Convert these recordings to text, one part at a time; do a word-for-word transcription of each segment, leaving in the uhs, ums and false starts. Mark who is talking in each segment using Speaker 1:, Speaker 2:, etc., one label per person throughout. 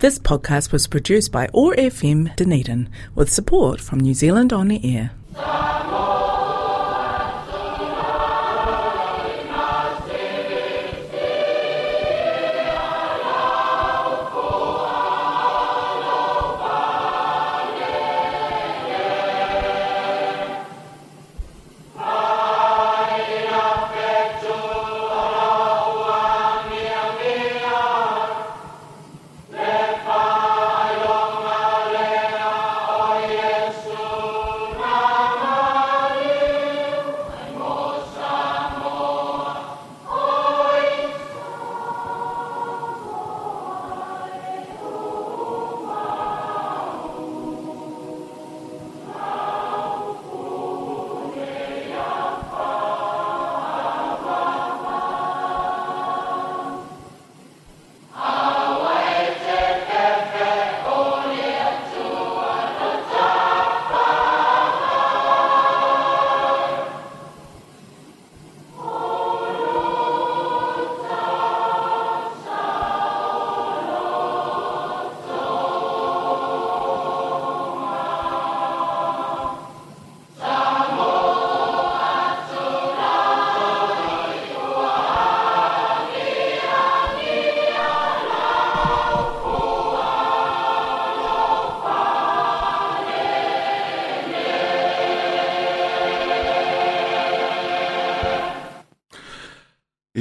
Speaker 1: This podcast was produced by O R F M Dunedin with support from New Zealand On Air.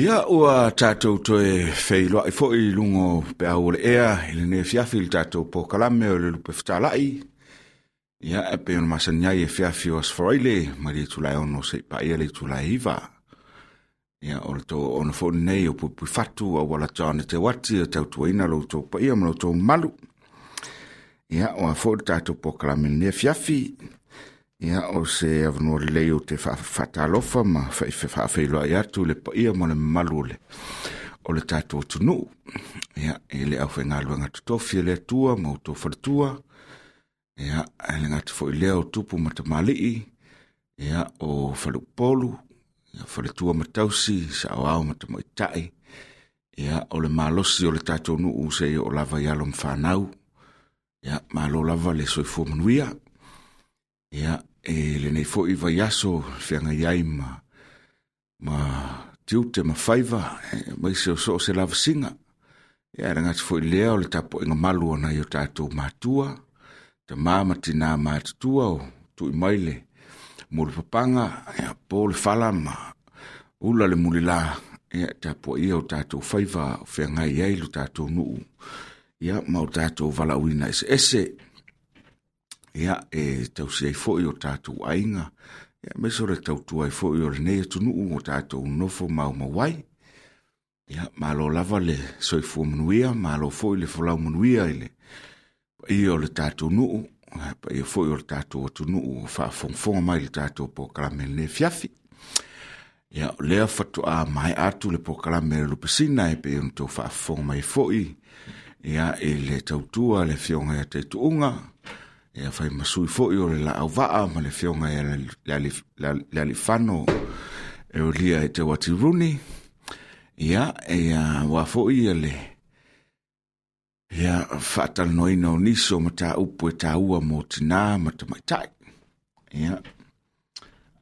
Speaker 2: Ia ua tātou toe wheiloa i fo i lungo pe au le ea i le nea fiafi le tātou po kalame o le lupe whatalai. Ia e pe ona masani ai e fiafi o asforaile ma le tulai ono se i paia le tulai iwa. Ia o le tō ono fo nei o pupui whatu o wala tāne te wati o tautuaina lo tō paia ma lo tō malu. Ia o a fo le tātou po kalame le nea fiafi. Ia o se avanua lelei o te whaatalofa ma whaawheiloa i atu le paia ma le malu o le, o le tātou atunuu. Ia e le au whaingaluenga totofi e le atua ma o tō whalatua. Ia e le ngati fo i lea o tupu matamalii. Ia o whalupolu. Ia whalatua matausi sa o au matamaitai. Ia o le malosi o le tātou nuu se i o lava i alo mwhanau. Ia malo lava le soifua manuia. Ia, e le nei foi vai aso whianga iai ma, ma tiute ma faiva, e, mai se o so o se lava singa. Ia, e ngati foi lea o le tapo inga malu ona i o tātou mātua, ta māma tina mātutua o tui mai le mulu papanga, ia, po le whala ma ula le mulila, ia, tapo ia o tātou faiva o whianga iai lo tātou nuu, ia, ma o tātou valauina ese ese. Ia, e tausi ai foi o tātou ainga, ia, me sore tautua ai foi o le nei atunuu o tātou nofo mau mawai. Ia, malo lava le soifua manuia, malo foi le folau manuia i le paia o le tātou nuu, paia foi o le tātou atunuu o whaafongafonga mai le tātou pōkalame le fiafi. Ia, o lea whatua mai atu le pōkalame le lupesina e pe ono tau whaafonga mai foi, ia, e le tautua le fionga ia te tuunga, ia whai masui foi o le la au waa ma le fionga ia le, le, le, le alifano e o lia e te wati runi. Ia, e a wā foi ia le ia whaatalanoina o niso ma tā upu e tā ua mō tina ma ta maitai. Ia,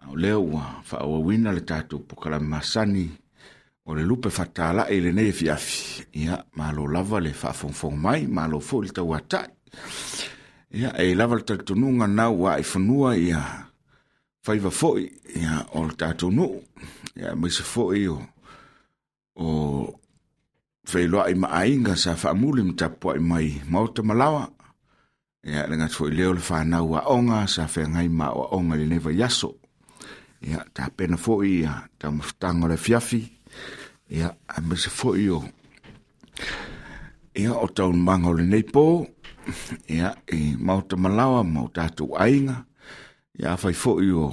Speaker 2: au lea ua whaawawina le tātou pokalame masani o le lupe whatalai le nei fiafi. Ia, malo lava le whaafongafonga mai, malo foi le tauatai. Ia, e lava le talitonunga nau wa i whanua ia whaiva foi ia o le tātou nuu. Ia, maise foi o, o whailoa i maainga sa whaamuli mtapuai mai mauta malawa. Ia, le ngati foi leo le whanau a onga sa whangai ma o onga le neva yaso. Ia, tā pena foi ia tau mawhtanga le fiafi. Ia, a maise foi o ia o tau manga o le nei pō. Ia, e mauta malawa, mau tātou ainga. Ia, whai foi o,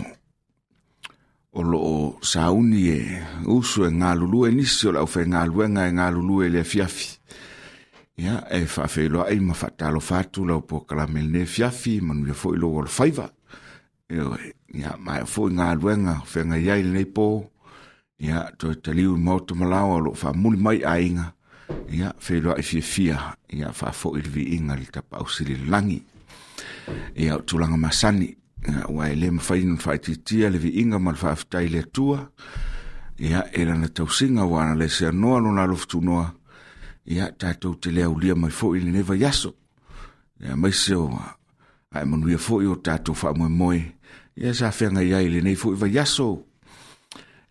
Speaker 2: o loo sauni e usu e ngā lulu e nisi o lau whai ngā luenga e ngā lulu e le fiafi. Ia, e whaawheiloa ai ma whaatalo whātu lau po kalame le fiafi, manuia foi lo o le whaiva. Ia, mai foi ngā luenga, whainga iai le nei pō. Ia, toi taliu i mauta malawa o loo whaamuli mai ainga. Ia feiloai fiafia ia faafo'i le viiga i le tapaau sili i le lagi. Ia o tulaga masani ua e lē mafai ona faaitiitia le viiga ma le faafetai i le Atua ia e lana tausiga ua ana le seanoa lona alofa tunoa ia tatou te le aulia mai fo'i i lenei vaiaso. Ia aemaise o ae manuia fo'i o tatou faamoemoe ia sa feagai ai i lenei fo'i vaiaso.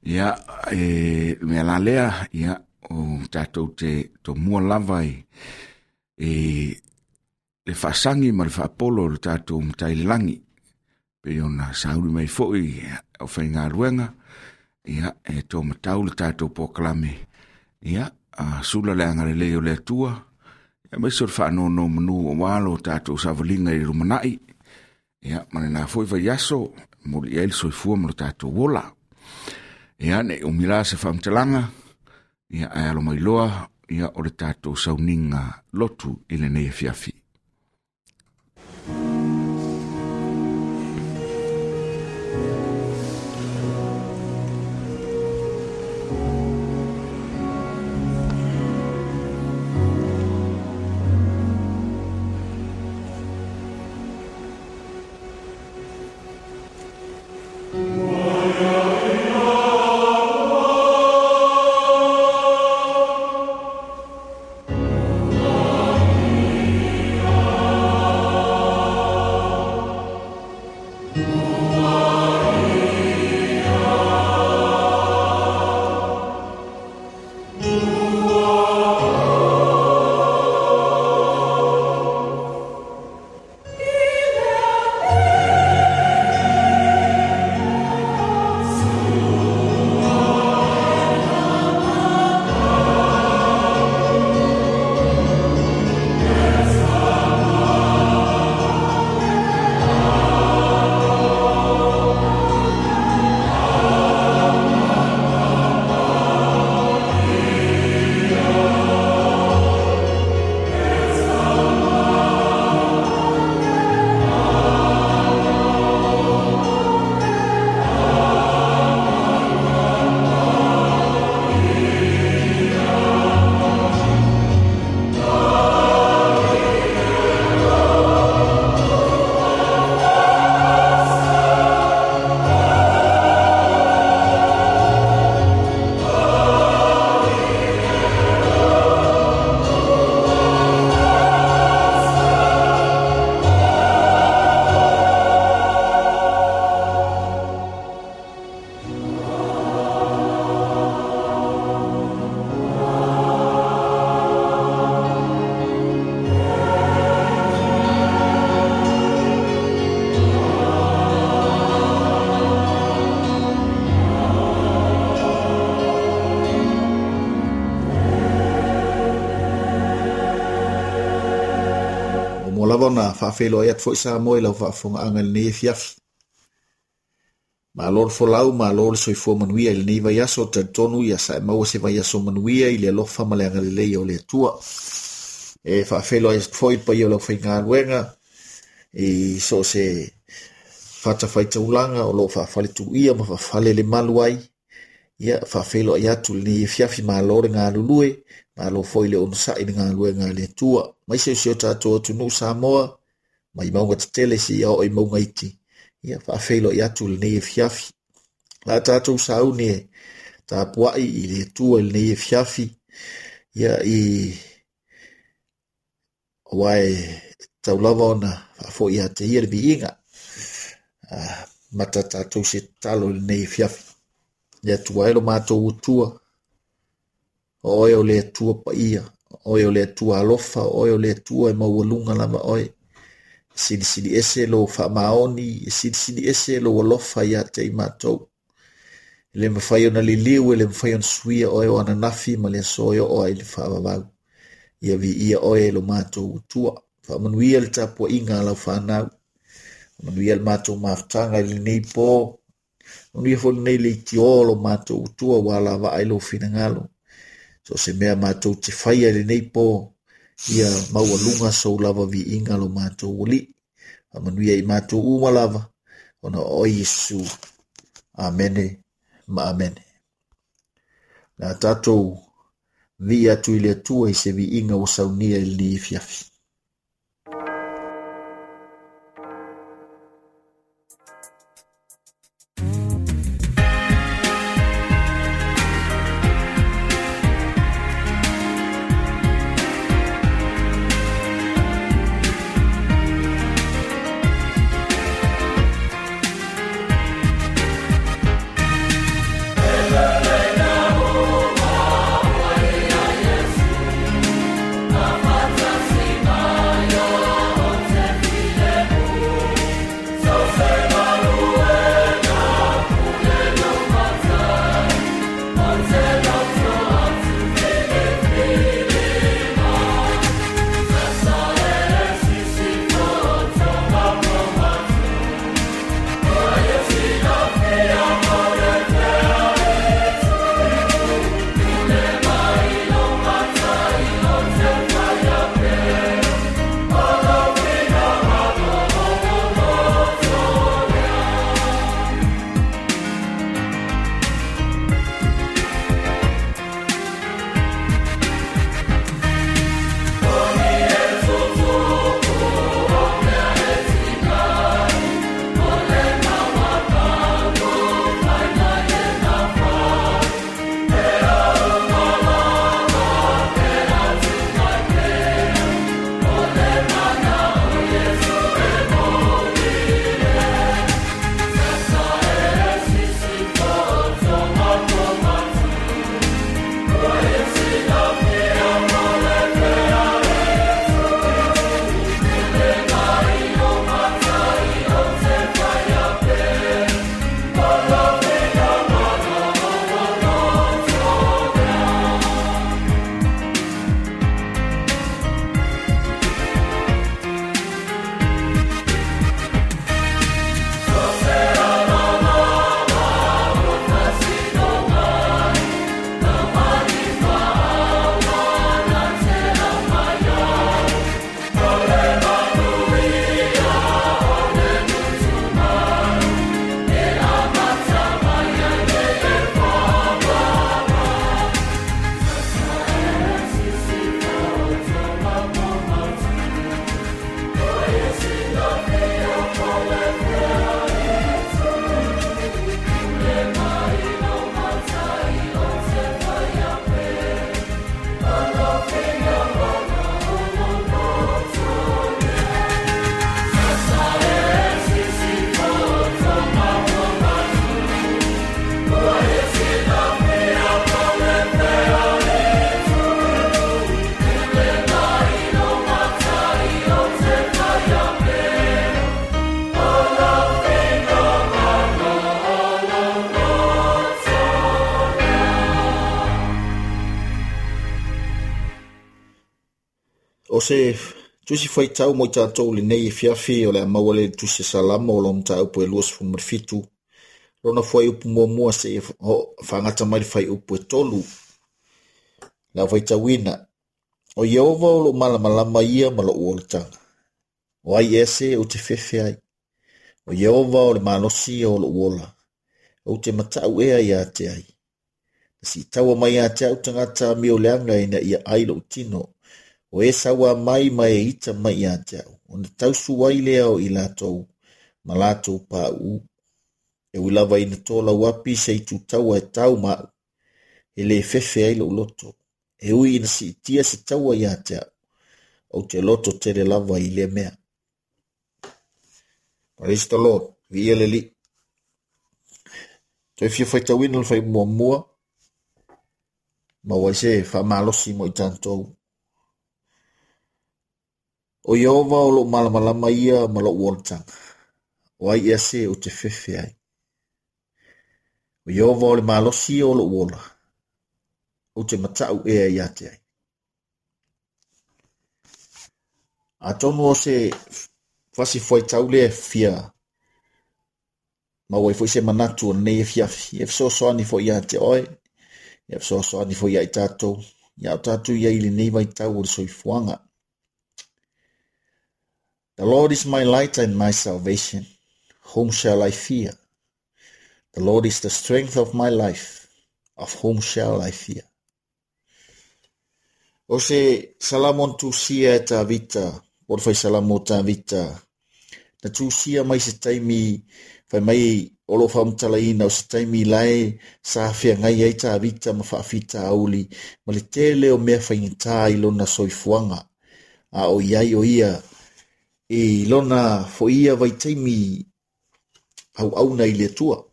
Speaker 2: Ia e mea la lea ia o tatou te tomua lava i e le faasagi ma le faapolo o le tatou Matai i le lagi pei ona sauni mai fo'i o faigaluega ia e tōmatau le tatou polokalame ia a sula le agalelei o le Atua aemaise o le faanonomanu aua lo tatou savaliga i le lumanai ia ma lena foi vaiaso momoli i ai le soifua ma lo tatou ola. Ia ne i umi la se faamatalaga ia ae alo mai loa ia o le tatou sauniga lotu i lenei afiafi.
Speaker 3: Lava ona faafeiloai atu foi Samoa i lau faafofogaaga i lenei afiafi. Malo le folau, malo le soifua manuia i lenei vaiaso, talitonu ia sa e maua se vaiaso manuia i le alofa ma le agalelei o le Atua. E faafeiloai atu foi le paia o lau faigaluega i so o se fatafaitaulaga o loo faafaletuia ma faafale le malu ai. Ia faafeiloai atu i lenei afiafi, malo le galulue, malo foi le onosai i le galuega a le Atua. Mai se o si o tatou atunuu Samoa, mai mauga tetele seia oo i mauga iti. Ia faafeiloai atu i lenei afiafi. La tatou sauni e tapuai i le Atua i lenei afiafi. Ia i aua e tatau lava ona faafoi ia te ia le viiga. Mata tatou se tatalo i lenei afiafi. Le Atua e lo matou Atua, o oe o le Atua paia, o oe o le Atua alofa, o oe o le Atua e maualuga lava oe. E silisili ese lou faamaoni, e silisili ese lou alofa ia te i matou. E le mafai ona liliu, e le mafai ona suia oe o ananafi ma le aso e oo ai le faavavau. Ia viia oe e lo matou Atua. Faamanuia le tapuaiga a lau fanau. Faamanuia le matou mafutaga i lenei po. Manuia foi lenei leitio o lo matou Atua ua alavaa ai lou finagalo. So se mea matou te faia i lenei po, ia maualuga sou lava viiga lo matou Alii. Faamanuia i matou uma lava, ona o oe Iesu. Amene ma amene. La tatou Viia atu i le Atua i se viiga ua saunia i lenei afiafi. O se tusi faitau mo i tātou lenei afiafi o le a maua le tusi Salamo o lo mataupu e luasefulu ma le fitu. Lona fuaiupu muamua seia faagata mai le fuaiupu e tolu. Le au faitauina. O Ieova o lou malamalama ia ma lou olataga. O ai ea se ou te fefe ai. O Ieova o le malosi ia o lou ola. Ou te matau ea ia te ai. Na siitaua mai ia te au tagata amio leaga ina ia ai lou tino. O e saua mai ma e ita mai ia te au. Ona tausu ai lea o i latou ma latou pāuu. E ui lava ina tō api se i tūtaua e tau ma'u. E le fefe ai lou loto. E ui ina siitia se taua ia te au. Ou te loto tele lava i lea mea. Praise the Lord. Viia le Alii. Toe fia faitauina le faimuamua. Maua ai se faamalosi mo i tatou. O Ieova o lou malamalama ia ma lou olataga. O ai ea se ou te fefe ai. O Ieova o le malosi ia o lou ola. Ou te matau ea ia te ai. Atonu o se fasi fuaitau lea fia maua ai foi se manatu o lenei afiafi. E fesoasoani foi ia te oe. E fesoasoani foi ia i tātou. Ia o tātou ia i lenei vaitau o le soifuaga. The Lord is my light and my salvation. Whom shall I fear? The Lord is the strength of my life. Of whom shall I fear? O se Salamo na tusia e Tavita, po o le faisalamo o Tavita, na tusia mai se taimi, fai mai o lo faamatalaina o se taimi lae sa feagai ai Tavita ma faafitauli ma le tele o mea faigata i lona soifuaga, a o i ai o ia i lona foia vaitaimi auauna i le Atua.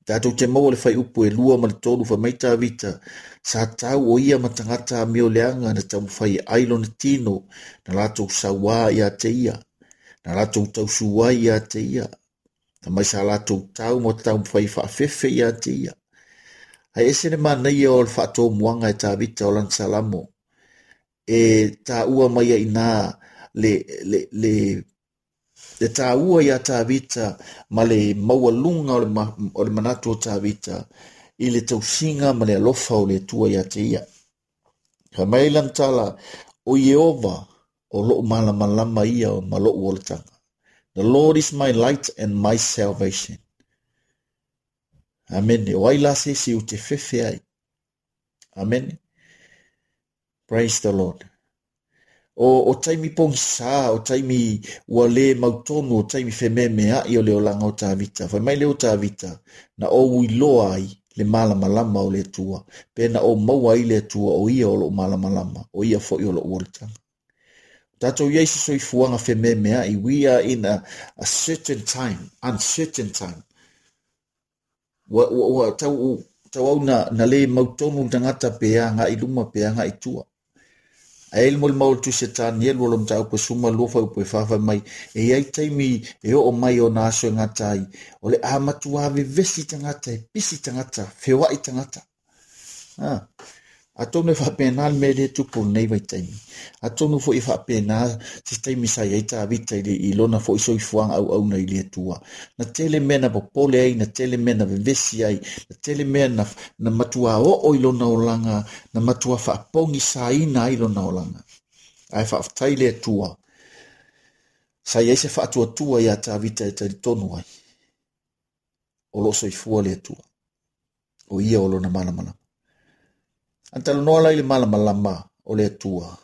Speaker 3: Tatou te maua le faiupu e lua ma le tolu fai mai Tavita, sa tau o ia ma tagata amioleaga na taumafai e ai lona tino, na latou sauā ia te ia, na latou tausū ai ia te ia, na mai sa latou tau ma taumafai faafefe ia te ia. Ae ese le manaia o le faatomuaga e Tavita o lana salamo, e taua mai ai inā le, le, le, le taua ia Tavita ma le maualuga o le, ma, o le manatu o Tavita i le tausiga ma le alofa o le Atua ia te ia. Fai mai lana tala, o Ieova o lou malamalama ia ma lou olataga. The Lord is my light and my salvation. Amen. O ai la se isi ou te fefe ai. Amen. Praise the Lord. O, o taimi pogisa, o taimi ua le mautonu, o taimi fememeai o le olaga o Tavita. Fai mai le o Tavita, na ou iloa ai le malamalama o le Atua, pe na ou maua ai le Atua o ia o lou malamalama, o ia foi o lou olataga. Tatou i ai se soifuaga fememeai, we are in a, a certain time, uncertain time. Ua, ua, ua tau, tau au na, na le mautonu le tagata pe agai i luma pe agai i tua. Ae le molimau o le Tusi a Tanielu o lo mataupu e suma lua faiupu e fa fai mai, e i ai taimi e oo mai ona aso e gata ai, o le a matua vevesi tagata, e pisi tagata, feoai tagata. Ah. Atonu e faapena le mea lea e tupu lenei vaitaimi. Atonu foi e faapena se taimi sa i ai Tavita i, le, i lona foi soifuaga auauna i le Atua. Na tele mea na popole ai, na tele mea na vevesi ai, na tele mea na, na matua oo i lona olaga, na matua faapogisaina ai lona olaga. Ae faafetai le Atua, sa i ai se faatuatua ia Tavita e talitonu ai, o loo soifua le Atua, o ia o lona malamalama. A talanoa la i le malamalama o le Atua.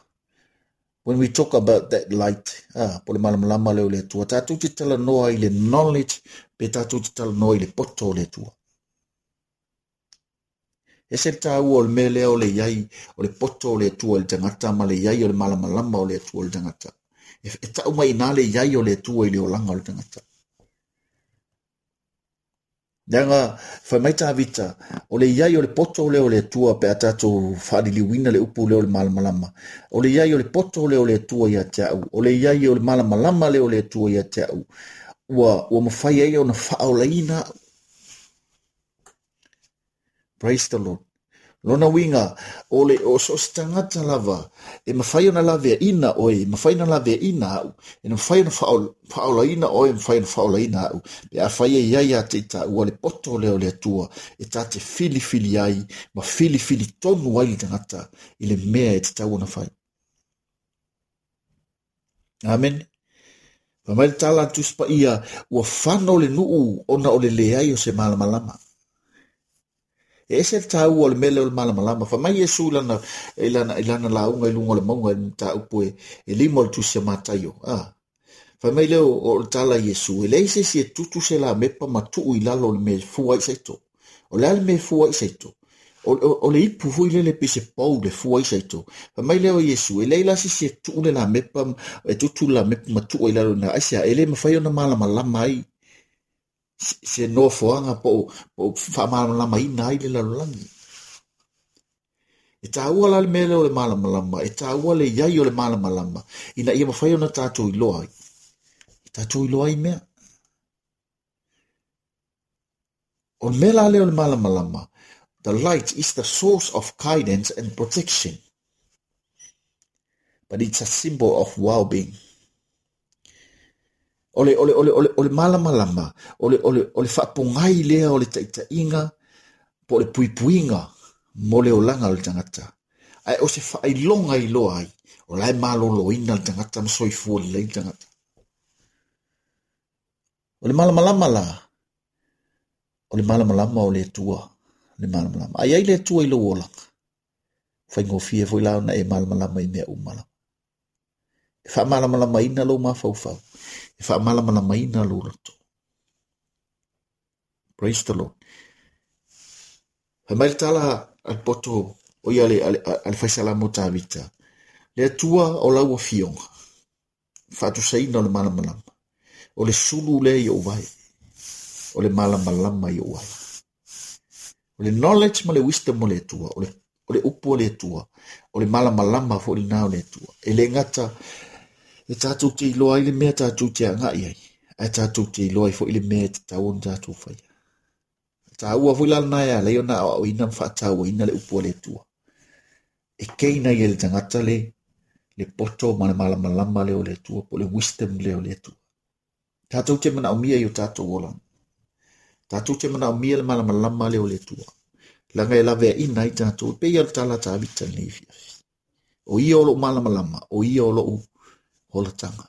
Speaker 3: When we talk about that light, ah, po le malamalama lea o le Atua, tatou te talanoa i le knowledge, pe tatou te talanoa i le poto o le Atua. Ese le taua o le mea lea o le iai, o le poto o le Atua i le tagata, ma le iai o le malamalama o le Atua i le tagata. E, e tau mai inā le iai o le Atua i le olaga o le tagata. Leaga, fai mai Tavita, o le iai o le poto lea o le Atua pe a tatou faaliliuina le upu lea o le malamalama. O le iai o le poto lea o le Atua ia te au. O le iai o le malamalama lea o le Atua ia te au. Ua, ua mafai ai ona faaolaina au. Praise the Lord. Lona uiga, o le o so o se tagata lava, e mafai ona laveaina oe, e mafai ona laveaina au, e mafai ona faaolaina oe, e mafai ona faaolaina au. Pe afai e iai ia te i taua le poto lea o le Atua, e ta te filifili ai, ma filifili tonu ai le tagata i le mea e tatau ona fai. Amen. Fai mai le tala a le Tusi Paia, ua fano le nuu ona o le leai o se malamalama. E ese le taua o le mea lea o le malamalama. Fai mai Iesu i lana, i lana, i lana lauga i luga o le mauga i le mataupu e, e lima o le Tusi a Mataio. Ah. Fai mai lea o, o le tala a Iesu, e leai se isi e tutu se lamepa ma tuu i lalo o le mea e fua ai saito. O le a le mea e fua ai saito? O, o, o le ipu foi lele pe se pou le fua ai saito. Fai mai lea o Iesu, e leai la se isi e tuu le lamepa, e tutu le lamepa ma tuu ai lalo ina. Aisea, e le mafai ona malamalama ai se nofoaga po o faamalamalamaina ai le lalolagi. E taua la le mea lea o le malamalama, e taua le iai o le malamalama, ina ia mafai ona tatou iloa ai. E tatou iloa ai mea. O le mea la lea o le malamalama, the light is the source of guidance and protection. But it's a symbol of well-being. O le, o le, o le, o le, o le malamalama, o le, o le, o le faapogai lea o le taitaiga, po o le puipuiga mo le olaga o le tagata. Ae o se faailoga iloa ai, o la e maloloina le tagata ma soifua lelei le tagata. O le malamalama la, o le malamalama o le Atua, le malamalama. Ai ai le Atua i lou olaga. Faigofie foi la ona e malamalama i mea uma lava. E faamalamalamaina lou mafaufau, e faamalamalamaina lou loto. Praise the Lord. Fai mai le tala a le poto o ia le, a le faisalamo o Tavita. Le Atua o lau afioga, faatusaina o le malamalama. O le sulu lea i ou vae, o le malamalama i ou ala. O le knowledge ma le wisdom o le Atua, o le, o le upu o le Atua, o le malamalama foi lena o le Atua. E le gata e tatou te iloa ai le mea tatou te agai ai, ae tatou te iloa ai foi le mea e tatau ona tatou faia. Taua foi la lena e ala ai ona aoaoina ma faatauaina le upu a le Atua. E keina ia le tagata le, le poto ma le malamalama lea o le Atua, po o le wisdom lea o le Atua. Tatou te manaomia i o tatou olaga. Tatou te manaomia le malamalama lea o le Atua. Laga e laveaina ai tatou, e pei o le tala a Tavita lenei afiafi. O ia o lou malamalama, o ia o lou holataga.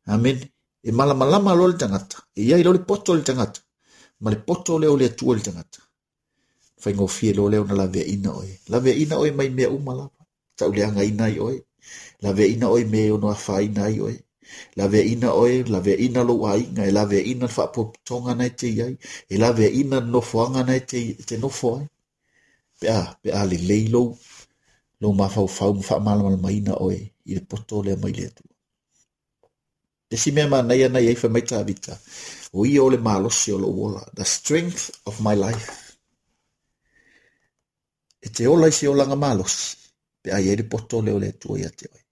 Speaker 3: Amen. E malamalama loa le tagata, e iai loa le poto o le tagata, ma le poto lea o le Atua i le tagata. Faigofie loa lea ona laveaina oe. Laveaina oe mai mea uma lava. Tauleagaina ai oe. Laveaina oe me ono afaina ai oe. Laveaina oe, laveaina lou aiga, e laveaina le faapotopotoga na e te i ai, e laveaina le nofoaga na e te, te nofo ai. Pe a, pe a lelei lou, lou mafaufau ma faamalamalamaina oe i le poto lea mai le Atua. Isi mea manaia na i ai fai mai Tavita, o ia o le malosi o lou ola, the strength of my life. E te ola i se olaga malosi, pe a i ai le poto lea o le Atua ia te oe.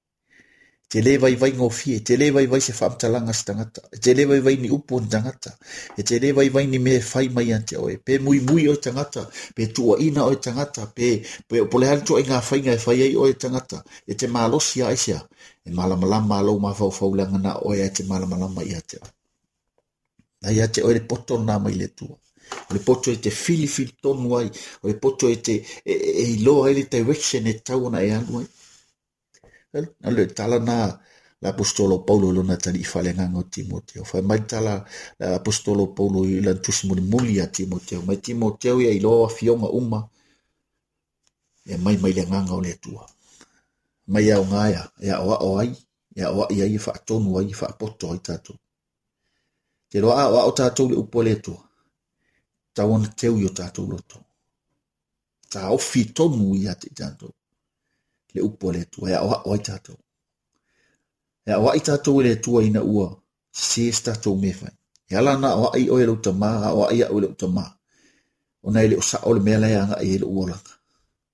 Speaker 3: E te le vaivai gofie, e te le vaivai se faamatalaga se tagata, e te le vaivai ni upu o ni tagata, e te le vaivai ni mea e fai mai ia te oe. Pe muimui oe tagata, pe tuuaina oe tagata, pe, pe po o le a le ituaiga faiga e fai ai oe tagata, e te malosi a aisea, e malamalama lou mafaufau leaga na oe ae te malamalama ia te oe. Na ia te oe le poto lena mai le Atua. O le poto e te filifili tonu ai, o le poto e te e, e, e iloa ai le direction e tatau ona e alu ai. O le tala na le apostolo Paulo i lona talii faaleagaga o Timoteo. Fai mai le tala le apostolo Paulo i lana tusi mulimuli ia Timoteo. Mai Timoteo ia iloa afioga uma e mai mai le agaga o le Atua. Mai aoga ia, e aoao ai, e aoai ai, e faatonu ai, e faapoto ai tatou. Te loa aoao tatou le upu a le Atua, tau ona teu i o tatou loto. Taofi tonu ia te tatou. Le upu a le Atua, e aoao ai tatou. E aoai tatou e le Atua ina ua sese se tatou mea fai. E ala ona aoai oe e lou tamā, aoai au e lou tamā. Ona e le o sao le mea la e agai ai lou olaga.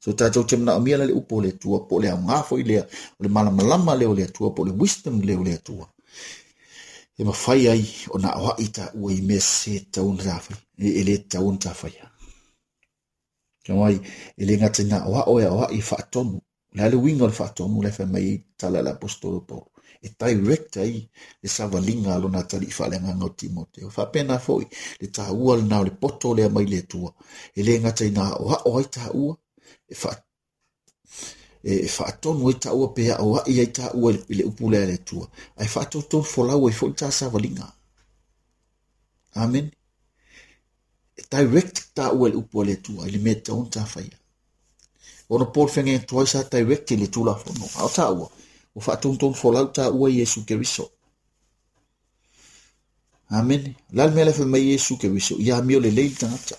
Speaker 3: So tatou te manaomia la le upu o le Atua, po o le aoga foi lea, o le malamalama lea o le Atua, po o le wisdom lea o le Atua. E mafai ai ona aoai taua i mea sese e tatau ona tafai, e le tatau ona tafaia. Ka mai, e le gata ina aoao e aoai e faatonu. Le a le uiga o le faatonu le fai mai ai tala le apostolo Paulo. E direct ai le savaliga a lona talii faaleagaga o Timoteo. Faapena foi le taua lena o le poto lea mai le Atua. E le gata ina aoao ai taua, e fa e faatonu ai taua pe aoai ai taua i le upu lea a le Atua. Ae faatotonu folau ai foi le ta savaliga. Amen. E direct taua i le upu a le Atua i le mea e tatau ona tafaia. Ona Paul whenga tuai sa direct i le Tulafono. A o taua, o faatontonu folau taua i Iesu Keriso. Amen. La le mea le fai mai Iesu Keriso, ia amio lelei le tagata.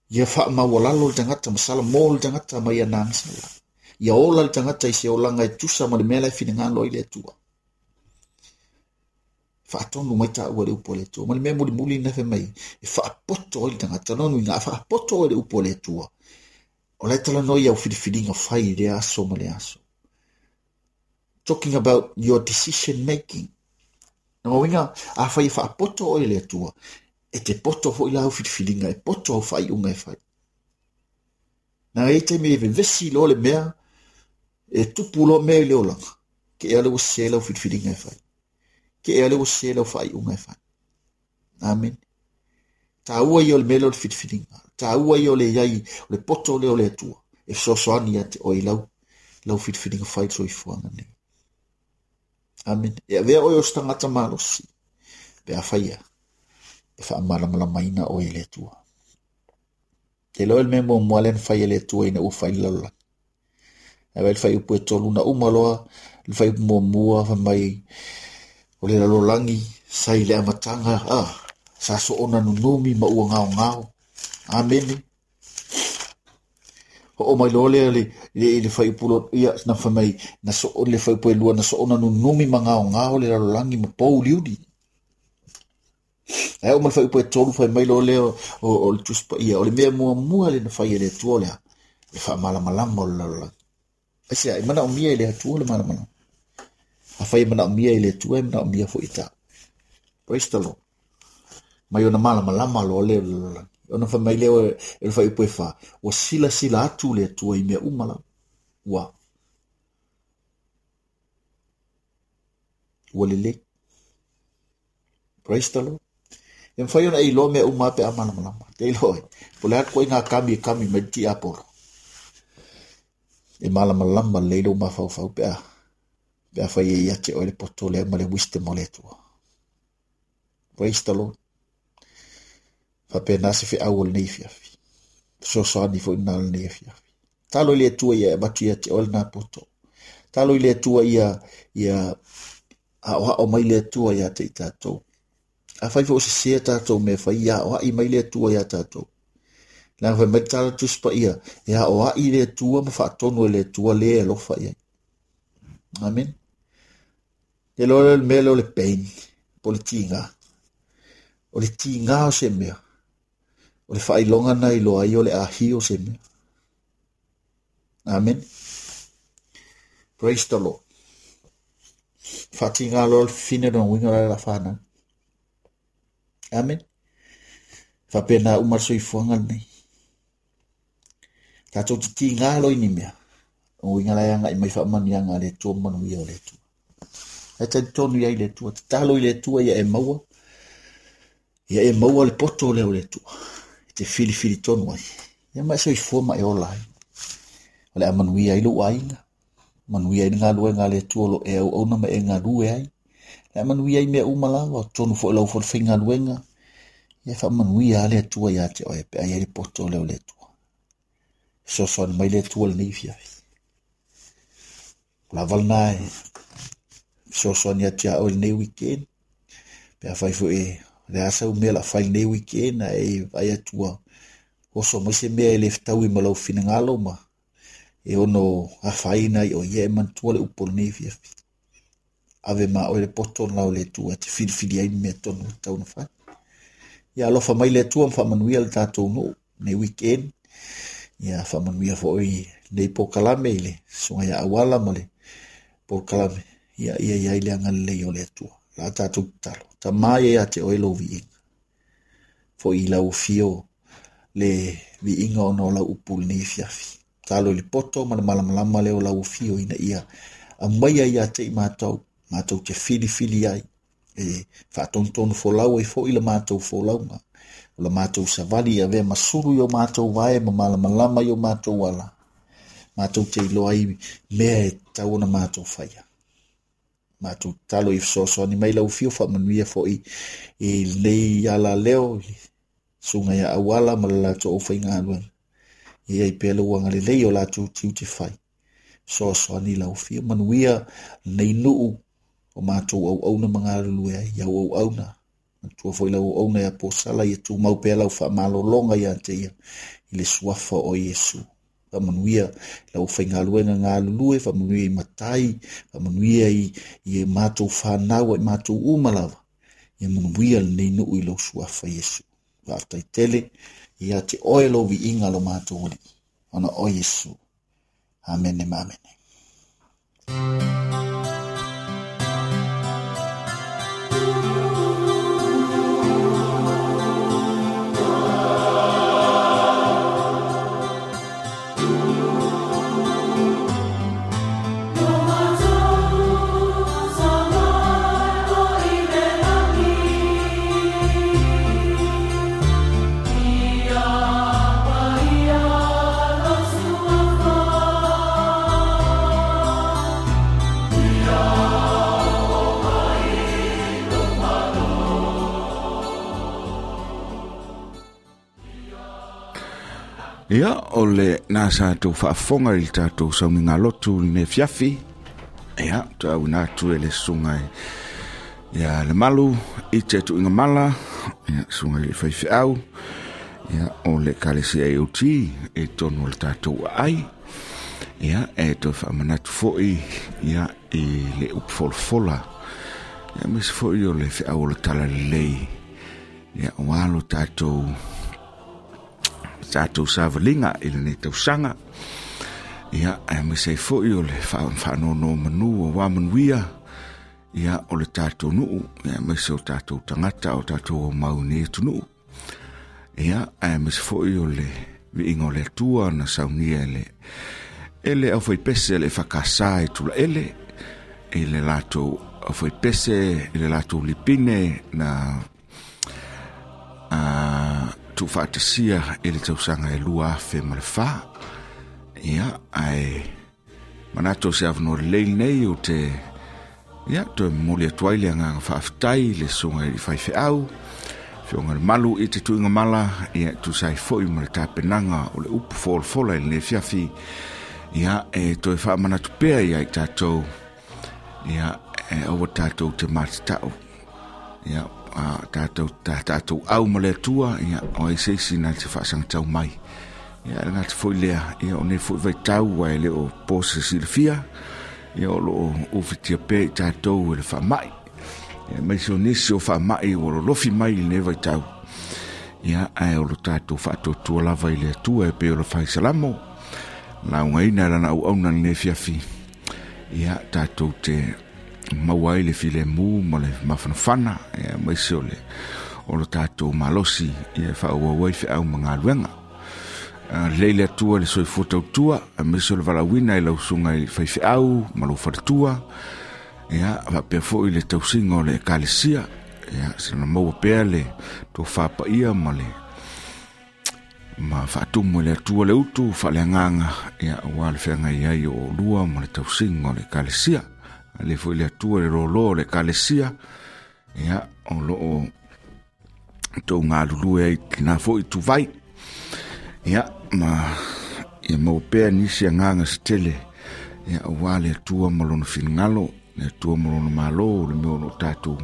Speaker 3: Ia faamaualalo le tagata, ma salamo le tagata mai ana agasala. Ia ola le tagata i se olaga e tusa ma le mea la e finagalo ai le Atua. Faatonu mai taua le upu a le Atua. Ma le mea mulimuli na fai mai, e faapoto ai le tagata. Lona uiga, a faapoto ai le upu a le Atua. O la e talanoa i au filifiliga fai i le aso ma le aso. Talking about your decision making. Lona uiga, a fai e faapoto oe le Atua, e te poto foi la au filifiliga, e poto au faaiuga e fai. Na e taimi e vevesi loa le mea, e tupu loa mea i le olaga, ke ea le ua sese lau filifiliga e fai. Ke ea le ua sese lau faaiuga e fai. Amen. Taua ia o le mea lea o le filifiliga. Taua ia o le iai, o le poto lea o le Atua. E fesoasoani ia te oe i lau, lau filifiliga fai le soifuaga nei. Amen. E avea oe o se tagata malosi, pe a faia, e faamalamalamaina oe e le Atua. Te loa le mea muamua lea na fai e le Atua ina ua fai le lalolagi. Ae vaai le fuaiupu e tolu na uma loa le fuaiupu muamua fai mai o le lalolagi sa i le amataga ah, sa soona nunumi ma ua gaogao. Amene. Ho'o mai loa lea le, le, le fuaiupu lo, ia, na fai mai na so, le fuaiupu e lua na soona nunumi ma gaogao le lalolagi ma pouliuli. Ae oo ma le fuaiupu e tolu fai mai loa lea o, o, o le Tusi Paia o le mea muamua le na fai e le Atua o le a le faamalamalama o le lalolagi. Aisea, e manaomia e le Atua le malamalama. Afai e manaomia e le Atua, e manaomia foi e tāu. Praise the Lord. Mai ona malamalama loa lea o le lalolagi. Ona fai mai lea o e le fuaiupu e fa, ua silasila atu le Atua i mea uma lava. Ua ua lelei. Praise the Lord. E mawhai ona e iloa mea uma pe a malamalama. Te iloa e. Po le atu koe ngā kami e kami mai ti apolo. E malamalama lelei lou mafaufau pe a pe a fai e ia te oe le poto lea ma le wisdom o le Atua. Praise the Lord. Faapena se feau o lenei afiafi. Fesoasoani foi lena o lenei afiafi. Talo i le Atua ia e avatu ia te oe lena poto. Talo i le Atua ia ia aoao mai le Atua ia te i tatou. Afai foi o sesē tatou mea fai, ia aoai mai le Atua ia tatou. Leaga fai mai le tala Tusi Paia, e aoai le Atua ma faatonu e le Atua le alofa i ai. Amen. Te loa lea o le mea lea o le pain, po o le tiga. O le tiga o se mea, o le faailoga na iloa ai o le ahi o se mea. Amen. Praise the Lord. Faatiga loa le fifine lona uiga o le la whanau. Amen. Faapena uma le soifuaga lenei. Tatou te tiga loa i ni mea. O uiga la e agai mai faamanuiaga a le Atua ma manuia o le Atua. Ae talitonu i ai le Atua. Tatalo i le Atua ia e maua. Ia e maua le poto lea o le Atua. E te filifili tonu ai. Ia ma e soifua ma e ola ai. O le a manuia ai lou aiga. Manuia ai le galuega a le Atua o lo e auauna ma e galue ai. Le a manuia ai mea uma lava. O tonu foi lau foi le faigaluega. Ia faamanuia a le Atua ia te oe pe a i ai le poto lea o le Atua. Fesoasoani mai le Atua lenei afiafi. O lava lena e fesoasoani atu ia oe lenei weekend. Pe a fai foi e le a sau mea la fai lenei weekend ae e vaai atu ua oso mai se mea e le fetaui ma lau finagalo ma e ono afaina i o ia e manatua le upu o lenei afiafi. Ave ma oe le poto lena o le Atua e te filifili ai le mea tonu e tatau ona fai. Ia alofa mai le Atua ma faamanuia le tatou nuu nei weekend. Ia faamanuia foi nei polokalame i le susuga ia Auala ma le polokalame. Ia ia i ai le agalelei o le Atua. La tatou tatalo. Tama ia ia te oe lou viiga. Foi i lau afio le viiga ona o lau upu lenei afiafi. Talo i le poto ma le malamalama lea o lau afio ina ia aumaia ia te i matou, matou te filifili ai. E faatonutonu folau ai foi le matou folauga. O le matou savali ia avea masulu i o matou vae ma malamalama i o matou ala. Matou te iloa ai mea e tatau ona matou faia. Matou tatalo i fesoasoani mai lau afio faamanuia foi i lenei ala leo, i le susuga ia Auala ma le latou aufaigaluega. Ia i pea lou agalelei o latou tiute fai. Fesoasoani lau afio, manuia lenei nuu o matou auauna ma galulue ai, i au auauna. Manatua foi lau auauna ia Posala, ia tumau pea lau faamalologa ia te ia i le suafa o Iesu. Faamanuia lau aufaigaluega galulue, faamanuia i matai, faamanuia i, i matou whanau, i matou uma lava. Ia manuia lenei nuu i lou suafa Iesu. Faafetai tele ia te oe lou viiga lo matou Alii. Ona o Iesu. Amene ma amene.
Speaker 4: Ia
Speaker 2: Ia, o le nā sa tau faafofoga i le tatou sauniga lotu i lenei afiafi. Ia, tauina atu e le susuga ia le malu i te tuuiga mala, ia susuga i le faifeau, ia o le Ekalesia A O T e tonu o le tatou aai. Ia, e toe faamanatu foi ia i le upu folafola, ia aemaise foi o le feau o le talalelei, ia ua lo tatou tatou savaliga i lenei tausaga. Ia, aemaise ai foi o le faanonomanu aua manuia, ia o le tatou nuu, ia aemaise o tatou tagata o tatou mau i lenei atunuu. Ia, aemaise foi o le viiga o le Atua na saunia e le e le aufaipese le fakasa i Tulaele, i le latou aufaipese i le latou lipine na a tuufaatasia i le tausaga e lua afe ma le fa. Ia, ae manatu o se avanoa lelei lenei o te ia toe momoli atu ai le agaga faafetai i le susuga i le faifeau, afioga i le malu i te tuuiga mala, ia tusa ai foi ma le tapenaga o le upu folafola i lenei afiafi. Ia, e toe faamanatu pea ia i tatou, ia, e aua tatou te matatau, ia, a tatou, ta, tatou au ma le Atua, ia, o ai se isi na te faasagatau mai. Ia, e le gata foi lea, ia, o nei foi vaitau ae le o po se silafia, ia, o loo ufitia pea i tatou e le faamai. Ia, aemaise o nisi o faamai ua lolofi mai i lenei vaitau. Ia, ae o lo tatou faatuatua lava i le Atua e pei o le faisalamo, laugaina e lana auauna i lenei afiafi. Ia, tatou te maua ai le filemu ma le mafanafana, ia, aemaise o le o lo tatou malosi, ia, e faaauau ai feau ma galuega. Lelei le Atua i le soifua tautua, aemaise o le valaauina i lau susuga i le faifeau ma lou faletua, ia, faapea foi le tausiga o le Ekalesia. Ia, sina maua pea le tofa paia ma le ma faatumu e le Atua le utu faaleagaga, ia, aua le feagai ai o olua ma le tausiga o le Ekalesia. Ale foi le Atua le lōlō o le Ekalesia, ia, o loo tou galulue ai lena foi tuvai. Ia, ma ia maua pea nisi agaga se tele, ia, aua le Atua ma lona finagalo, le Atua ma lona malo, le mea o loo tatou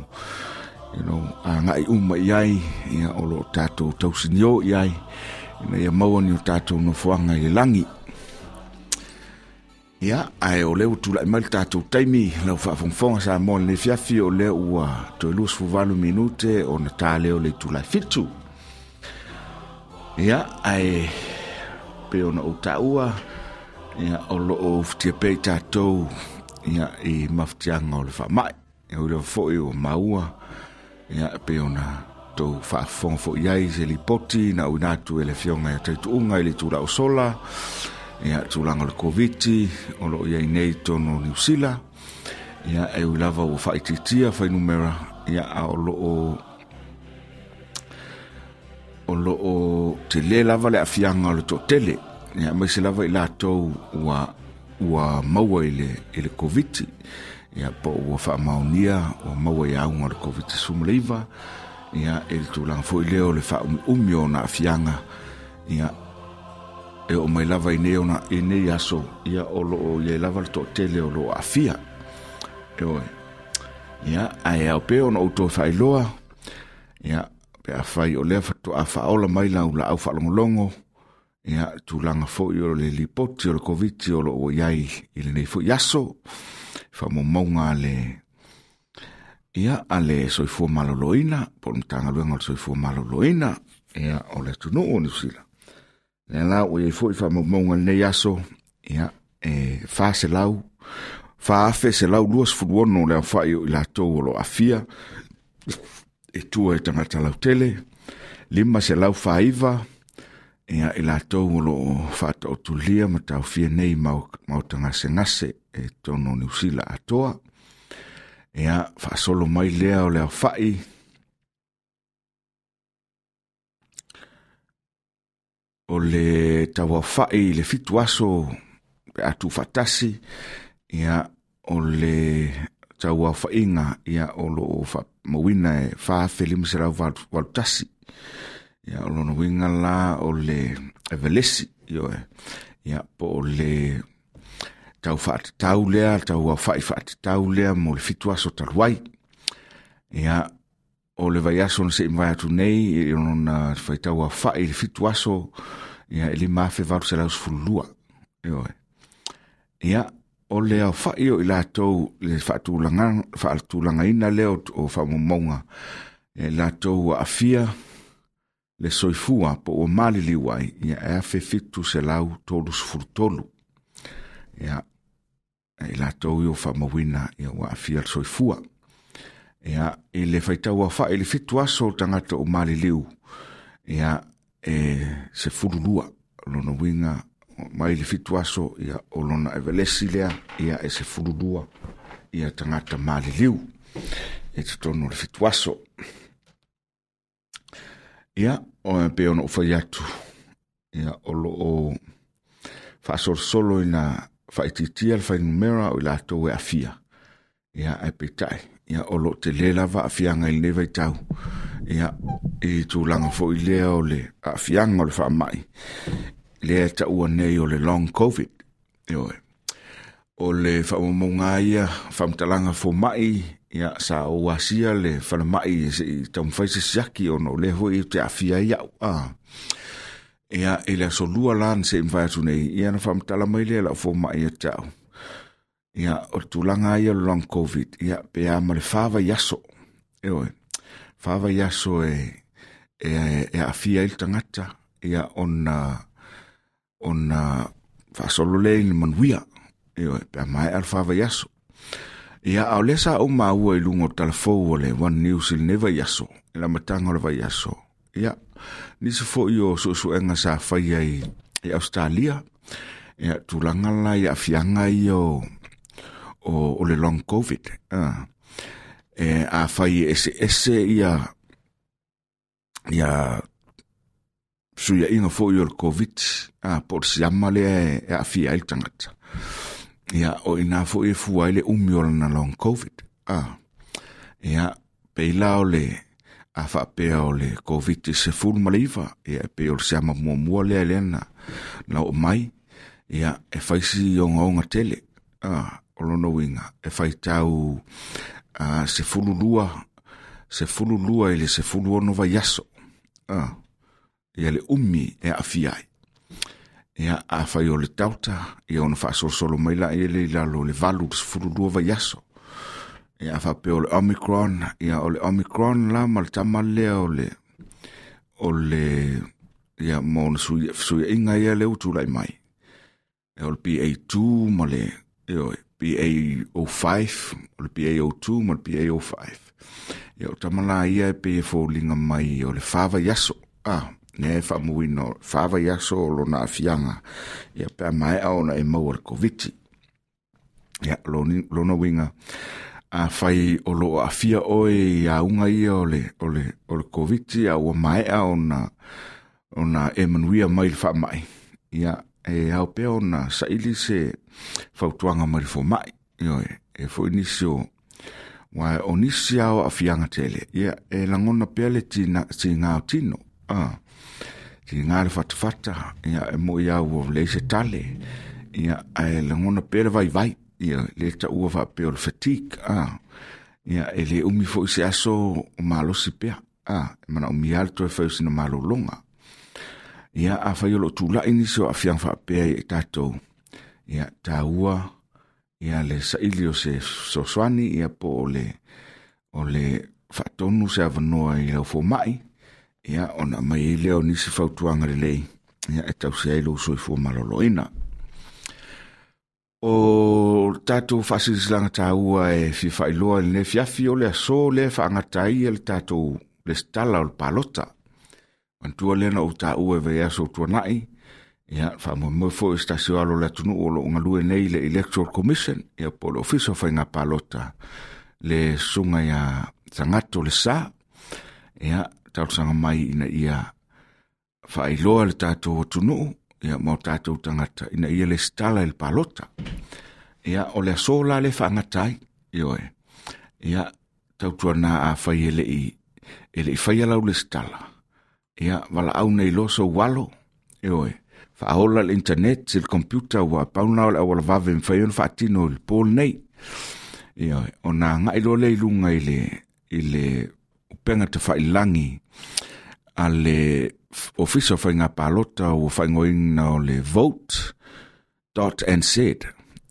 Speaker 2: you know, agai uma i ai, ia, o loo tatou tausinio i ai, ina ia maua ni o tatou nofoaga i le lagi. Ia, ae o lea ua tulai mai le tatou taimi lau faafogafoga Samoa i lenei afiafi, o lea ua toe luasefuluvalu minute ona ta lea o le itula e fitu. Ia, ae pei ona ou taua, ia, o loo ufitia pea i tatou, ia, i mafatiaga o le faamai. Ia, ui lava foi ua maua, ia, pei ona tou faafofoga foi ai se lipoti na auina atu e le afioga ia Taituuga i le itula o sola, ia, tulaga o le Koviti o loo iai nei i totonu o Niu Sila. Ia, e ui lava ua faaitiitia fuainumera, ia, a o loo o loo tele lava le aafiaga o le toatele, ia, aemaise lava i latou ua ua maua i le i le Koviti, ia, po ua faamaonia ua maua i auga o le Koviti sefulumaneiva, ia, i le tulaga foi lea o le faaumiumi o ona aafiaga, ia, e oo mai lava i nei ona i nei aso, ia, o loo iai lava le toatele o loo aafia. Ioe. Ia, ae ao pea ona ou toe faailoa, ia, pe afai o lea faatoa faaola mai lau laau faalogologo, ia, tulaga foi o le lipoti o le Koviti o loo iai i lenei foi aso, faamaumauga a le ia, a le Soifua Maloloina, po o le Matagaluega o le Soifua Maloloina, ia, o le atunuu o Niu Sila. Lea la ua iai foi faamaumauga i lenei aso, ia, e fa selau, fa afe selau luasefulu ono le aofai o i latou o loo aafia, e tua i tagata lautele, lima selau faaiva, ia, i latou o loo faataotolia ma taofia nei maota gasegase e totonu o Niu Sila atoa. Ia, faasolo mai lea o le aofai o le tauaofai i le fitu aso pe a tuufaatasi, ia, o le tauaofaiga, ia, o loo faamauina e fa afe lima selau valu tasi. Ia, o lona uiga la o le Evelesi, Ioe. Ia, po o le tau faatatau lea, tau aofa'i faatatau lea mo le fitu aso talu ai. Ia, o le vaiaso na se'i mavae atu nei, e lona faitau aofa'i le fitu aso, ia, e lima afe valu selau sefululua. Ioe. Ia, o le aofa'i o i latou le faatulagaina lea o faamaumauga, e latou ua aafia le soifua po ua maliliu ai, ia, e afe fitu selau tolu sefulu tolu. Ia, e latou ia o faamauina, ia, ua aafia le soifua. Ia, i le faitau aofa'i le fitu aso o tagata o maliliu, ia, e sefulu lua. Lona uiga mai le fitu aso, ia, o lona evelesi lea, ia, e sefulu lua, ia, tagata maliliu e totonu o le fitu aso. Ia, o e pei ona ou fai atu, ia, o loo faasolosolo ina faaitiitia le fuainumera o i latou e aafia. Ia, ae peitai, ia, o loo tele lava aafiaga i lenei vaitau. Ia, i tulaga foi lea o le aafiaga o le faamai, lea e taua nei o le long COVID. Ioe. O le faamaumauga ia, faamatalaga foma'i, ia, sa ou asia le falemai se'i taumafai se siaki ona o lea foi ou te aafia ai au. Ah. Ia, i le aso lua la na se'i mavae atu nei, ia, na faamatala mai lea lau foma'i ia te au. Ia, o le tulaga ia o le long COVID, ia, pe a ma le fa vaiaso. Ioe. Fa vaiaso e, e, e aafia ai le tagata, ia, ona, ona faasolo lea i le manuia. Ioe, pe a maea le fa vaiaso. Ia, a o lea sa ou maua i luga o talafou o le One News i lenei vaiaso, i le amataga o le vaiaso. Ia, nisi foi o suesuega sa faia i, i Australia, ia, tulaga la i aafiaga ia o, o, o le long COVID. Ah. E, a fai e eseese ia, ia suiaiga foi o le COVID, ah, po o le siama lea e, e aafia ai le tagata. Ia, o ina foi e fua ai le umi o lana long COVID. Ah. Ia, pei la o le a faapea o le COVID sefulu ma le iva, ia, e pei o le siama muamua lea lea na, na oo mai, ia, e fai si ogaoga tele. Ah, o lona uiga, e faitau ah, sefulu lua, sefulu lua i le sefulu ono vaiaso. Ah, ia le umi e aafia ai. Ia, a fai o le Delta, ia, ona faasolosolo mai la ia le i lalo o le valu i le sefulu lua vaiaso. Ia, a faapea o le Omicron, ia, o le Omicron la ma le tama lea o le, o le, ia, ma ona fesuiaiga ia lea ua tulai mai. Ia, o le B A two ma le, ioe, B A zero five, o le B A zero two ma le B A zero five. Ia, o tama la ia e pei e foliga mai o le fa vaiaso. Ah, lea e faamauina o fa vaiaso o lona aafiaga, ia, pe a maea ona e maua le Koviti. Ia, lona uiga, a fai o loo aafia oe i auga ia o le, o le, o le Koviti, a ua maea ona, ona e manuia mai le faamai. Ia, e ao pea ona saili se fautuaga mai le foma'i. Ioe, e foi nisi o, ua o nisi ao aafiaga tele. Ia, e lagona pea le tina, tiga o tino. Ah, tiga le fatafata, ia, e moi au o leai se tale. Ia, ae lagona pea le vaivai. Ia, le taua faapea o le fatigue. Ah, ia, e le umi foi se aso o malosi pea. Ah, e manaomia le toe fai o sina malologa. Ia, a fai o loo tula'i nisi o aafiaga faapea i tatou. Ia, taua, ia, le saili o se fesoasoani, ia, po o le, o le faatonu se avanoa i lau foma'i. Ia, ona aumai ai lea o nisi fautuaga lelei, ia, e tausi ai lou soifua maloloina. O tatou faasilasilaga taua e fia faailoa i lenei afiafi, o le aso lea e faagata ai le tatou lesitala o le palota. Manatua lea na ou taua e vaiaso o tuanai, ia, faamoemoe foi se tasi o alo o le atunuu o loo galue nei le Electoral Commission, ia, po o le Ofisa o Faiga Palota, le susuga ia Tagato le Sa. Ia, talosaga mai ina ia faailoa le tatou atunuu, ia, ma o tatou tagata, ina ia lesitala i le palota. Ia, o le aso la le faagata ai. Ioe. Ia, tautuana a fai e le'i, e le'i faia lau lesitala. Ia, valaau nei loa sou alo. Ioe. Faaola le internet i le computer ua pau lena o le auala vave e mafai ona faatino i le po lenei. Ioe, ona agai loa lea i luga i le i le upega tafailagi a le Ofisa o Faiga Palota ua faaigoaina o le vote dot n z.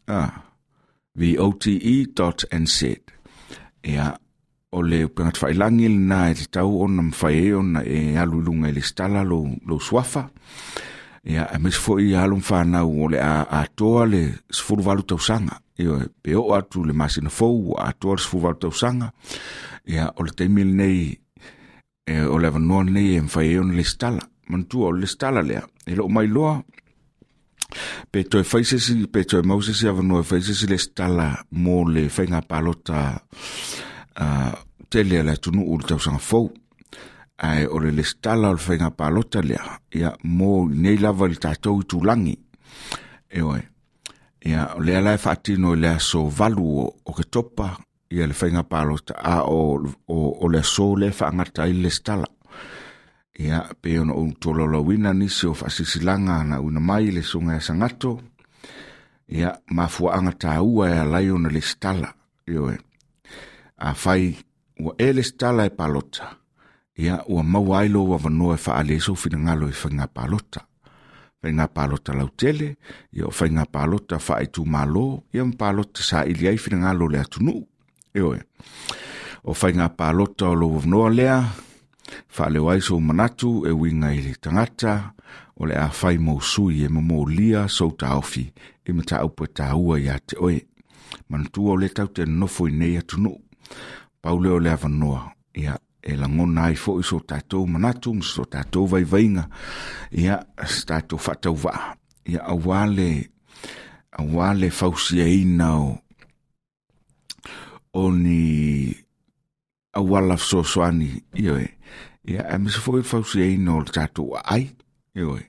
Speaker 2: Ah, V O T E dot N Z. Ia, o le upega tafailagi lena e tatau ona mafai ai ona e alu i luga i le lesitala lou, lou suafa. Ia, aemaise foi alo ma fanau o le a atoa le sefulu valu tausaga. Ioe, pe oo atu le masina fou ua atoa le sefulu valu tausaga. Ia, o le taimi lenei, e, o le avanoa lenei e mafai ai ona lesitala. Manatua o le lesitala lea, e loo mailoa pe toe fai se isi, pe toe mau se isi avanoa e fai se isi lesitala mo le faiga palota uh, tele a le atunuu i le tausaga fou. Ae o le lesitala o le faiga palota lea, ia, mo nei lava i le tatou itulagi. Ioe, ia, o lea la e faatino i le aso valu o Oketopa, ia le faiga palota, a o, o, o le aso lea e faagata ai le lesitala. Ia, pe ona ou tolaulauina nisi o faasilasilaga na auina mai le susuga ia Sagato, ia, mafuaaga taua e ala ai ona lesitala. Ioe, afai ua e lesitala e palota, ia, ua maua ai lou avanoa e faaali ai sou finagalo i faiga palota. Faiga palota lautele, ia o faiga palota faaitumalo, ia ma palota saili ai finagalo o le atunuu. Ioe, o faiga palota o lou avanoa lea, faaleo ai sou manatu e uiga i le tagata, o le a fai mo sui e momolia sou taofi i mataupu e taua ia te oe. Manatua o le tau te nofo i nei atunuu. Pau lea o le avanoa, ia, e lagona ai foi so tatou manatu ma so tatou vaivaiga, ia, se tatou faatauvaa, ia, aua le, aua le fausiaina o, o ni auala fesoasoani, ioe, ia, aemaise foi le fausiaina o le tatou aai, ioe,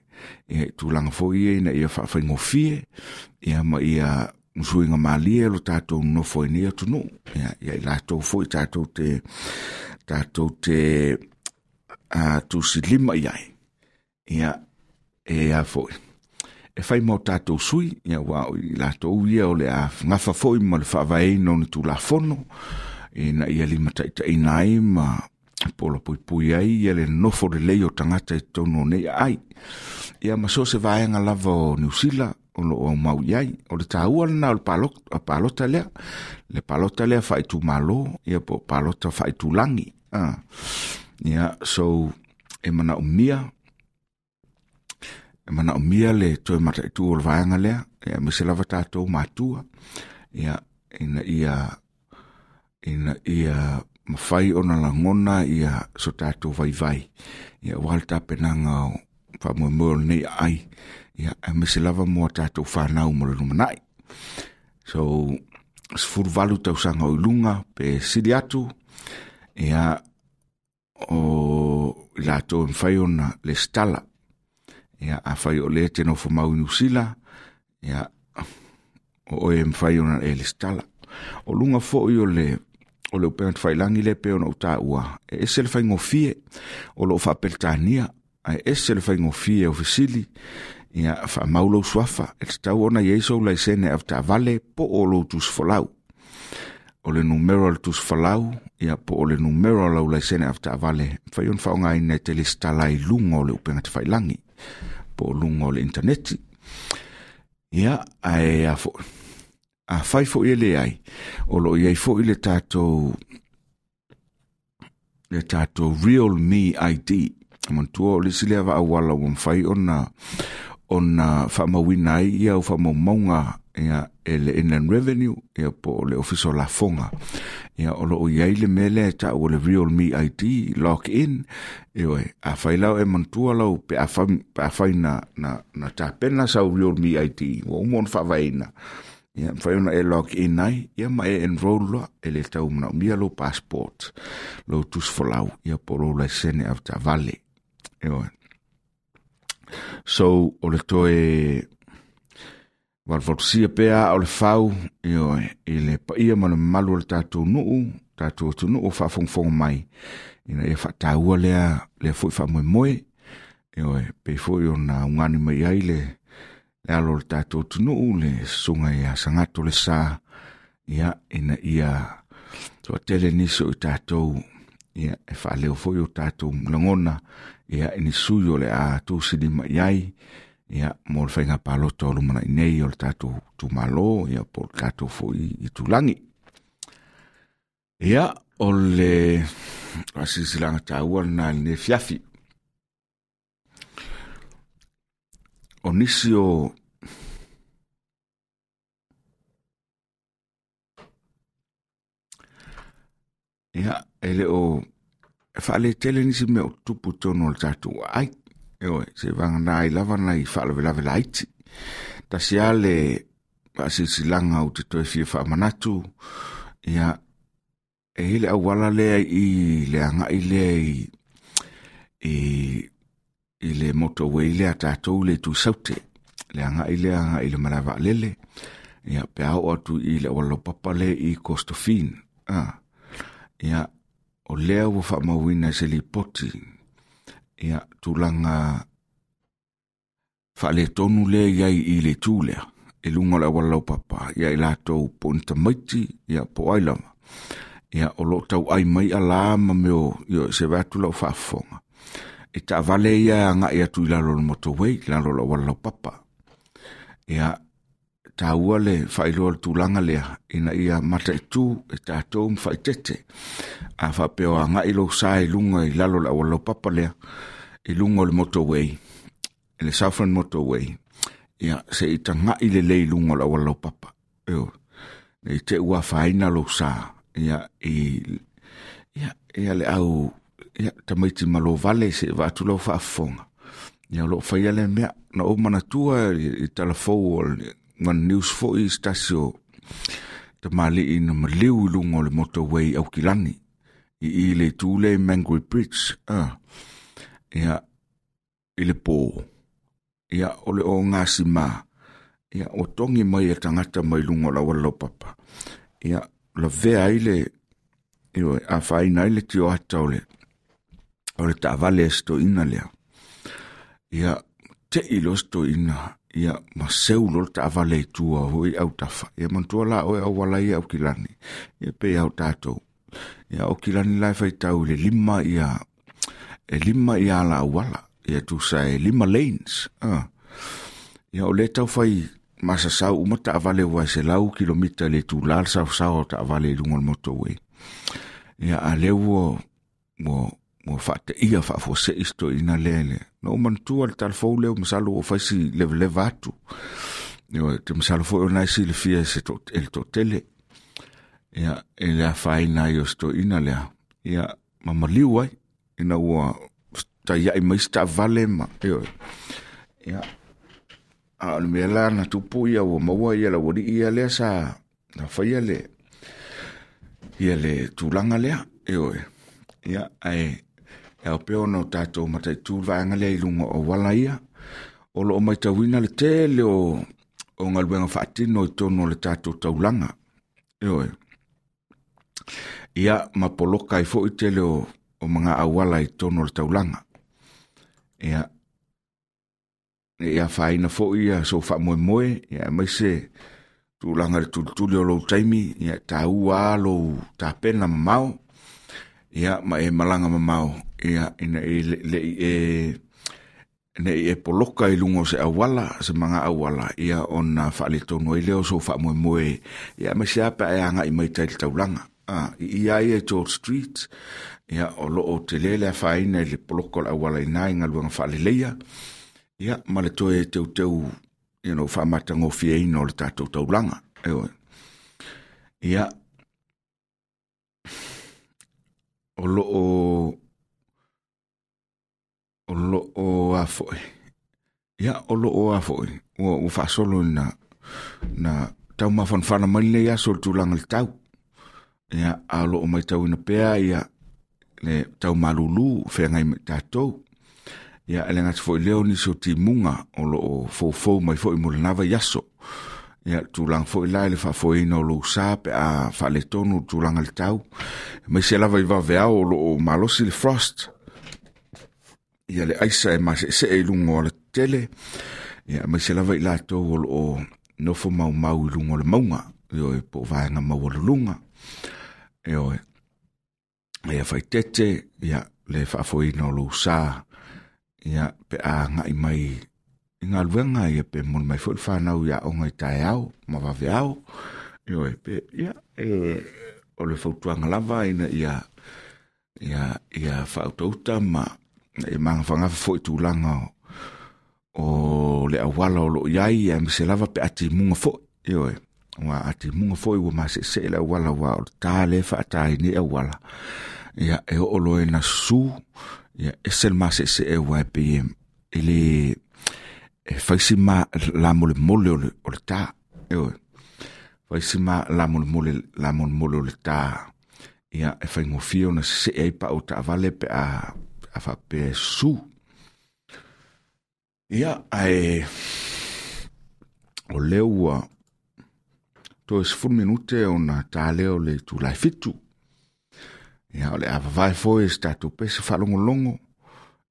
Speaker 2: ia, i tulaga foi ia ina ia faafaigofie, ia, ma ia musuiga malie lo tatou nofo i nei atunuu, ia, ia i latou foi tatou te, tatou te uh, tusilima i ai, ia, e a foi. E fai mo tatou sui, ia, ua o i latou ia o le a gafa foi ma le faavaeina o ni tulafono, ina ia limataitaiina ai ma polo puipui ai ia le nofo lelei o tagata i totonu o nei aai. Ia, ma so o se vaega lava o Niu Sila o loo aumau i ai. O le taua lena o le palota, palota lea, le palota lea faaitumalo, ia po o palota faaitulagi. Ah. Ia, so, e manaomia, e manaomia le toe mataitu o le vaega lea, ia, aemaise lava tatou matua, ia, ina ia, ina ia mafai ona lagona ia so tatou vaivai, ia, aua le tapenaga o faamoemoe o lenei aai, ia, aemaise lava mo a tatou fanau mo le lumanai. So, sefulu valu tausaga o i luga pe sili atu, ia, o i latou e mafai ona lesitala. Ia, afai o lea e te nofo mau i Niu Sila, ia, o oe e mafai ona e lesitala. O luga foi o le o le upega tafailagi lea pei ona ou taua, e ese le faigofie o loo faapeletania, ae ese le faigofie o fesili, ia, faamau lou suafa, e tatau ona i ai sou laisene avetaavale po o lou tusifolau. O le numero o le tusifolau, ia, po o le numero o lau laisene avetaavale, mafai ona faaaogaina e te lesitala i luga o le upega tafailagi, po o luga o le interneti. Ia, ae a foi, a fai foi e leai, o loo i ai foi le tatou, le tatou Real Me I D. Manatua o le isi lea vaauala ua mafai ona, ona faamauina ai ia au faamaumauga, ia, e le Inland Revenue, ia, po o le Ofisa o Lafoga. Ia, o loo i ai le mea lea e taua le Real Me I D, log in. Ioe, afai lau e manatua lau pe afai, pe afai na, na, na tapena sau Real Me I D, ua uma ona faavaeina. Ia, mafai ona e log in ai, ia, ma e enroll loa, e le tau manaomia lou passport, lou tusifolau, ia, po o lou laisene avetaavale. Ioe. So, o le toe valuvalusia pea o le fau, ioe, i le paia ma le mamalu o le tatou nuu, tatou atunuu o faafogafoga mai, ina ia faataua lea, lea foi faamoemoe, Ioe, pe foi ona ungani mai ai le le alo o le tatou atunuu le susuga ia Sagato le Sa, ia ina ia toatele nisi o i tatou, ia e faaleo foi o tatou lagona, ia i ni sui o le a tusilima i ai, ia mo le faiga palota o lumanai nei o le tatou itumalo, ia po o le tatou foi itulagi. Ia o le faasilasilaga taua lena i lenei afiafi. O nisi o ia e le o e faaletele nisi mea o tupu tonu o le tatou ai. Ioe, se vagana ai lava nai faalavelave laiti. Tasi lava le faasilasilaga ou te toe fia faamanatu, ia e i ai le auala lea i le agai lea i i i le motorway lea tatou le itu Saute, le agai lea agai i le malae vaalele, ia pe a oo atu i le auala laupapa lea i Costofin. Ah, ia o lea ua faamauina i se lipoti, ia tulaga faaletonu lea i ai i le itu lea, i luga o le auala laupapa, ia i latou po o ni tamaiti, ia po o ai lava. Ia o loo tauai mai alā ma mea o, ia se vae atu lau faafofoga. E taavale ia agai atu i lalo o le motorway, i lalo o le auala laupapa. Ia taua le faailoa o le tulaga lea, ina ia mataitu e tatou ma faaitete. A faapea o agai lou sa i luga i lalo o le auala laupapa lea, i luga o le motorway, i le Southland Motorway, ia se i tagai lelei i luga o le auala laupapa. Ioe, ne i te i ua afaina lou sa, ia i ia ia le au ia tamaiti ma lou vale se i vaai atu lau faafofoga. Ia o loo faia lea mea, na ou manatua i, i talafou o le One News foi i se tasi o tamalii na maliu i luga o le motorway i Aukilani, i i le itu lea i Mangui Bridge, ah, ia i le pō, ia o le ogasima, ia ua togi mai e tagata mai luga o le auala laupapa, ia lavea ai le, ioe, afaina ai le tioata o le o le taavale a se toeaina lea. Ia tei loa se toeaina, ia ma seu loa le taavale i tua foi autafa. Ia manatua la oe auala ia Aukilani, ia pei lava o tatou. Ia Aukilani la e faitau i le lima ia, e lima ia ala auala, ia tusa e lima lanes. Ah. Ia o lea taufai masasau uma taavale ua e selau kilomita i le itula le saosaoa o taavale i luga o le motorway. Ia a lea ua ua ua faateia faafuasei se toeaina lea le. Na ou manatua le talafou lea masalo ua fai si levaleva atu. Ioe, te masalo foi ona e silafia e se to, e le toatele. Ia, e le afaina ai o se toeaina lea. Ia, ma maliu ai, ina ua taiai mai se taavale ma, ioe. Ia, a o le mea la na tupu ia ua maua ia le aualii ia lea sa na faia le, ia le tulaga lea, ioe. Ia, ae e ao pea ona o tatou mataitu le vaega lea i luga o auala ia. O loo matauina le tele o, o galuega faatino i totonu o le tatou taulaga. Ioe. Ia, ma poloka ai foi tele o, o mga auala i totonu o le taulaga. Ia, ne i afaina foi ia sou faamoemoe, ia aemaise tulaga i le tulituli o lou taimi, ia taua lava lou tapena mamao, ia ma e malaga mamao, ia ina i le, le i e ne i e poloka i luga o se auala, se mga auala, ia ona faaletonu ai lea o sou faamoemoe, ia aemaise lava pe a e agai mai tai i le taulaga. Ah, i ia ia i George Street, ia o loo tele le afaina i le poloka o le auala i ina i galuega faaleleia, ia ma le toe teuteu, you know, faamatagofieina o le tatou taulaga. Ioe. Ia, o loo o loo a foi. Ia, o loo a foi. Ua, ua faasolo ina na taumafanafana mai lenei aso o le tulaga i le tau. Ia, a o loo matauina pea ia le tau malulu feagai ma i tatou. Ia, e le gata foi lea o nisi o timuga o loo foufou mai foi mo lena vaiaso. Ia, tulaga foi la i le faafoeina o lou sa pe a faaletonu le tulaga i le tau. Aemaise lava i vaveao o loo malosi le frost. Ia le aisa e mase'ese'e i luga o le tele, ia aemaise lava i latou o loo nofo maumau i luga o le mauga, ioe, po o vaega maualuluga, ioe. Ia faitete, ia le faafoeina o lou sa, ia pe a agai mai i galuega, ia pe moli mai foi le fanau i aoga i taeao ma vaveao, ioe, pe ia e o le fautuaga lava ina ia ia ia faautauta ma e magafagafa foi tulaga o le auala o loo iai, aemaise lava pe a timuga foi, ioe, ua a timuga foi ua mase'ese'e le auala, ua o le tā lea faatāi nei auala, ia e oo loa ina susū, ia ese le mase'ese'e ua e pei e le e faisi ma lamolemole o le o le tā, ioe, faisi ma lamolemole lamolemole o le tā, ia e faigofie ona sese'e ai pa'u taavale pe a a faapea e susū. Ia ae o lea ua toe sefulu minute ona tā lea o le itulai fitu. Ia o le a vavae foi e se tatou pese faalogologo,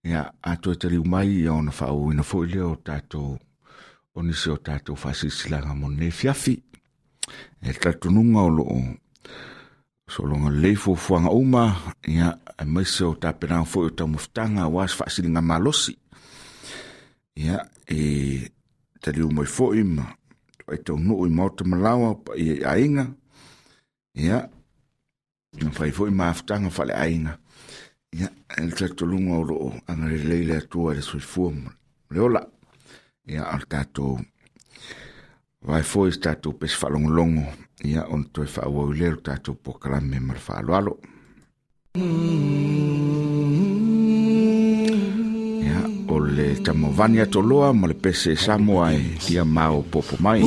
Speaker 2: ia a toe taliu mai ia ona faaauauina foi lea o tatou o nisi o tatou faasilasilaga mo lenei afiafi. E le talitonuga o loo sologa lelei fuafuaga uma, ia aemaise o tapenaga foi o taumafataga aua se faasiliga malosi. Ia e taliu mai foi ma ai taunuu i maota malaoa paia i aiga, ia na fai foi mafutaga faaleaiga. Ia e le talitonuga o loo agalelei le Atua i le soifua ma le ola. Ia o le tatou vae foi se tatou pese faalogologo, ia ona toe faaauau lea lo tatou polokalame ma le faaaloalo. Ia o le Tamovani Atoloa ma le pese Samoa e ia maopopo mai.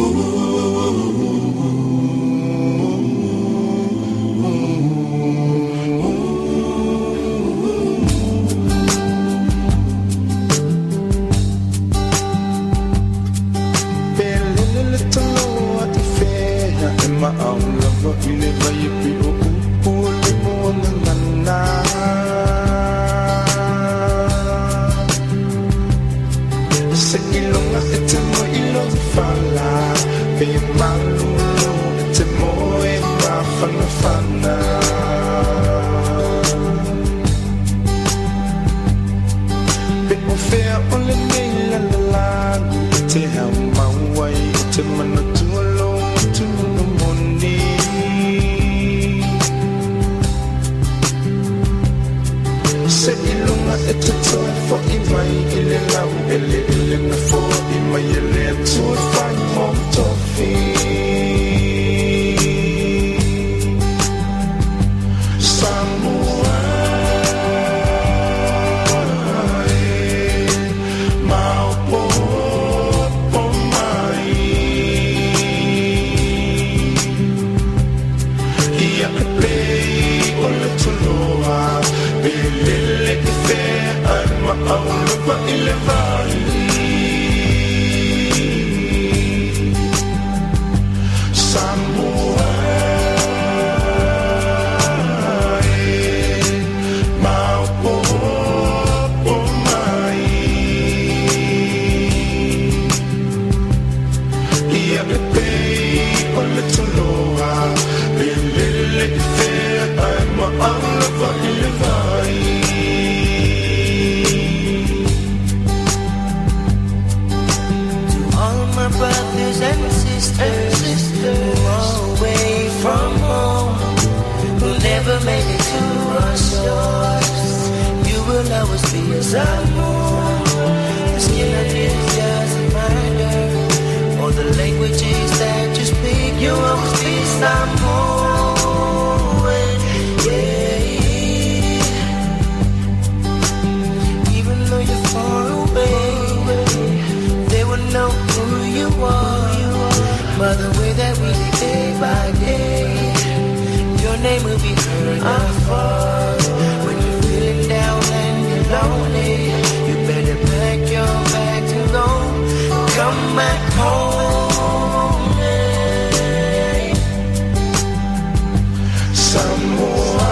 Speaker 4: Samoa,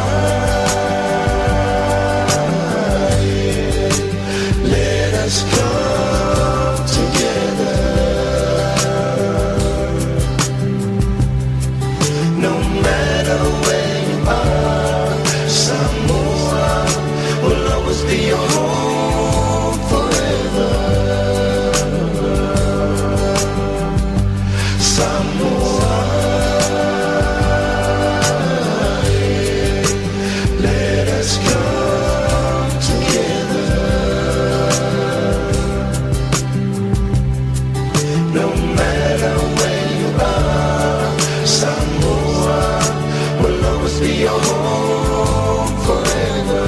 Speaker 4: Be your home forever.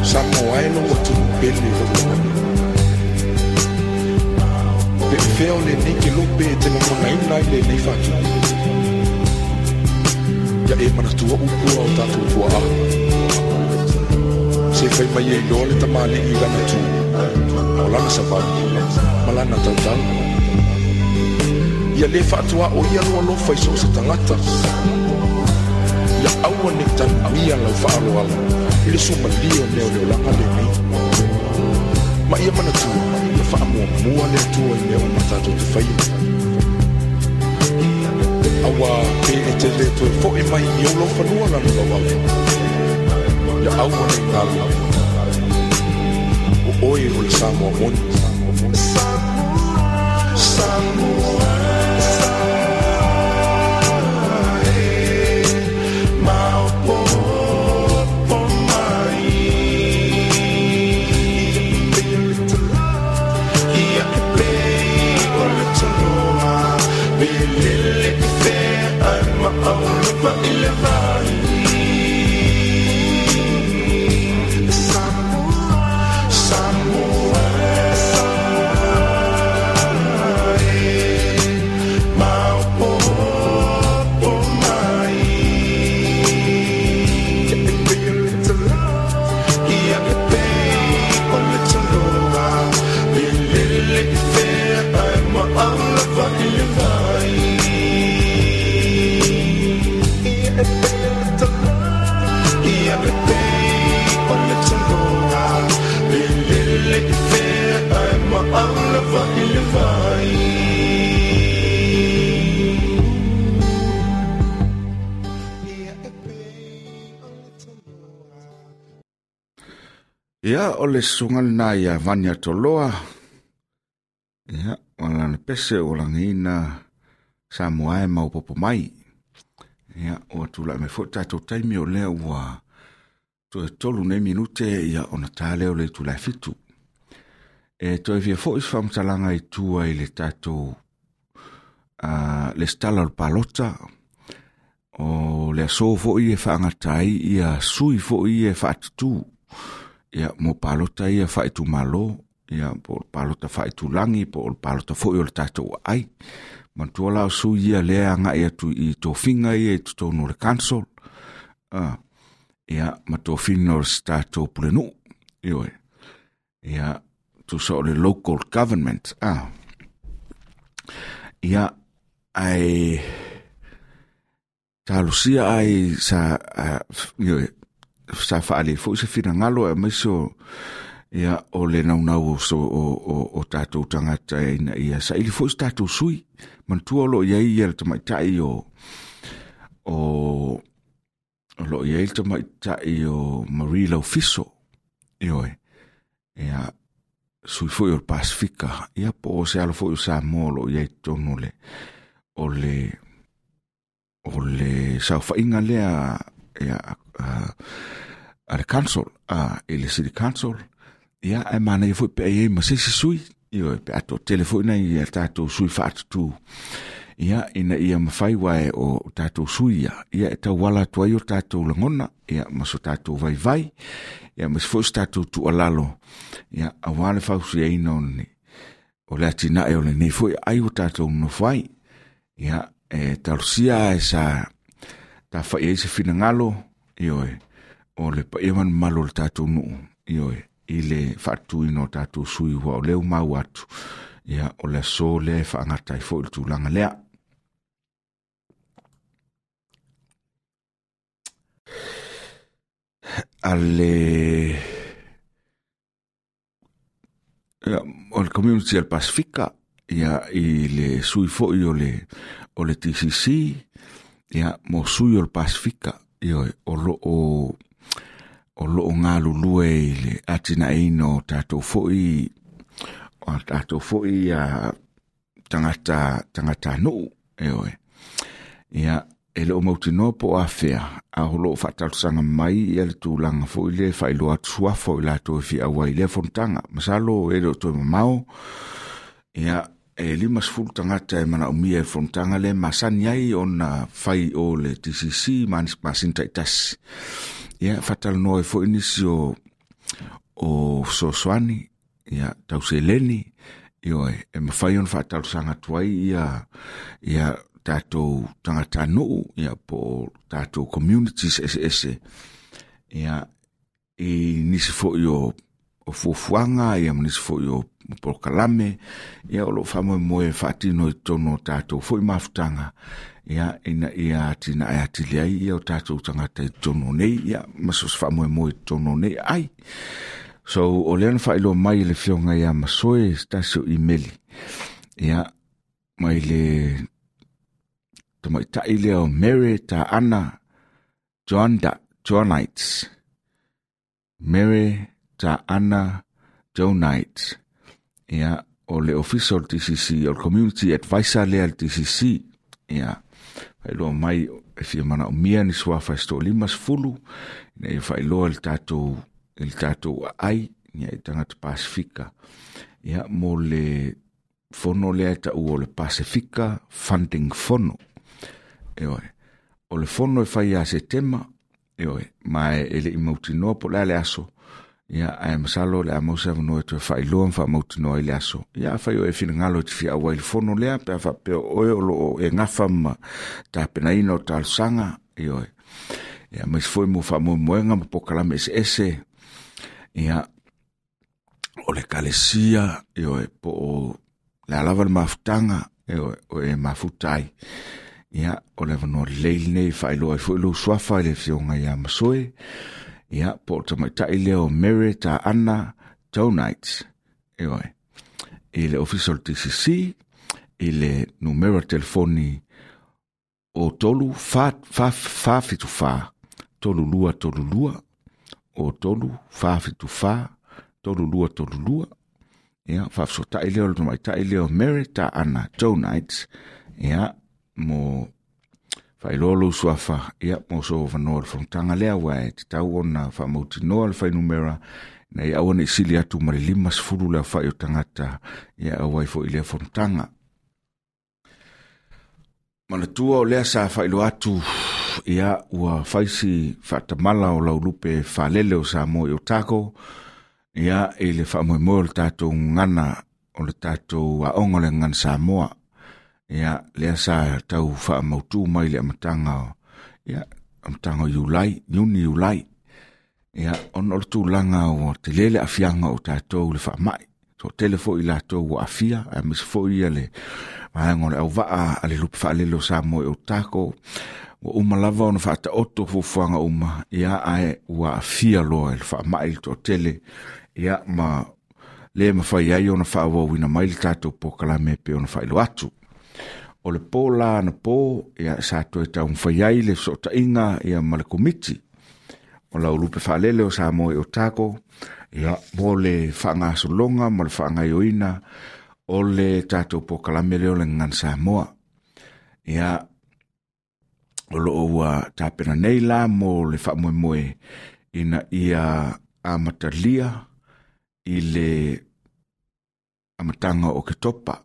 Speaker 5: Samoa e lo atu pele lo Pe feo le nei ke lope e te ngona ina i le nei whatu. Ia e manatua upua o tātou tua a. Se whai mai e iloa le tamale i lana tū. O lana savali, ma lana tautau. Ia le whaatua o ia loa lofa i so se tangata. Ia aua ne tanuia lau whaaloala. I le sumalia o mea o le olanga le nei. Ma ia manatua, ia whaamua mua le atua i mea o matatou te whaia. Awa pe e te le toe foe mai i au lau whanua lana lau au. Ia aua nei ngalo. O oe o le Samoa moni.
Speaker 4: Samoa, maopopo mai. Ia e pei o le taloa, velele i fea ai ma aulapa i le vai. Samoa, Samoa, e maopopo mai. Ia e pei o le taloa, ia e pei o le taloa, velele i fea ai ma aulapa i le vai. Ia e pei o le taloa, ia e pei o le taloa, velele i fea ai ma aulapa i le vai. Ia e pei o le taloa.
Speaker 2: Ia o le susuga lena ia Vania Toloa. Ia, o lana pese o lagiina Samoa e maopoopo mai. Ia, ua tula'i mai fo'i tatou taimi o lea ua toe tolu nei minute ia ona tā lea o le itula e fitu. E toe fia fo'i se faamatalaga i tua i le tatou uh, le stala o le palota o le aso fo'i e faagata ai ia sui fo'i e faatutū ia mo palota ia faaitumālō ia po o le palota faaitulagi po o le palota fo'i o le tatou aai. Manatua la o sui ia lea aga'i atu i tofiga ia i totonu o le council, uh, ia ma tofiga o se tatou pulenuu ioe. Ia tusa o le local government. Ah. Ia ai talosia ai sa uh, ioe, sa faale fo'i se finagalo e aemaise o ia o le naunau o, so, o, o, o tatou tagata ina ia saili fo'i se tatou sui. Manatua o loo iai ia le tamaita'i o o o loo iai le tamaita'i o Marie Laufiso ioe. Ia sui fo'i o le Pasifika ia po o se alo fo'i o Samoa o loo iai totonu o le o le o le saofaiga lea ia a, a le council a i le city council. Ia ae manaia fo'i pe ai ai ma se isi sui ioe, pe a toatele fo'i nai ia tatou sui faatutū ia ina ia mafai uae o tatou sui ia ia e tauala atu ai o tatou lagona ia ma so tatou vaivai ia ma se fo'i se tatou tuualalo ia auā le fausiaina o le o le atinae o lenei fo'i ai ua tatou nonofo ai. Ia e talosia ae sa tafa'i ai se finagalo ioe o le paia ma le mamalu o le tatou nuu ioe i le faatutuina o tatou sui ua o lea ua maua atu ia o le aso lea e faagata ai fo'i le tulaga lea. A le ia, o le community o le Pasifika ia i le sui fo'i o le o le T C C ia mo sui o le Pasifika ioe o loo o loo galulue i le atinaeina o tatou fo'i o tatou fo'i ia tagata tagata nuu ioe. Ia e leo mautinoa po o afea a o loo faatalosaga mai ia le tulaga fo'i lea e faailoa atu suafa o i latou e fiaua ai i lea fonotaga. Masalo e le o toe mamao ia e lima sefulu tagata e manaomia i le fonotaga lea masani ai ona fai o le T C C ma masina taitasi. Ia faatalanoa ai foi nisi o o fesoasoani, ia tau seleni, ioe, e mafai ona faatalosaga atu ai ia ia tatou tagatanuu, ia po o tatou communities eseese, ia i nisi foi o o fuafuaga, ia ma nisi foi o polokalame, ia o loo faamoemoe e faatino i totonu o tatou foi mafutaga, ia ina ia atinae atili ai ia o tatou tagata i totonu o nei, ia ma so o se faamoemoe i totonu o nei ai. So o lea na faailoa mai e le afioga ia Masoe se tasi o imeli, ia mai le tamaitai lea o Mary Taana Joanda Johnites. Mary Taana Johnites. Ia o le ofisa o le T C C, o le Community Advisor lea le T C C. Ia faailoa mai e fia manaomia ni suafa e se toalima sefulu, ina ia faailoa le tatou i le tatou aai, ia i tagata Pasifika. Ia mo le fono lea e taua o le Pasifika Funding Fono. Ioe, o le fono e fai ia Setema, ioe, ma e le i mautinoa po o le a le aso. Ia ae masalo o le a mau se avanoa e toe faailoa ma faamautinoa ai le aso. Ia afai o e finagalo e te fia auai i le fono lea, pe a faapea o oe o loo e gafa ma tapenaina o talosaga, ioe. Ia aemaise foi mo faamoemoega ma polokalame eseese, ia o le ekalesia, ioe, po o le a lava le mafutaga, ioe, o e mafuta ai. Ia o le avanoa lelei lenei e faailoa ai foi lou suafa i le afioga ia Masoe, ia po o le tamaitai lea o Mary Taana Johnites, ioe, i le ofisa o le T C C, i le numera telefoni o tolu fa fa fa fitu fa tolu lua tolu lua, o tolu fa fitu fa tolu lua tolu lua. Ia faafesotai lea o le tamaitai lea o Mary Taana Johnites, ia mo faailoa lou suafa, ia mo so avanoa o le fonotaga lea, ua e tatau ona faamautinoa le fuainumera ina ia aua ne i sili atu ma le lima sefulu le aofai o tagata, ia auai foi i lea fonotaga. Manatua o lea sa faailoa atu, ia ua faisi faatamala o laulupe faalele o Samoa i Otago, ia i le faamoemoe o le tatou gagana, o le tatou aoga o le gagana Samoa. Ia lea sa tau faamautu mai le amataga o, ia amataga o Iulai, Iuni Iulai. Ia ona o le tulaga ua tele le aafiaga o tatou i le faamai. Toatele foi i latou ua aafia, aemaise foi ia le vaega o le auvaa a le lupe faalele o Samoa i Otago. Ua uma lava ona faataoto fuafuaga uma, ia ae ua aafia loa i le faamai le toatele, ia ma le mafai ai ona faaauauina mai le tatou polokalame e pei ona faailoa atu. O le po la na po, ia sa toe taumafai ai le fesootaiga ia ma le komiti o laulupe faalele o Samoa i Otago, ia mo le faagasologa ma le faagaioina o le tatou polokalame lea o le Gagana Samoa. Ia o loo ua tapena nei la mo le faamoemoe ina ia amatalia i le amataga o Oketopa.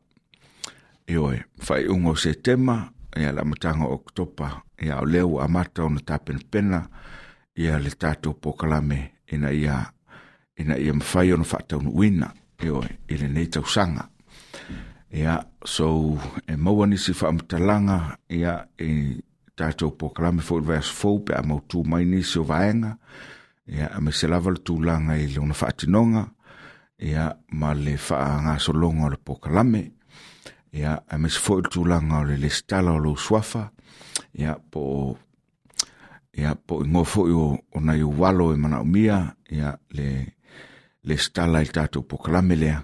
Speaker 2: Ioe, faaiuga o Setema, ia le amataga o Oketopa, ia o lea ua amata ona tapenapena ia le tatou polokalame ina ia ina ia mafai ona faataunuuina, ioe, i lenei tausaga. Ia, so e maua nisi faamatalaga, ia i tatou polokalame foi i le vaiaso fou pe a mautu mai nisi o vaega, ia aemaise lava le tulaga i lona faatinoga, ia ma le faagasologa o le polokalame, ia aemaise foi le tulaga o le lesitala o lou suafa, ia po o ia po o igoa foi o, o nai ou alo e manaomia, ia le lesitala i le tatou polokalame lea,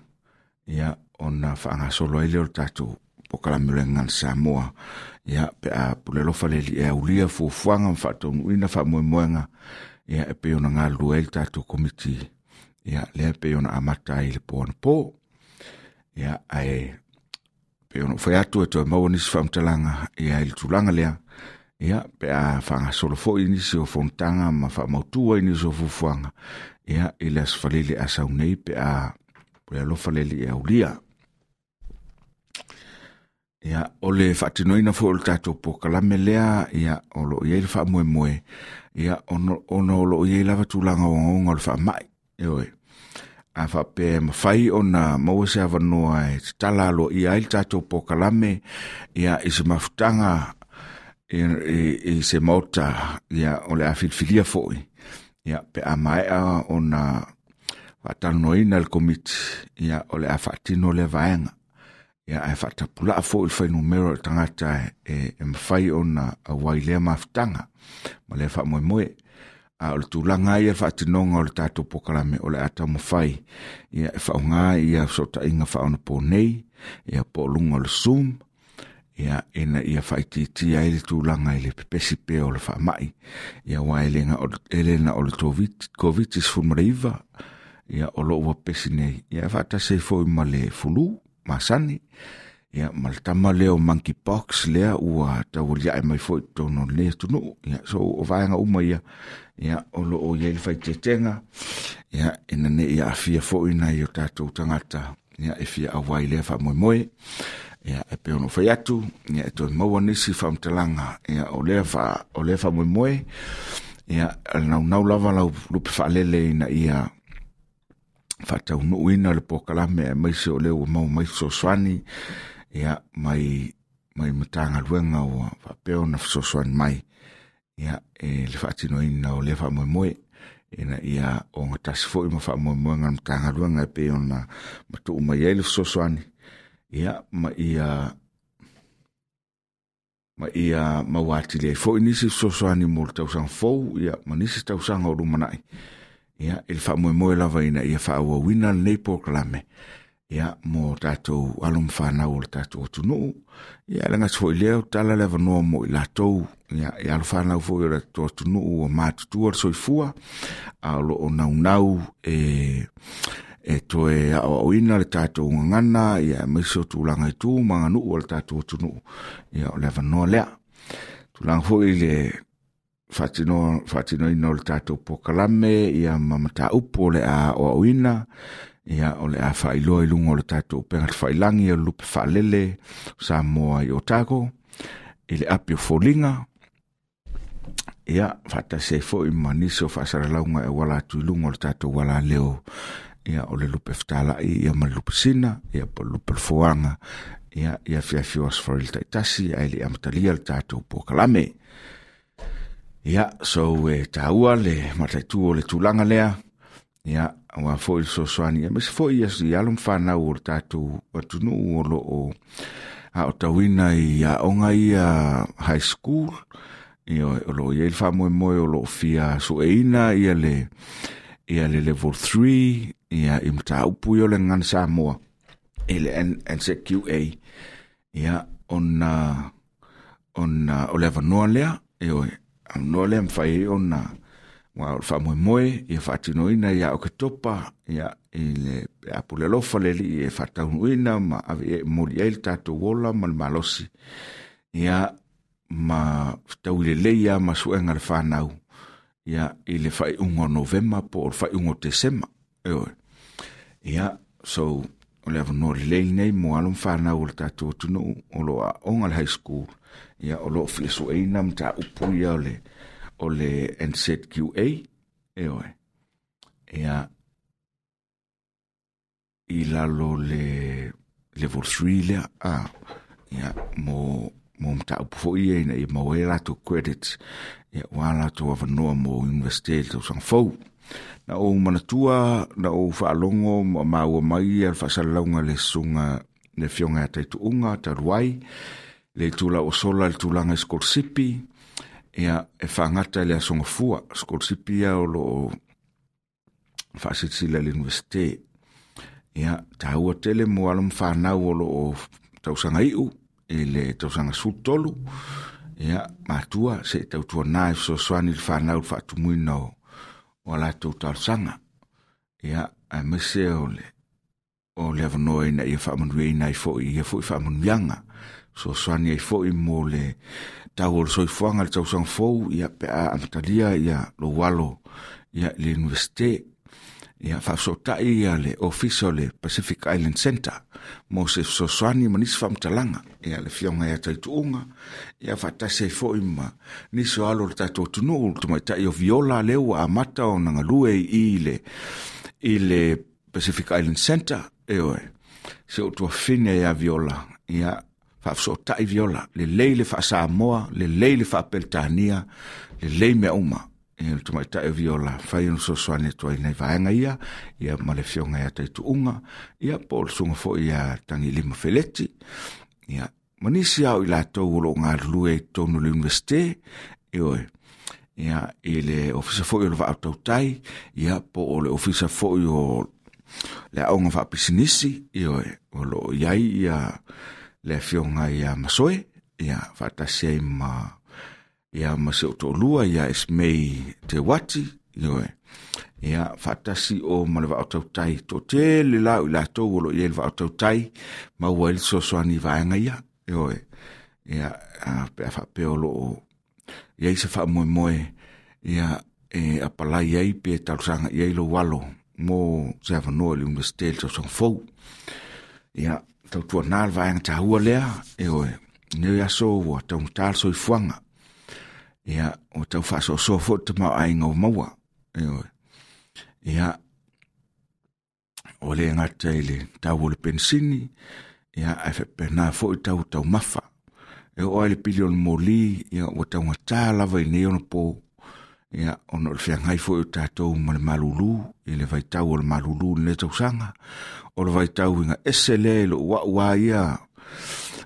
Speaker 2: ia ona faagasolo ai lea o le tatou polokalame o le Gagana Samoa, ia pe a pule alofa le Alii e aulia fuafuaga ma faataunuuina faamoemoega, ia e pei ona galulue ai le tatou komiti, ia lea e pei ona amata ai le po anapo. Ia ae pei ona ou fai atu e toe maua nisi faamatalaga, ia i le tulaga lea, ia pe a faagasolo foi nisi o fonotaga ma faamautua i nisi o fuafuaga, ia i le aso Faraile a sau nei pe a pule alofa le Alii e aulia. Ia, o le faatinoina foi o le tatou pokalame lea, ia, o loo i ai le faamoemoe, ia, ona, ona o loo i ai lava tulaga ogaoga o le faamai, ioe. A faapea e mafai ona maua se avanoa e tatala aloaia ai le tatou pokalame, ia, i se mafutaga, i, i, i se maota, ia, o le a filifilia foi, ia, pe a maea ona faatalanoaina le komiti, ia, o le a faatino lea vaega. Ia, ae faatapulaa foi le fuainumera o le tagata e, e mafai ona auai lea mafutaga ma lea faamoemoe. A o le tulaga ia le faatinoga o le tatou pokalame o le a taumafai, ia, e faaaoga ia fesootaiga faaonaponei, ia, po o luga o le Zoom, ia, ina ia faaitiitia ai le tulaga i le pepesi pea o le faamai. Ia, aua e le na o, e le na o le COVID sefulumanaiva, ia, o loo ua pepesi nei, ia, faatasi ai foi ma le fulu masani, ia, ma le tama lea o monkeypox lea ua taualiae mai foi i totonu o lenei atunuu. Ia, so o vaega uma ia, ia, o loo i ai le faaitiitiga, ia, ina ne i aafia foi nai o tatou tagata, ia, e fia auai lea faamoemoe. Ia, e pei ona ou fai atu, ia, e toe maua nisi faamatalaga, ia, o lea fa, o lea faamoemoe, ia, naunau lava lau lupe faalele ina ia faataunuuina le pokalame, aemaise o lea ua maua mai fesoasoani, ia, mai, mai Matagaluega ua faapea ona fesoasoani mai, ia, e le faatinoina o lea faamoemoe, ina ia ogatasi foi ma faamoemoega o le Matagaluega e pei ona matuu mai ai le fesoasoani, ia, ma ia ma ia maua atili ai foi nisi fesoasoani mo le tausaga fou, ia, ma nisi tausaga o lumanai. Ia, i le faamoemoe lava ina ia faaauauina lenei pokalame, ia, mo tatou alo ma fanau o le tatou atunuu. Ia, le gata foi lea, o tala le avanoa mo i latou, ia, i alo fanau foi o le tatou atunuu ua matutua le soifua, a o loo naunau e, e toe aoaoina le tatou gagana, ia, aemaise o tulaga i tu ma aganuu o le tatou atunuu. Ia, o le avanoa lea. Tulaga foi i le faatino, faatinoina o le tatou pokalame, ia, ma mataupu o le a aoaoina, ia, o le a faailoa i luga o le tatou upega tafailagi o le lupe faalele Samoa i Otago, i le api o foliga, ia, faatasi ai foi ma nisi o faasalalauga e auala atu i luga o le tatou alaleo, ia, o le lupe fetalai, ia, ma le lupe sina, ia, po o le lupe foaga, ia, ia afiafi o Aso Faraile taitasi, ae le i amatalia le tatou pokalame. Ia, so e taua le mataitu o le tulaga lea, ia, aua foi le fesoasoani, aemaise foi ia i alo ma fanau o le tatou atunuu o loo aotauina i aoga ia high school, ia, o loo i ai le faamoemoe o loo fia sueina ia le, ia le level three, ia, i mataupu ia o le gagana Samoa, i le N Z Q A, ia, ona, ona o le avanoa lea, ioe, avanoa lea mafai ai ona, ua o le faamoemoe, ia faatinoina ia Oketopa, ia, i le apule alofa le alii e faataunuuina ma ave i ai moli ai le tatou ola ma le malosi, ia, ma fetaui lelei ia ma suega le fanau, ia, i le faaiuga o Novema po o le faaiuga o Tesema, ioe. Ia, so, o le avanoa lelei lenei mo alo ma fanau o le tatou atunuu o loo aoga le high school, ia, o loo fia sueina mataupu ia o le, o le N Z Q A, ioe. Ia, i lalo le level three lea, a, ia, mo, mo mataupu foi ia ina ia maua ai latou credits, ia, ua latou avanoa mo university le tausaga fou. Na ou manatua, na ou faalogo ma maua mai ia le faasalalauga le susuga le afioga ia Taituuga talu ai, le itula o sola le tulaga i scholarship, ia, e faagata i le aso gafua. Scholarship ia o loo faasilasila i le university. Ia, taua tele mo alo ma fanau o loo tausaga iu i le tausaga sefulu tolu, ia, matua se i tautuana e fesoasoani i le fanau i le faatumuina o, o a latou talosaga. Ia, aemaise o le, o le avanoa ina ia faamanuiaina ai foi ia foi faamanuiaga. Fesoasoani ai foi mo le tau o le soifuaga le tausaga fou, ia, pe a amatalia ia lou alo, ia, i le universite. Ia faafesootai ia le ofisa o le Pacific Island Centre mo se fesoasoani ma nisi faamatalaga. Ia le afioga ia Taituuga, ia faatasi ai foi ma nisi o alo o le tatou atunuu, le tamaitai o Viola lea ua amata ona galue i le, i le Pacific Island Centre. Ioe, si ou tuafafine ia Viola, ia faafesootai Viola, lelei le faasamoa, lelei le faapeletania, lelei mea uma. Ia le tamaitai o Viola, fai ona fesoasoani atu ai nai vaega ia, ia ma le afioga ia Taituuga, ia po o le susuga foi ia Tagilima Feleti, ia ma nisi ao i latou o loo galulue i totonu o le Universite, ioe, ia i le ofisa foi o le Vaa o Tautai, ia po o le ofisa foi o le aoga faapisinisi, ioe, o loo i ai ia le afioga ia Masoe, ia faatasi ai ma ia ma se o to'alua ia Esmei Te Wati, ioe, ia faatasi o ma le Vaa o Tautai. Toatele la o i latou o loo i ai le Vaa o Tautai, maua ai le fesoasoani i vaega ia, ioe, ia pe a faapea o loo i ai se faamoemoe, ia e apalai ai pe talosaga i ai lou alo mo se avanoa i le Universite i le tausaga fou. Ia tautuanā le vaega taua lea, ioe, nei aso ua taugata le soifuaga. Ia, ua tau faasoasoa foi le tamaoaiga o maua. Ioe. Ia, ua le gata i le tau o le penisini, ia, ae faapena foi tau o taumafa. E oo ai le pili o le moli, ia, ua taugata lava i nei ona po. Ia, ona o le feagai foi o tatou ma le malulu, i le vaitau o le malulu i lenei tausaga. O le vaitau iga ese lea i lou a'u a ia,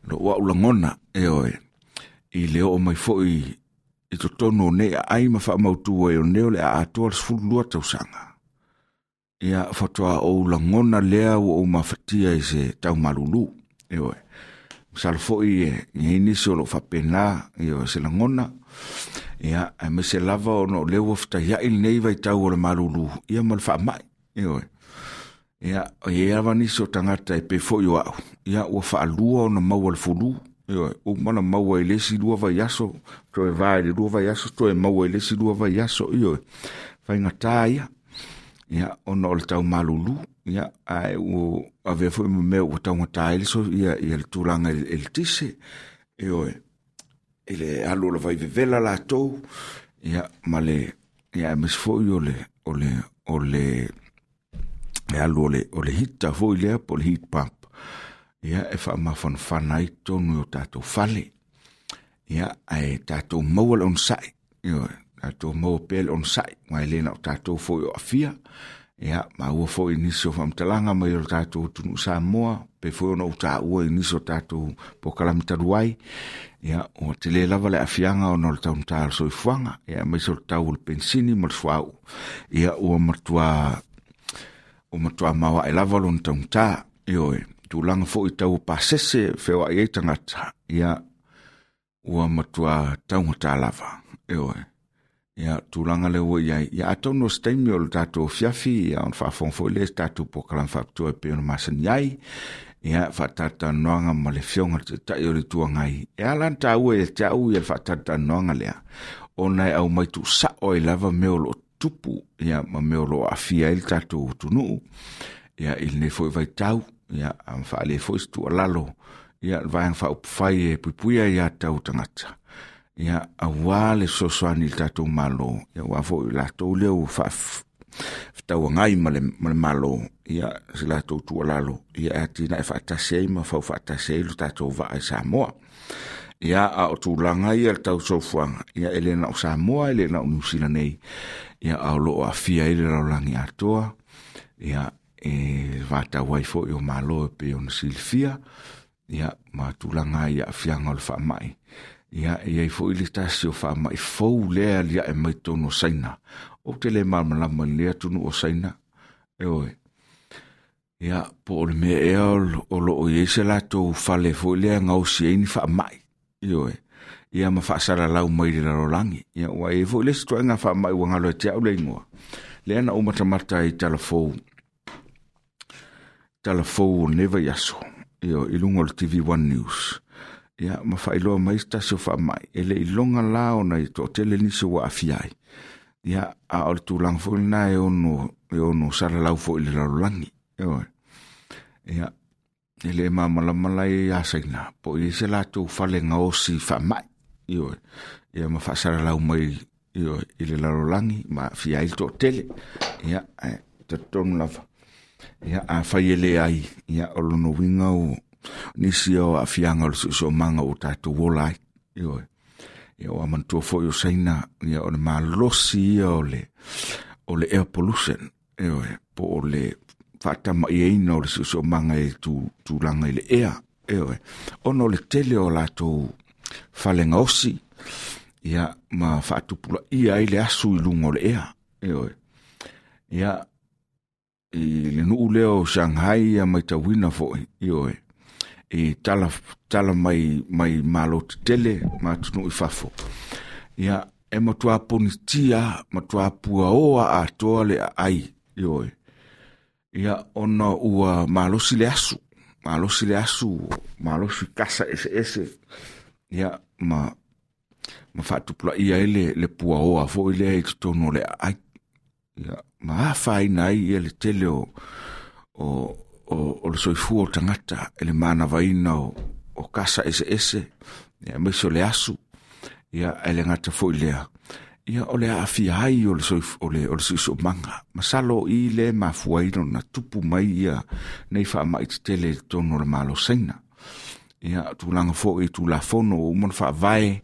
Speaker 2: lou a'u lagona, ioe, i le oo mai foi i totonu o nei aai ma faamautu ai o nei o le a atoa le sefulu lua tausaga. Ia, faatoa ou lagona lea ua ou mafatia i se tau malulu. Ioe, masalo foi e i ai nisi o loo faapena, ioe, se lagona. Ia, aemaise lava ona o lea ua fetaiai lenei vaitau o le malulu, ia ma le faamai. Ioe, ia, o i ai lava nisi o tagata e pei foi o a'u, ia ua faalua ona maua le fulu. Ioe, uma na maua i le isi lua vaiaso, toe va i le lua vaiaso, toe maua i le isi lua vaiaso, ioe, faigata ia, ia, ona o le tau malulu, ia, ae ua avea foi ma mea ua taugata ai le so, ia, ia le tulaga i le eletise, ioe, i le alu o le vaivevela latou, ia, ma le, ia, aemaise foi o le, o le, o le, le alu o le, o le hita foi lea, po o le heat pump. Ia, e faamafanafana ai totonu i o tatou fale. Ia, ae tatou maua le onosai. Ioe, tatou maua pea le onosai, aua e le na o tatou foi o aafia. Ia, maua foi nisi o faamatalaga mai o le tatou atunuu Samoa, pe foi ona ou taua i nisi o tatou polokalame talu ai. Ia, ua tele lava le aafiaga ona o le taugata o le soifuaga, ia, aemaise o le tau o le penisini ma le suauu. Ia, ua matua, ua matua maoae lava lona taugata. Ioe, tulaga foi tau o pasese feoai ai tagata, ia, ua matua taugata lava. Ioe, ia, tulaga lea ua i ai. Ia, atonu o se taimi o le tatou afiafi, ia, ona faafofoga foi lea i se tatou polokalame faapitoa e pei ona masani ai. Ia, faatalatalanoaga ma le afioga i le Taitai o le Itu Agai. E ala ona taua ia te au ia le faatalatalanoaga lea, ona e aumai tuusao ai lava mea o loo tupu, ia, ma mea o loo aafia ai le tatou atunuu, ia, i lenei foi vaitau. Ia, faaalia foi se tuualalo, ia, le vaega faaupufai e puipuia ia tau tagata, ia, auā le fesoasoani i le tatou Malo, ia, aua foi latou lea ua faafetauagai ma le, ma le Malo, ia, se latou tuualalo, ia, e atinae faatasi ai ma fau faatasi ai lo tatou vaa i Samoa. Ia, a o tulaga ia le tau soifuaga, ia, e le na o Samoa, e le na o Niu Sila nei, ia, a o loo aafia ai le lalolagi atoa, ia, e vatau ai foi o Malo e pei ona silafia, ia, ma tulaga ai aafiaga o le faamai. Ia, e i ai foi le tasi o faamai fou lea aliae mai totonu o Saina. Ou te le malamalama i lenei atunuu o Saina, ioe. Ia, po o le mea ea o loo i ai se latou fale foi lea gaosi ai ni faamai, ioe, ia ma faasalalau mai i le lalolagi. Ia, ua i ai foi le isi ituaiga faamai ua galo ia te au le igoa, lea na ou matamata ai i talafou, talafou o lenei vaiaso, ioe, i luga o le T V one News. Ia, ma faailoa mai se tasi o faamai, e le iloga la ona i toatele nisi ua aafia ai. Ia, a o le tulaga foi lena e ono, e ono salalau fo'i i le lalolagi. Ioe. Ia, e le malamalama lai ia Saina, po o i ai se latou fale gaosi faama'i. Ioe. Ia ma faasalalau mai ioe, i le lalolagi ma aafia ai le toatele. Ia, ae talitonu lava. Ia, afai e leai, ia, o lona uiga o nisi o aafiaga o le siosiomaga ua tatou ola ai. Ioe. Ia, ua manatua foi o Saina, ia, o le malosi ia o le, o le air pollution. Ioe, po o le faatamaiaina o le siosiomaga i tulaga i le ea. Ioe, ona o le tele o latou fale gaosi, ia, ma faatupulaia ai le asu i luga o le ea. Ioe. Ia, i le nuu lea o Shanghai ia matauina foi, ioe, i tala, tala mai, mai malo tetele ma atunuu i fafo. Ia, e matua ponitia, matua puaoa atoa le aai, ioe. Ia, ona ua malosi le asu, malosi le asu, malosi kasa ese ese, ia, ma, ma faatupulaia ai le, le puaoa foi lea i totonu o le aai. Ia, ma afaina ai ia le tele o, o, o, o le soifua o tagata e le manavaina o, o kasa ese ese, ia, aemaise o le asu, ia, ae le gata foi lea. Ia, o le aafia ai o le soif, o le, o le siosiomaga. Masalo i le mafua ai ona tupu mai ia nei faama'i tetele i totonu o le Malo o Saina. Ia, tulaga foi i Tulafono ua uma ona faavae,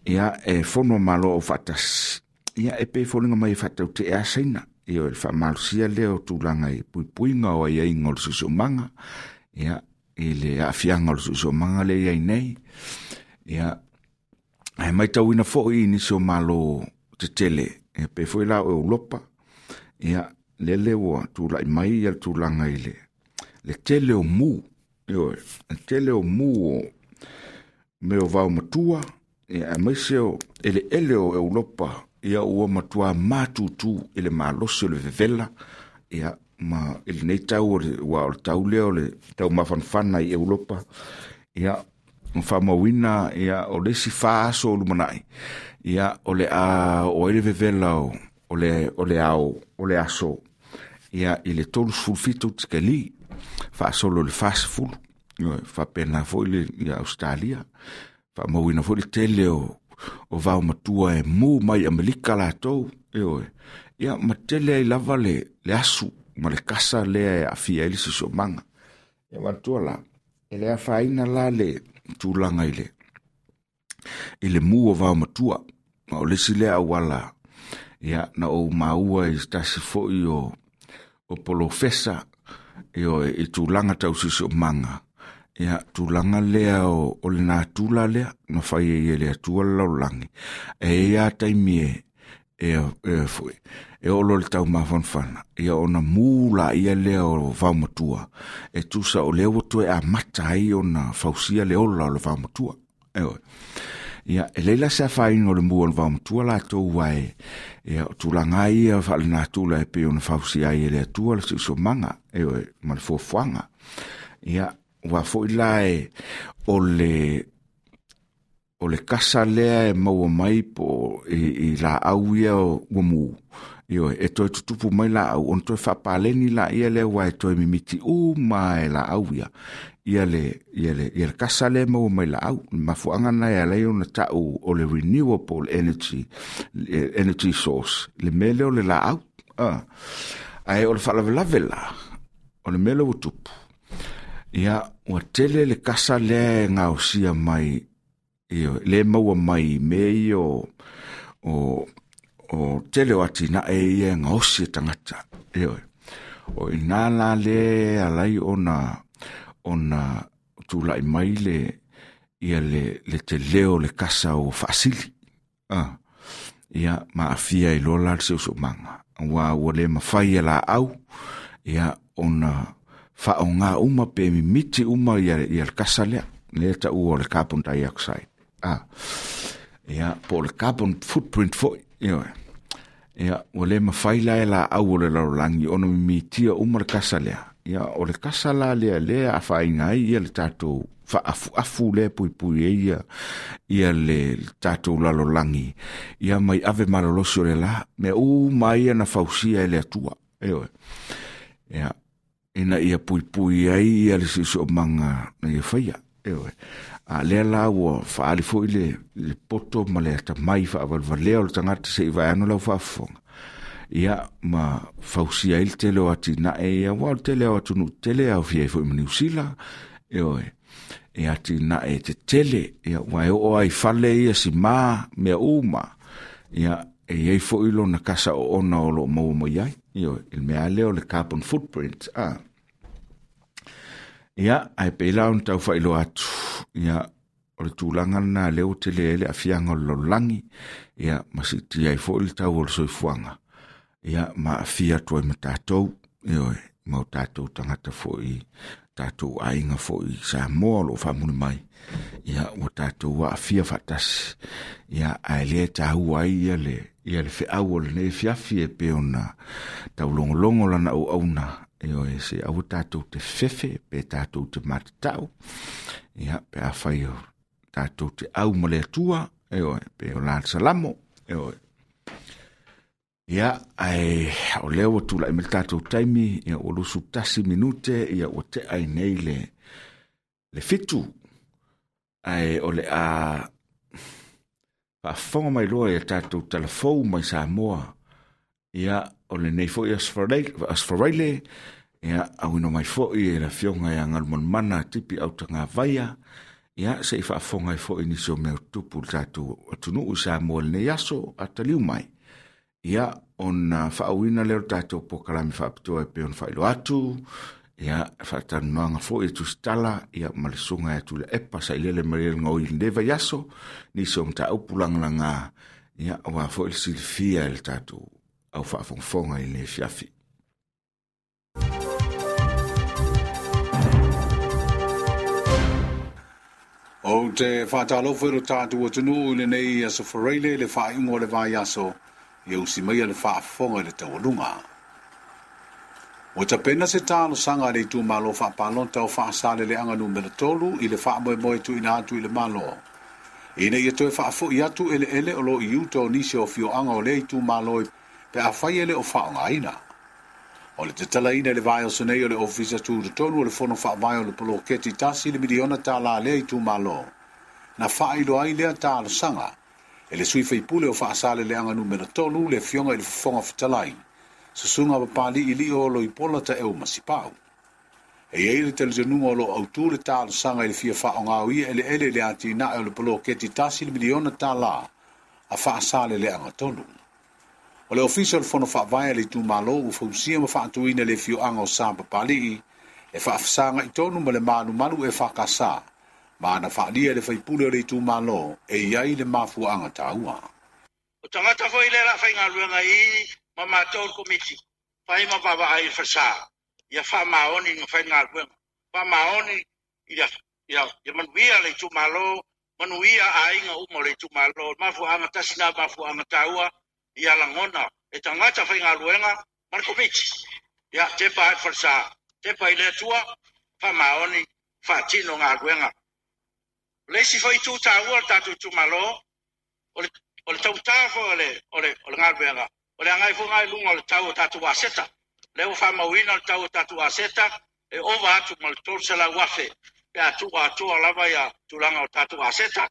Speaker 2: ia, e fono malo o faatasi. Ia, e pei foliga mai e faataute'e a Saina. Ia, o le faamalosia lea o tulaga i puipuiga o aiaiga o le siosiomaga, ia, i le aafiaga o le siosiomaga lea i ai nei. Ia, ae matauina foi i nisi o malo tetele, ia, pei foi la o Europa, ia, lele ua tulai mai ia le tulaga i le, le tele o mu, ioe, le tele o mu o mea o vaomatua, ia, aemaise o eleele o Europa, ia, ua matua matutu i le malosi o le vevela, ia, ma i lenei tau o le, ua o le tau lea o le tau mafanafana i Europa, ia, ma faamauina, ia, o le isi fa aso o lumanai, ia, o le a o ai le vevela o, o le, o le ao, o le aso, ia, i le tolu sefulu fitu tikeli, faasolo i le fa sefulu, ioe, faapena foi le, ia, Australia, faamauina foi le tele o, o vaomatua e mu mai Amerika latou, ioe, ia, ma tele ai lava le, le asu ma le kasa lea e aafia ai le siosiomaga. Ia, manatua la, e le afaina la le tulaga i le, i le mu o vaomatua, ma o le isi lea auala, ia, na ou maua i se tasi foi o, o polofesa, ioe, i tulaga tau siosiomaga. Ia, tulaga lea o, o le natura lea, na fai ai e le Atua le lalolagi. E i ai lava taimi e, e, e, foi, e oo loa le taumafanafana, ia, ona mu laia lea o vaomatua, e tusa o lea ua toe amata ai ona fausia le ola o le vaomatua. Ioe. Ia, e leai la se afaina o le mu o le vaomatua latou ae, ia, o tulaga ia faalenatura e pei ona fausia ai e le Atua le siosiomaga, ioe, ma le fuafuaga. Ia, ua foi la e, o le, o le kasa lea e maua mai po i, i laau ia o ua mu. Ioe, e toe tutupu mai laau, ona toe faapaleni laia lea ua e toe mimiti uma e laau ia. Ia le, ia le, ia le kasa lea e maua mai laau. Le mafuaaga na e ala ai ona ta'u o le renewable energy, energy source, le mea lea o le laau. Ah. Ae o le faalavelave la, o le mea lea ua tupu. Ia, ua tele le kasa lea e gaosia mai, ioe, le maua mai i mea ia o, o, o tele o atinae ia e gaosi e tagata. Ioe. O ina la le ala ai ona, ona tulai mai le, ia le, le tele o le kasa o faasili. Ah. Ia, ma aafia ai loa la le siosiomaga. Ua, ua le mafai e laau, ia, ona faaaoga uma pe mimiti uma ia, ia le kasa lea, lea taua o le carbon dioxide. Ah. Ia, po o le carbon footprint foi, ioe. Ia, ua le mafai la e laau o le lalolagi ona mimitia uma le kasa lea. Ia, o le kasa la lea lea afaina ai ia le tatou faaafuafu lea puipui ai ia, ia le tatou lalolagi. Ia mai ave malolosi o le la, mea uma ia na fausia e le Atua. Ioe. Ia, ina ia puipui ai ia le siosiomaga na ia faia. Ioe. A lea la ua faaali fo'i le, le poto ma le atamai faavalevalea o le tagata se'i vaeano lau faafofoga. Ia ma fausia ai le tele o atinae ia, ua o le tele o atunuu tele aofia ai fo'i ma Niusila. Ioe. E atinae tetele, ia ua e oo ai fale ia simā mea uma. Ia e iai fo'i lona kasa oona o loo maua mai ai. Ioe, i le mea lea o le carbon footprint. Ah. Ia, ae pei la ona taufailoa atu, ia, o le tulaga lena lea ua tele ai le aafiaga o le lalolagi, ia, ma siitia ai fo'i le tau o le soifuaga, ia, ma aafia atu ai ma tatou, ioe, ma o tatou tagata fo'i, tatou aiga fo'i Samoa o loo faamuli mai, ia, ua tatou aafia faatasi, ia, ae lea e taua ai ia le, ia le feau o lenei afiafi e pei ona taulogologo lana auauna. Ioe, se aua tatou te fefe, pe tatou te matatau, ia, pe afai o tatou te au ma le Atua, ioe, pe o la le salamo, ioe. Ia, ae o lea ua tula'i mai le tatou taimi, ia, ua lusu tasi minute, ia, ua tea ai nei le, le fitu, ae o le a faafofoga mai loa ia tatou talafou mai Samoa, ia, o lenei fo'i Aso Faraile, ia, auina mai fo'i e le afioga ia Galumalemana Tipi Autagavaia, ia, se'i faafofoga ai fo'i nisi o mea o tutupu i le tatou atunuu i Samoa i lenei aso a taliu mai. Ia, ona faauina lea o le tatou pokalame faapitoa e pei ona faailoa atu, ia, faatalanoaga fo'i e tusitala, ia, ma le susuga ia Tuilaepa Sailele Malielegaoi i lenei vaiaso, nisi o mataupu lagalaga, ia, aua fo'i le silafia e le tatou au faafogafoga i lenei afiafi.
Speaker 6: O te whātālofo i lo tātou atunuu i lenei Aso Faraile le faaiuga o le vaiaso, ia usi maia le faafofoga i le taualuga. Ua tapena se talosaga a le itumalo faapalota o Faasaleleaga numera tolu i le faamoemoe tuuina atu i le Malo. Ina ia toe faafo'i atu eleele o lo i uta o nisi o afioaga o lea itumalo pe afai e le o faaaogaina. O le tatalaina i le vaiaso nei o le Ofisa Tutotonu o le Fono Faavae o le Poloketi tasi le miliona tālā lea itumalo. Na faailoa ai lea talosaga e le sui faipule o Faasaleleaga numera tolu le afioga i le Fofoga Fetalai, susuga Papali'i o Loipola Taeu Masipau. E iai le talitonuga o loo autū le talosaga i le fia faaaogao ia eleele i le atinae o le poloketi tasi le miliona tālā a Faasaleleaga tolu. O le Ofisa o le Fono Faavae a le itumalo ua fausia ma faatuina le afioaga o Sa Papali'i e faafesaga i tonu ma le malumalu e faakasā, ma na faalia le faipule o le itumalo e iai le mafuaaga taua.
Speaker 7: O tagata foi le la faigaluega i ma matou le komiti, fai ma vaavaai i le falesa, ia faamaoni na faigaluega, faamaoni ia, ia, ia manuia le itumalo, manuia aiga uma o le itumalo, mafuaaga tasi na mafuaaga taua, ia lagona e tagata faigaluega ma le komiti. Ia tepa ai le falesa, tepa i le Atua, faamaoni, faatino galuega. O le isi foi itu taua o le tatou itumalo, o le, o le tautā foi o le, o le, o le galuega, o le agai foi ngai luga o le tau o tatou aseta. Lea ua faamauina le tau o tatou aseta, e ova atu ma le tolu selau afe, pe a tuu atoa lava ia tulaga o tatou aseta,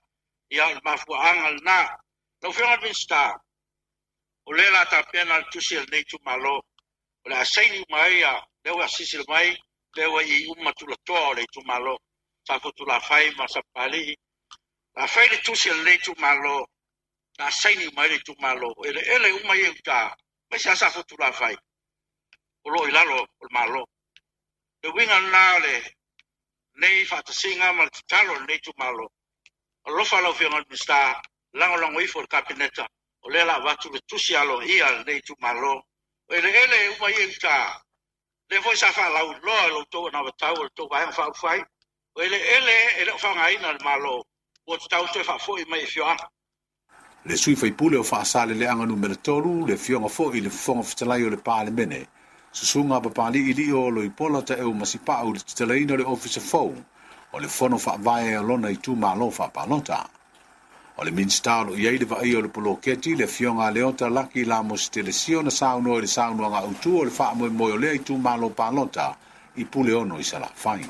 Speaker 7: ia o le mafuaaga lena. Lau Afioga i le Minisita, o lea la tapena le tusi a lenei itumalo, o le a saini uma ai ia, lea ua silasila mai, lea ua i uma tulatoa o le itumalo, Safotulafai ma Sapapalii. La fai le tusi a lenei itumalo, na saini uma ai le itumalo, eleele uma ia i uta, aemaise lava Safotulafai, o loo i lalo o le Malo. Le uiga lena o lenei faatasiga ma le tatalo o lenei itumalo. Alofa lau Afioga i le Minisita, lagolago ifo i le Kapeneta, o lea la avatu le tusi aloaia a lenei itumalo. O eleele uma ia i uta, lea foi sa faalauiloa i lo outou anavatau o le tou vaega faaulufai, o eleele e le o faaaogaina e le Malo, ua tatau toe faafoi mai i afioaga.
Speaker 6: Le sui faipule o Faasaleleaga numera tolu, le afioga foi i le Fofoga Fetalai o le Palemene, susuga Papali'i o Loipola Taeu Masipau i le tatalaina o le Ofisa Fou o le Fono Faavae o lona itumalo faapalota. O le Minista o lo i ai le vaai o le poloketi le afioga a Leota Laki Lamos Telesio na saunoa i le saunoaga autu o le faamoemoe o lea itumalo palota i Puleono i Salafai.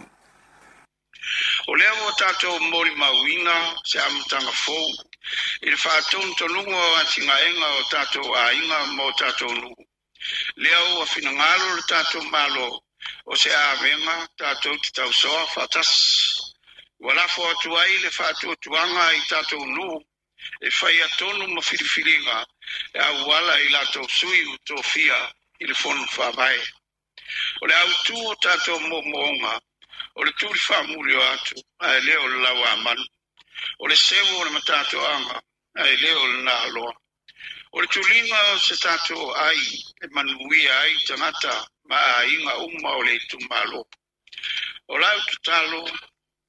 Speaker 7: O lea ua tatou molimauina se amataga fou i le faatonutonuga o atinaega o tatou aiga ma o tatou nuu. Lea ua finagalo le tatou Malo o se avega tatou te tausoa faatasi. Ua lafo atu ai le faatuatuaga i tatou nuu e faia tonu ma filifiliga e auala i latou sui utofia i le fono faavae. O le autu o tatou moomooga o le tuli faamuli o atu ae le o le lauamanu. O le seu o le matatoaga ae le o le naloa. O le tuliga o se tatou ai e manuia ai tagata ma aiga uma o le itumalo. O lau tatalo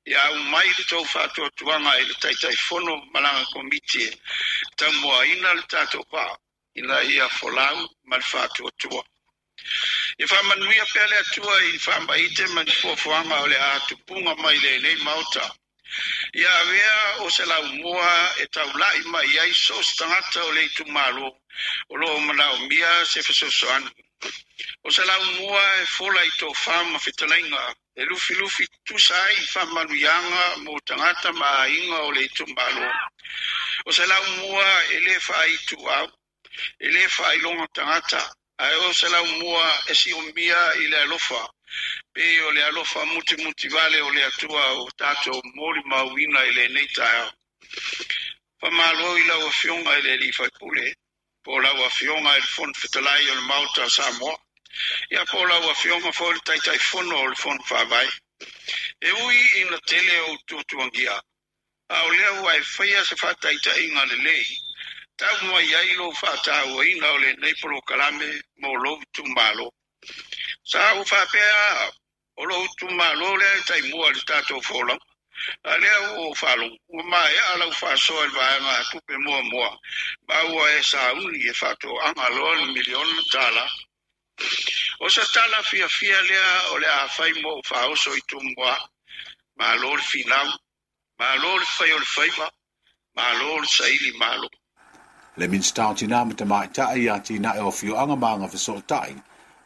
Speaker 7: ia aumai le tou faatuatuaga i le Taitaifono ma lana komiti e taumuaina le tatou vaa ina ia folau ma le faatuatua. Ia faamanuia pea le Atua i faamaite ma ni fuafuaga o le a tupuga mai lenei maota. Ia avea o se laumua e taulai mai ai so o se tagata o le itumalo o loo manaomia se fesoasoani. O se laumua e fola i tofa ma fetalaiga e lufilufi tusa ai faamanuiaga mo tagata ma aiga o le itumalo. O se laumua e le faaituau, e le faailoga tagata, ae o se laumua e siomia i le alofa, pei o le alofa mutimutivale o le Atua o tatou molimauina i lenei taeao. Faamalo i lau afioga i le alii faipule, po o lau afioga i le Fono Fetalai o le Maota o Samoa, ia po o lau afioga foi le Taitaifono o le Fono Faavae. E ui ina tele o tuatuagia, a o lea ua e faia se faataitaiga lelei, tau mai ai lou faatauaina o lenei polokalame mo lou itumalo. Sa ou faapea o lou itumalo lea e taimua i le tatou folauga. A lea ua ou faalogo, ua maea lau faasoa i le vaega a tupe muamua, ma ua e sauni e faatoaga loa le miliona tala. O se tala fiafia lea o le a fai mo ou faaoso i Tumua. Malo le finau, malo le fai o le faiva, malo le saili malo.
Speaker 6: Le Minista o Tina ma Tamaitai ia atinae o afioaga ma agafesootai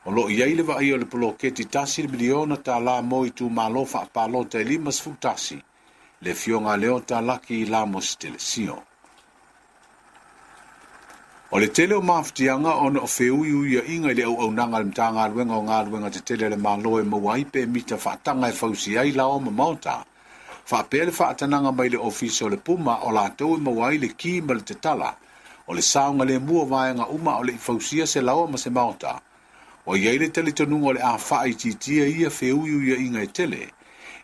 Speaker 6: o loo i ai le vaai o le poloketi tasi le miliona tala mo itumalo faapalota e lima sefulu tasi le afioga a Leota Laki Lamos Telesio. O le tele o mafutiaga ona o feuiuiaiga i le auaunaga a le Matagaluega o Galuega Tetele a le Malo e maua ai pe mita faataga e fausi ai lao ma maota. Faapea le faatanaga mai le ofisa o le Puma o latou e maua ai le ki ma le tatala o le saoga lemu o vaega uma o le i fausia se laoa ma se maota. O iai le talitonuga o le a faaitiitia ia feuiuiaiga e tele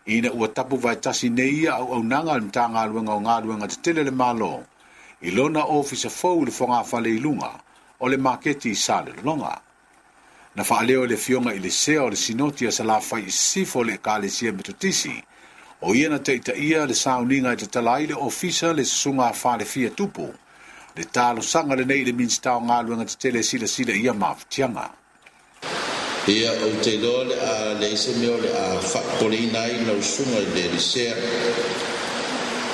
Speaker 6: ina ua tapu vaetasi nei ia auaunaga a le Matagaluega o Galuega Tetele a le Malo i lona ofisa fou i le fogafale i luga o le maketi i Salelologa. Na faaleo e le afioga i le sea o le Sinoti a Salafai i Sisifo o le Ekalesia Metotisi o ia na taitaia le sauniga e tatala ai le ofisa le susuga a Falefia Tupu le talosaga lenei i le Minista o Galuega Tetele e silasila ia mafutiaga.
Speaker 8: Ia ou te iloa le a leai se mea o le a faapopoleina ai lau susuga i le Elisea.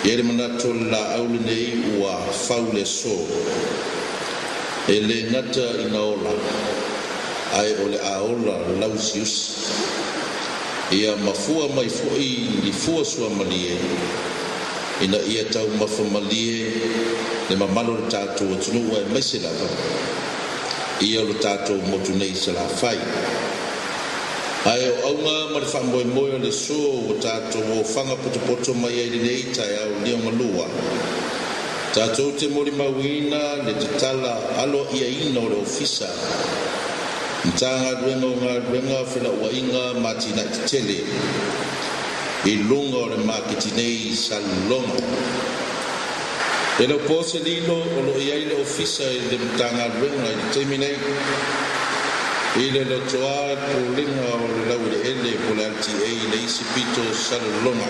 Speaker 8: Ia le manatu o le laau lenei ua fau le aso. E le gata ina ola, ae o le a ola lausiusi. Ia mafua mai foi ni fua suamalie, ina ia taumafamalie le mamalu o le tatou atunuu aemaise lava ia lo tatou motu nei Salafai. Ae o auga ma le faamoemoe o le aso ua tatou ofaga potopoto mai ai lenei taeao liogalua. Tatou te molimauina le tatala aloaiaina o le ofisa Matagaluega o Galuega Felauaiga ma Atinae Tetele i luga o le maketi nei i Salelologa. E le o po se lilo o loo i ai le ofisa i le Matagaluega i le taimi nei i le lotoa pulega o le laueleele po o le L T A i le isi pito o Salelologa.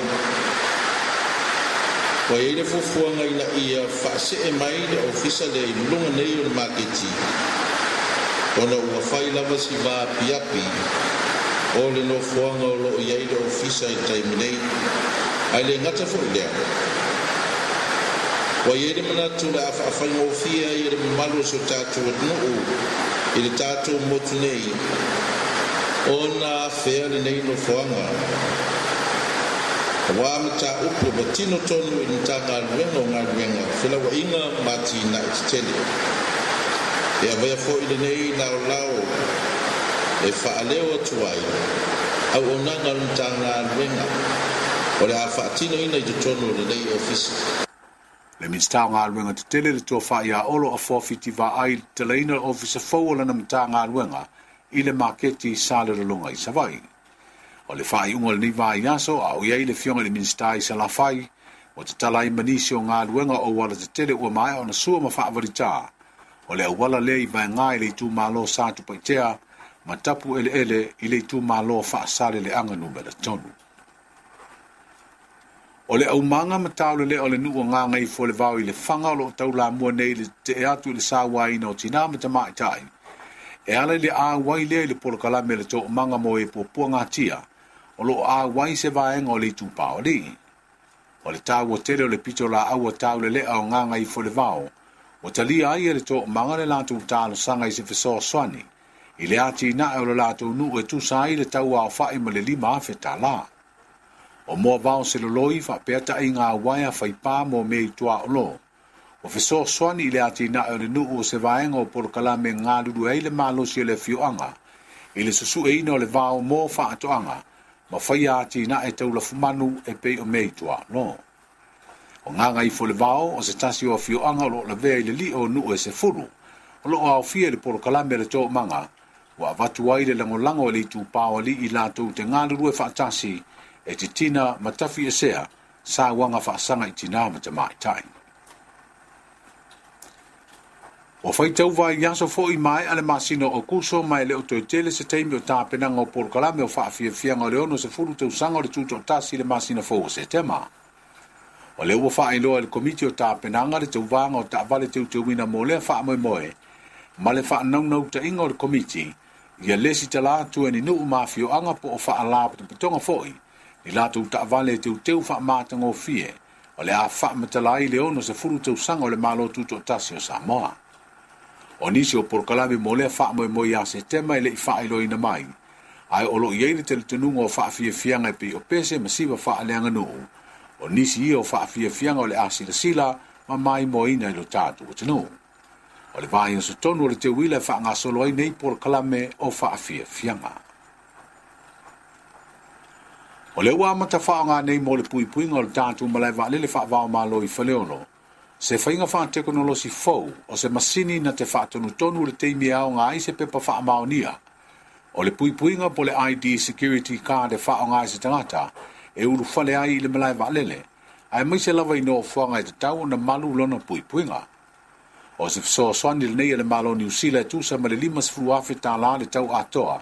Speaker 8: Ua i ai le fuafuaga ina ia faasee mai le ofisa lea i luga nei o le maketi ona ua fai lava si vaapiapi o le nofoaga o loo i ai le ofisa i taimi nei. Ae le gata foi lea, Ua i ai le manatu le a faafaigofie ai e le mamalu o si o tatou atunuu i le tatou motu nei ona afea lenei nofoaga. Auā mataupu e patino tonu i le Matagaluega o Galuega, Felauaiga ma Atinae Tetele. E avea foʻi lenei laolao e faaleo atu ai auaunaga o le Matagaluega o le a faatinoina i totonu o lenei ofisa.
Speaker 6: Le Minisita o Galuega Tetele le Tofa ia Olo Afoa Fiti Vaai i le tatalaina o le ofisa fou o lana Matagaluega i le maketi i Salelologa i Savaii. O le faaiuga o lenei vaiaso a o i ai le afioga i le Minisita i Salafai, ua tatala ai ma nisi o galuega o auala tetele ua maea ona sua ma faavalita. O le auala lea i Vaega i le itumalo Satupaitea ma tapu eleele i le itumalo Faasaleleaga numera tolu. O le aumaga ma taulelea o le nuu o Gagaifoolevao i le Faga o loo taulamua nei i le tetee atu i le sauaina o tinā ma tamaitai. E ala i le auai lea i le polokalame le toomaga mo e puapua gatia, o loo auai se vaega o le itupa o alii. O le taua tele o le pito laau a taulelea o Gagaifoolevao, ua talia ai e le toomaga le latou talosaga i se fesoasoani, i le atinae o le latou nuu e tusa ai le tau aofa'i ma le lima afe tālā. O moavao seloloi faapea taʻiga auaea faipā mo mea i tuaʻolo. Ua fesoasoani i le atinae o le nuu o se vaega o polokalame galulue ai le malosi o le afioaga i le susueina o le vao mo faatoaga ma faia atinae taulafumanu e pei o mea i tuaʻolo. O Gagaifoolevao o se tasi o afioaga o loo lavea i le liʻo o nuu e sefulu o loo aofia i le polokalame a le toomaga ua avatu ai le lagolago e le itupa o alii latou te galulue faatasi e titina ma tafiesea sauaga faasaga i tinā ma tamaitai. Ua faitau vaiaso foʻi maea le masina o Kuso ma e le o toe tele se taimi o tapenaga o polokalame o faafiafiaga o le ono sefulu tausaga o le tutoatasi i le masina fou o Setema. O lea ua faailoa e le komiti o tapenaga le tauvaga o taavale teuteuina mo lea faamoemoe ma le faanaunautaiga o le komiti ia lesi tala atu e ni nuu ma afioaga po o faalapotopotoga foʻi i latou taavale e teuteu faamatagofie o le a faamatala ai le ono sefulu tausaga o le Malo Tutoatasi o Samoa. O nisi o polokalame mo lea faamoemoe ia Setema e leʻi faailoaina mai, ae o loo i ai le talitonuga o faafiafiaga e pei o pese ma siva faaleaganuu. O nisi ia o faafiafiaga o le a silasila ma maimoaina i lo tatou atunuu. O le vaiaso tonu o le teuila e faagasolo ai nei polokalame o faafiafiaga. O le ua amata faaaoga nei mo le puipuiga o le tatou malae vaalele faavaomalo i Faleolo, se faiga faatekonolosi fou o se masini na te faatonutonu le taimi e aoga ai se pepa faamaonia. O le puipuiga po le I D Security Card e faaaoga ai se tagata e ulufale ai i le malae vaalele, ae maise lava i nofoaga e tatau ona malu lona puipuiga. O se fesoasoani lenei e le Malo o Niu Sila e tusa ma le lima sefulu afe tālā le tau atoa,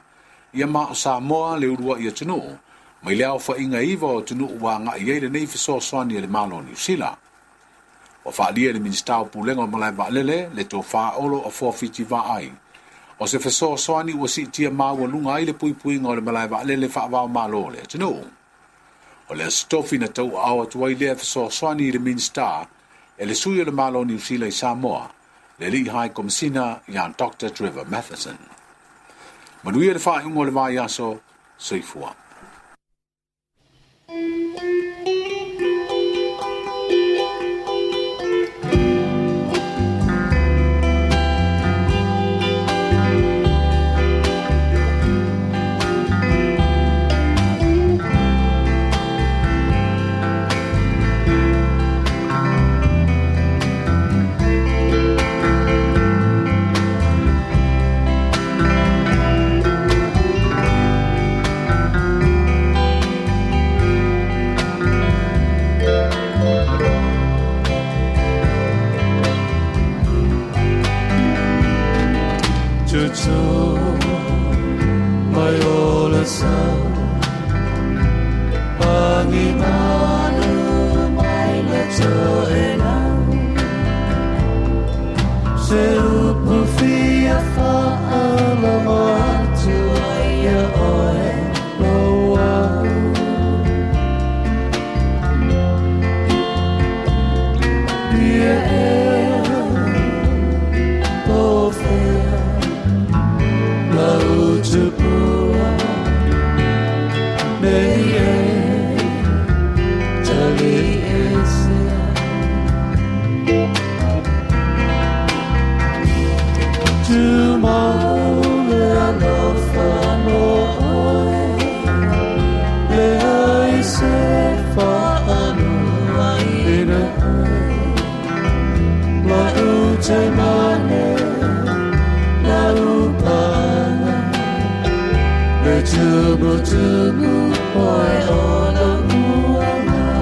Speaker 6: ia ma o Samoa le uluaʻi atunuu, mai le aofaiga iva o atunuu ua agaʻi ai lenei fesoasoani e le Malo o Niu Sila. Ua faaalia e le Minisita o Pulega o Malae Vaalele le Tofa Olo Afoa Fiti Vaai. O se fesoasoani ua siitia maualuga ai le puipuiga o le malae vaalele faavaomalo o le atunuu. O le aso tofi na tauaao atu ai lea fesoasoani i le Minisita e le sui o le Malo o Niu Sila i Samoa, le alii High Komisina ia Doctor Trevor Matheson. Manuia le faaiuga o le vaiaso, soifua.
Speaker 4: Fia ea O fea Lau tupua Nei e Tali esea Tomorrow le alofa mo oe Le ai se whaanua ina oe La ute mane La upanga Le tumu tumu oe o la uanga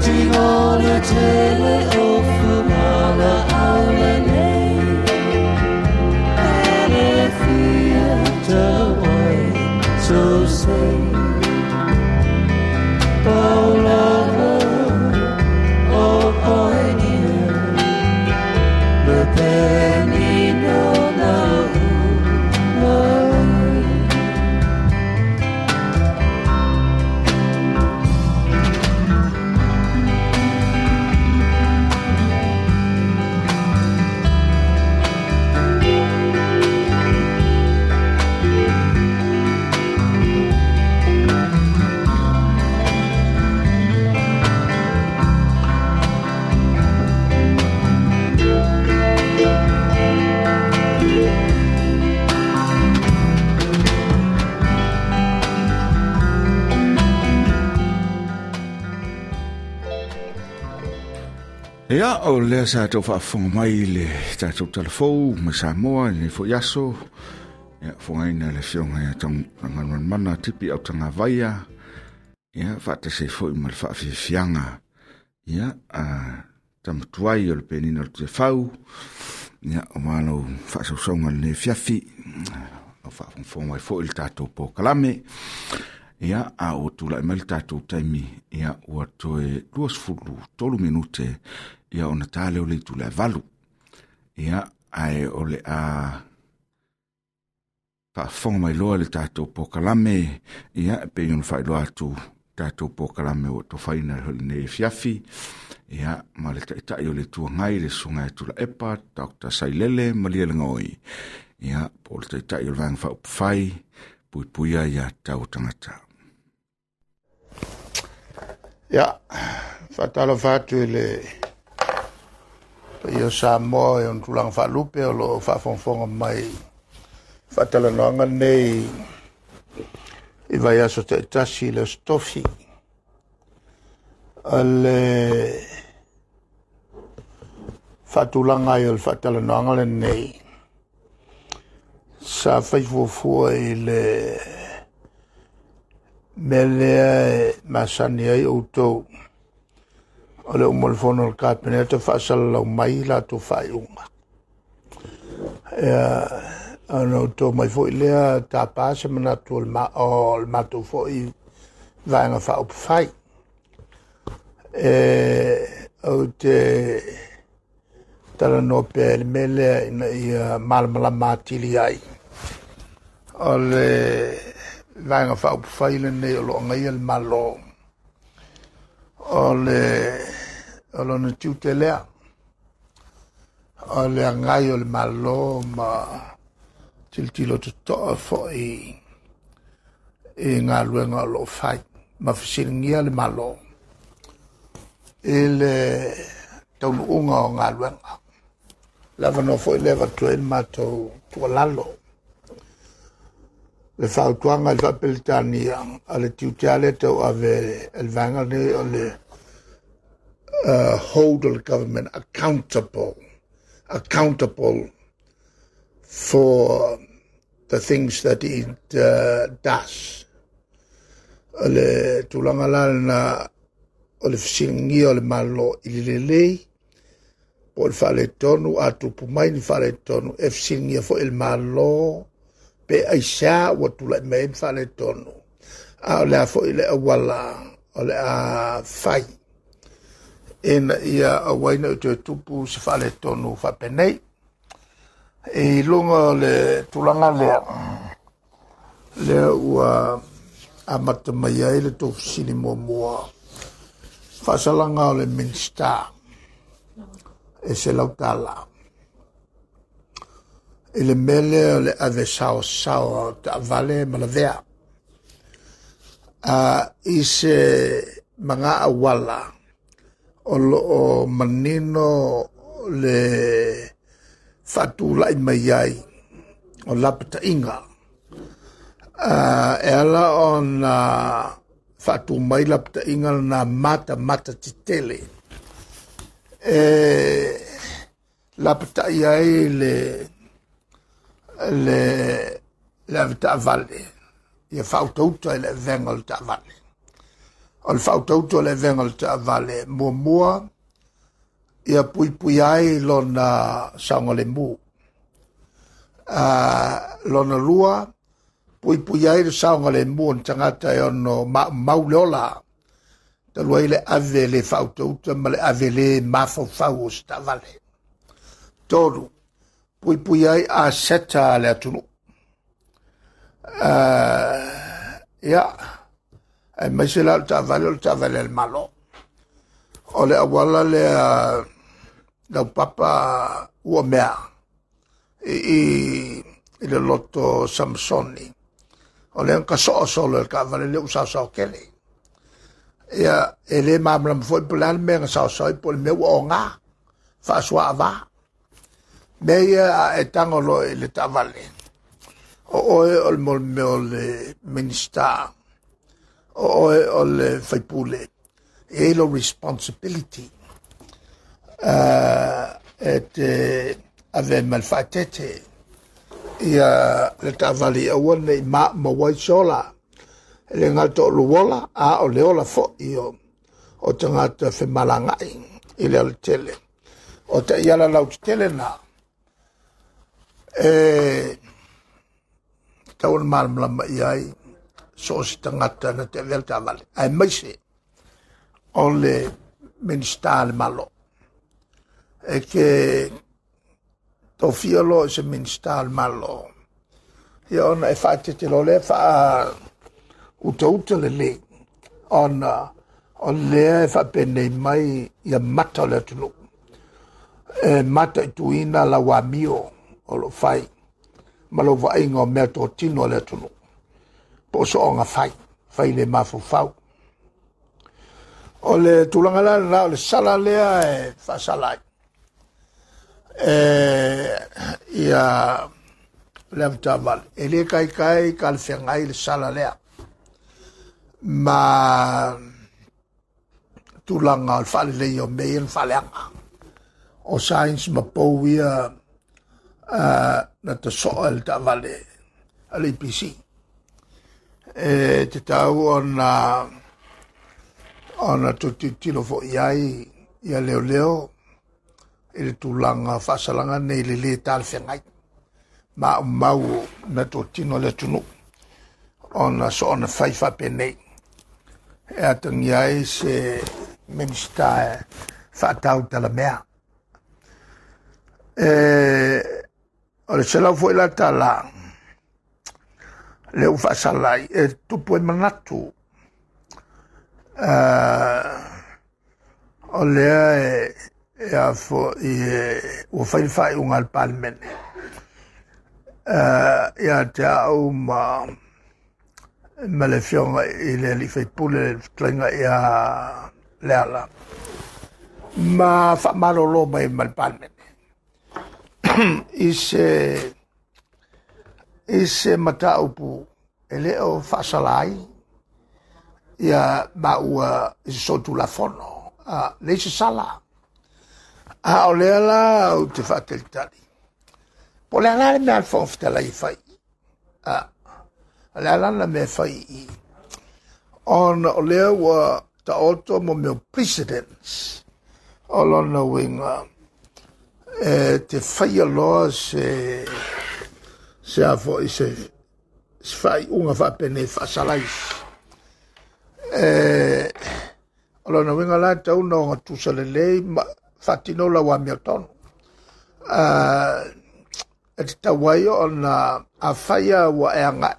Speaker 4: Tingo le tele o fumala aule nei Ele fia tawai so say Paulava o oe nia Le peni no na unai
Speaker 2: Ia, o lea sa tau faafofoga mai le tatou talafou mai Samoa i lenei foi aso. Ia, fogaina le afioga ia Tagaloanimana Tipi Autagavaia. Ia, faatasi ai foi ma le faafiafiaga. Ia, a tamatuai o le penina o le Tuefau. Ia, o malau faasausauga lenei afiafi. O faafogafoga mai foi le tatou polokalame. Ia, a ua tulai mai le tatou taimi, ia, ua toe luasefulu tolu minute, ia, ona ta lea o le itu le valu. Ia, ae o le a faafofoga mai loa le tatou polokalame, ia, e pei ona faailoa atu tatou polokalame ua tofaina lenei afiafi, ia, ma le taitai o le Itu Agai, le Susuga ia Tuilaepa, Doctor Sailele Malielegaoi, ia, po o le taitai o le Vaega Faaupufai, Puipuia ia tau tagata.
Speaker 9: Ia, faatalofa atu i le paia o Samoa e ona tulaga faalupe o loo faafogafoga mai faatalanoaga nei i vaiaso taitasi i le Aso Tofi. O le faatulaga ai o le faatalanoaga lenei sa faifuafua i le mea lea e masani ai outou o le uma o le fono o le Kapeneta faasalalau mai latou faaiuga. Ia, ona outou mai foi lea tapa se manatu o le ma, o le matou foi vaega faaupufai. E, ou te talanoa pea i le mea lea ina ia malamalama atili ai. O le vaega faaupufai lenei o loo agaia le Malo. O le o lona tiute lea. O le agai o le Malo ma tilotilo totoa foi i galuega o loo fai ma fesiligia le Malo i le taunuuga o galuega. Le avanoa foi lea avatu ai le matou tuualalo. Le fautuaga i le Faa-Peretania a le tiute lea e tauave e le vaega lenei o le uh, hold the government accountable, accountable for the things that it uh, does. O le tulaga la lena o le fesiligia o le Malo i le lelei po o le faaletonu, a tupu mai ni faaletonu, e fesiligia foi le Malo pe aisea ua tulai mai ai ni faaletonu. A o le a foi le auala o le a fai ina ia aua ai ne i toe tupu se faaletonu faapenei. I luga o le tulaga lea, lea ua amata mai ai le tou fesili muamua faasalaga o le Minisita e selau tala i le mea lea o le ave saosaoa o taavale ma lavea i se maga auala o loo manino le faatulai mai ai o lapataiga e ala ona faatumai lapataiga lena matamata tetele e lapatai ai le le le ave taavale ia faautauta i le avega o le taavale. O le faautauta o le avega o le taavale muamua ia puipui ai lona saogalemu. Lona lua puipui ai le saogalemu o ni tagata e ono maumau le ola talu ai le ave le faautauta ma le ave le mafaufau o se taavale. Tolu, puipui ai aseta a le atunuu. Ia, aemaise la o le taavale o le taavale a le Malo. O le auala lea laupapa ua mea i i le loto Samsoni. O lea na soo solo e le taavale lea ua saosao tele. Ia, e le malamalama foi po o le a le mea na saosao ai po o le mea ua oga, faasuaava. Mea ia a e tago loa i le taavale, o oe o le mea o le Minisita, o oe o le faipule, e i ai lou responsibility e te ave ma le faaeteete ia le taavale ia aua nei maumau ai se ola. E le gata o lou ola, a o le ola foi o, o tagata femalagai i le alatele. O taiala lautetele na e tatau ona malamalama i ai so o se tagata na te avea le taavale, aemaise o le Minisita a le Malo. E ke tofia loa i se Minisita o le Malo, ia ona e faaeteete loa lea faa utauta lelei ona o lea e faapenei mai ia mata o le atunuu e mataituina lau amio o loo fai ma lou vaaiga o mea totino a le atunuu po o sooga fai fai le mafaufau. O le tulaga la lena o le sala lea e faasala ai e ia le avetaavale e le kaikai talafeagai le sala lea ma tulaga o le faalelei o mea ia na faaleaga o science ma pou ia na tasoa e le taavale a le A P C. E tatau ona ona toe foi ai ia leoleo i le tulaga faasalaga nei le lē talafeagai maumau na totino le atunuu ona soona fai faapenei e atagia ai se Minisita e faatau talamea. E o le selau foi la tala le ua faasala ai e tupu ai manatu o lea e e a foi ua fai le faaiuga a le Palemene ia te au ma ma le afioga i le alii faipule le fetalaiga ia Leala ma faamalolo mai ma le Palemene i se i se mataupu e le o faasala ai ia maua i se solitulafono leai se sala. A o lea la ou te faatalitali po o le a la le mea a le Fofoga Fetalai e fai o le a la le mea e fai i ona o lea ua taoto mo mea o precedents o lona uiga e te faia loa se se a foi se se faaiuga faapenei faasala isi. E o lona uiga la e tatau ona ogatusa lelei ma faatino lau amiotonu e tatau ai ona afai ua e agai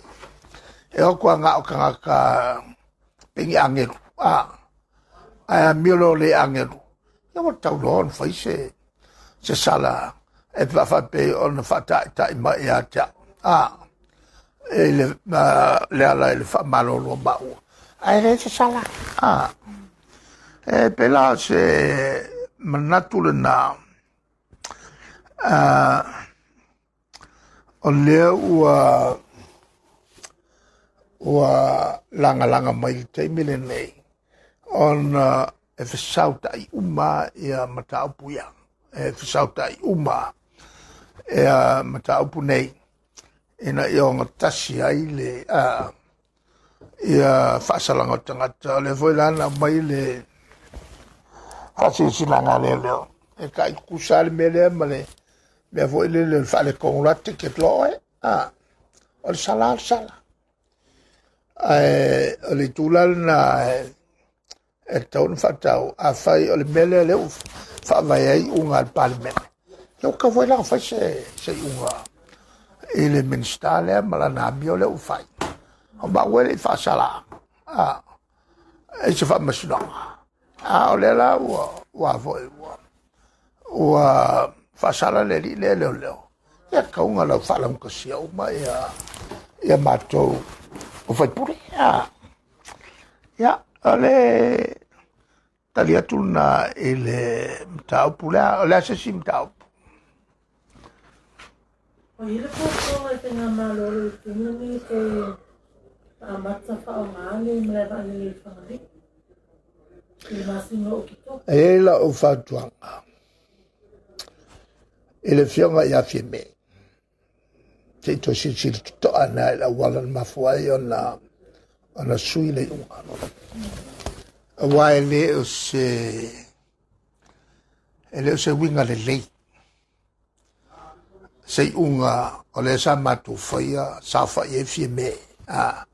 Speaker 9: E o kua ngā o kangaka pengi angelu. A, ai a milo le angelu. Ia wa tau loa ona fai se, se sala e whawhape o na whata'i mai a tia. A, e le, le ala e le whamalolo maua. Ai le se sala. A, e pela se manatu le nā. A, o lea ua ua langa langa mai le taimi lenei ona e fesauta'i uma ia mataupu ia e fesauta'i uma ia mataupu nei ina ia ogatasi ai le a ia faasalaga o tagata o lea foi lana mai le faasilasila lea leo e taʻitukusa le mea lea ma le mea foi lele o le faalekogo la ticket loa e a o le sala le sala ae o le itula lena e tatau ona faatau afai o le mea lea lea ua faavae ai iuga a le Palemene ia ua tatau foi la ona fai se se iuga i le Minisita lea ma lana amio lea ua fai o maua e le i faasala a e se faamasinoga a o lea la ua ua foi ua ua faasala le alii lea leoleo ia kauga lau faalaugasia uma ia ia matou o faipule a ia o le tali atu lena i le mataupu lea o le a se isi mataupu.
Speaker 10: O i le fuafuaga i faigamalo o le taimi lenei toe faamata faaaoga le malae vaalele i Fagalii i le masina o Oketopa.
Speaker 9: E i ai lau fautuaga i le afioga ia Fiame se i toe silasila totoa na i le auala na mafua ai ona ona sui le iuga. Aua e le o se e le o se uiga lelei se iuga o lea sa matou faia saofa'i ai Fiame a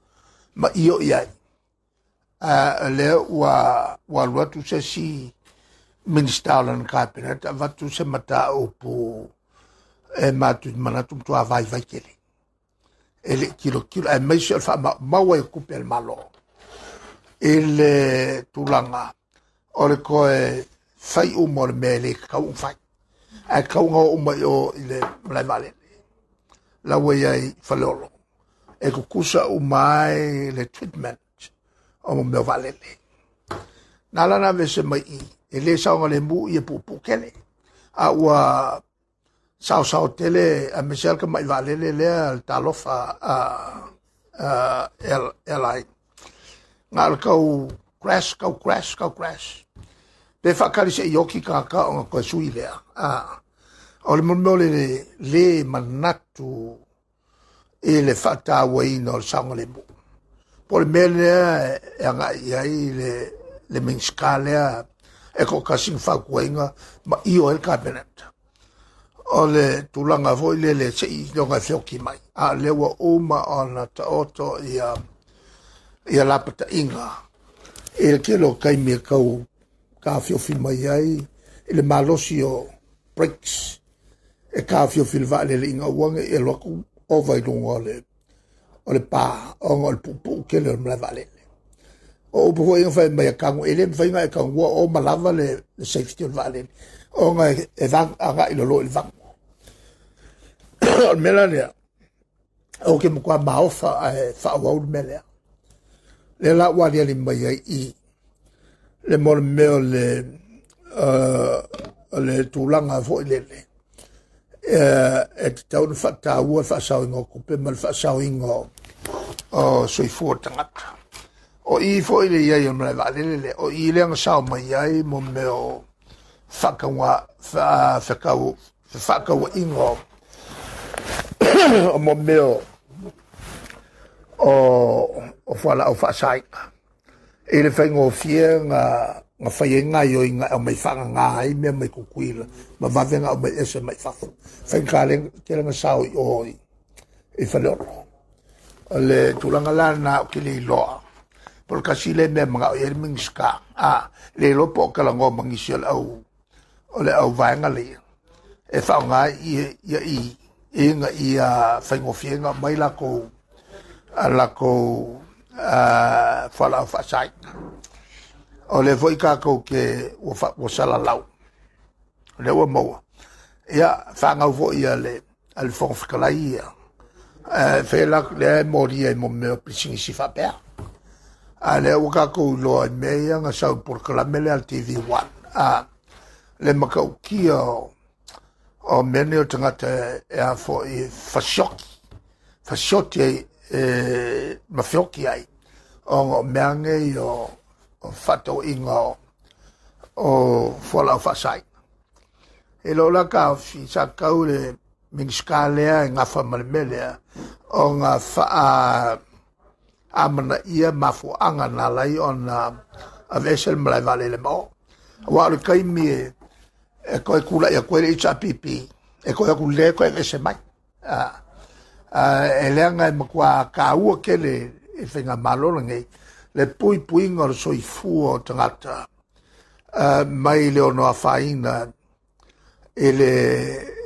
Speaker 9: ma io i ai a lea ua ua alu atu se isi Minisita o lana Kapeneta avatu se mataupu e matou te manatu matua vaivai tele e le i tilotilo aemaise o le faamaumau ai o tupe a le Malo i le tulaga o le toe fai uma o le mea e le tatau ona fai ae tatau ona oo uma i o i le malae vaalele la ua i ai i Faleolo e tutusa uma ai le treatment o mea o vaalele. Na ala ona aveese mai i e le saogalemu ia puupuu tele a ua saosao tele aemaise lava le tama'i vaalele lea le Talofa Airline na o le tau crash tau crash tau crash pe faatali se'i oti tagata ona toe sui lea a o le mea o le lē manatu i le faatauaina o le saogalemu po o le mea lea e agai i ai le le Minisita lea e toatasi na fautuaina ma io ai le Kapeneta o le tulaga foi lele se'i iloga e feoti mai a o lea ua uma ona taoto ia ia lapataiga i le tele o taimi e tau taofiofi mai ai i le malosi o brakes e taofiofi le vaalele ina ua ne i alu atu ova i luga o le o le pa ona o le puupuu tele o le malae vaalele. O upu foi na fai mai a tago e le mafai ona e tagua o ma lava le, le safety o le vaalele ona e, e vag, agai lalo i le vagu. O le mea la lea o ke matua maofa ae faaauau le mea lea. Lea la ua aliali mai ai i le mo le mea o le uh, o le tulaga foi lele e tatau ona faataua le faasaoina o tupe ma le faasaoina o, o soifua o tagata. O i foi le iai o le malae vaalele lea, o i lea na sao mai ai mo mea o faakauga, fekau, fefaakauaiga o, o mo mea o, o, o fualaau faasaina. I le faigofie na, na fai ai gaoioiga e aumai faagagā ai mea mai Tutuila ma vave na aumai ese mai fafo. Faigata tele na sao i o i, i Faleolo. O le tulaga la lena ou te le iloa. Po o le tasi lea mea manao i ai le Minisita. A, le iloa po o talanoa ma nisi o le au, o le au vaega lea. E faaaoga ia, ia i, ina ia faigofie na aumai lakou a lakou fualaau faasaina. O le foʻi tatou ke ua ua salalau lea ua maua ia fagau foʻi a le a le Fofoga Fetalai ia e la lea e molia i mo mea o pisinisi faapea. A lea ua tatou iloa i mea ia na sau polokalame lea a le T V one a le matautia o o mea nei o tagata e a foʻi fasioki fasioti ai e ma feoki ai ona o mea nei o o faatauiga o o fualaau faasaina. E lo la taofi sa tau le Minisita lea e gafa ma le mea lea ona faa amanaia mafuaaga na ala ai ona aveese le malae vaalele ma o. Auā o le taimi e e toe kulaʻi atu ai le H R P P e toe atu lea toe aveese mai. E leaga e matuā taua tele i faigamalo lenei le puipuiga o le soifua o tagata mai le ono afaina i le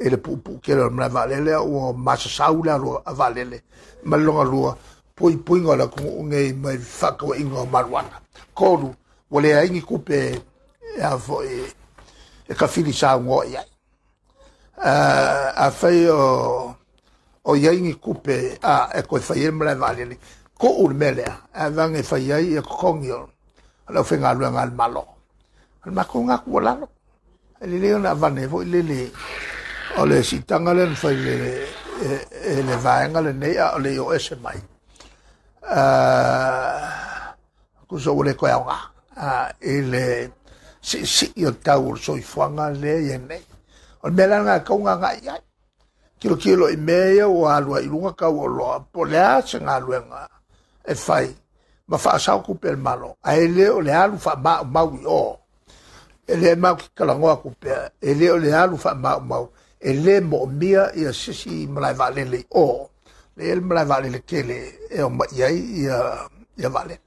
Speaker 9: i le puupuu tele o le malae vaalele ua masasau le alu a vaalele ma le lona lua puipuiga o le atunuu nei mai faatauaiga o maluana. Tolu, ua leai ni tupe e a foʻi e kafili saunoa i ai. Afai o o iai ni tupe a e toe fai ai le malae vaalele tuu le mea lea ae vage e fai ai ia totogi o le aufaigaluega a le Malo. O le matou lena tuualalo. E lelei ona avane foʻi lele o le siitaga lea na fai le e le vaega lenei a o le i o ese mai. Tusa ua le toe aoga i le siisii o tau o le soifuaga lea ia nei. O le mea la lena e tau gagai ai. Tilotilo i mea ia ua alu ai i luga tau o loa po o le a se galuega e fai ma faasao tupe a le Malo. Ae le o le alu faamaumau i o. E le mau ki talanoa atu pea, e le o le alu faamaumau, e le moomia ia sisi malae vaalele i o. Le le malae vaalele tele e omai ai ia ia vaalele.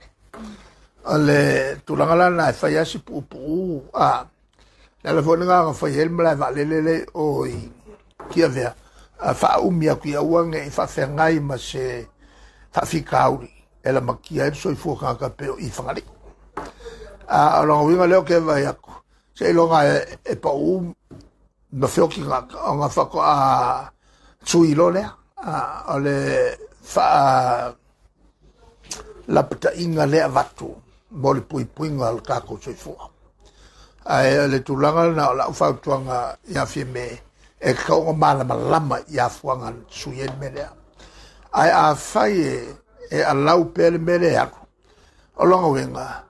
Speaker 9: O le tulaga la lena e fai ai si puupuu a le ala foi lena na fai ai le malae vaalele le o i Tiavea a faaumi atu ia aua nei faafeagai ma se faafitauli e lamatia ai le soifua tagata pei o i Fagalii. A o lona uiga lea o ke vaai atu seiloga e e pauu ma feoki tagata ona faatoa sui loa lea a o le faa lapataiga lea avatu mo le puipuiga o le tatou soifua. Ae o le tulaga lena o lau fautuaga ia Fiame e tatau ona malamalama i afuaga na sui ai le mea lea. Ae afai e e alau pea le mea lea e alu o lona uiga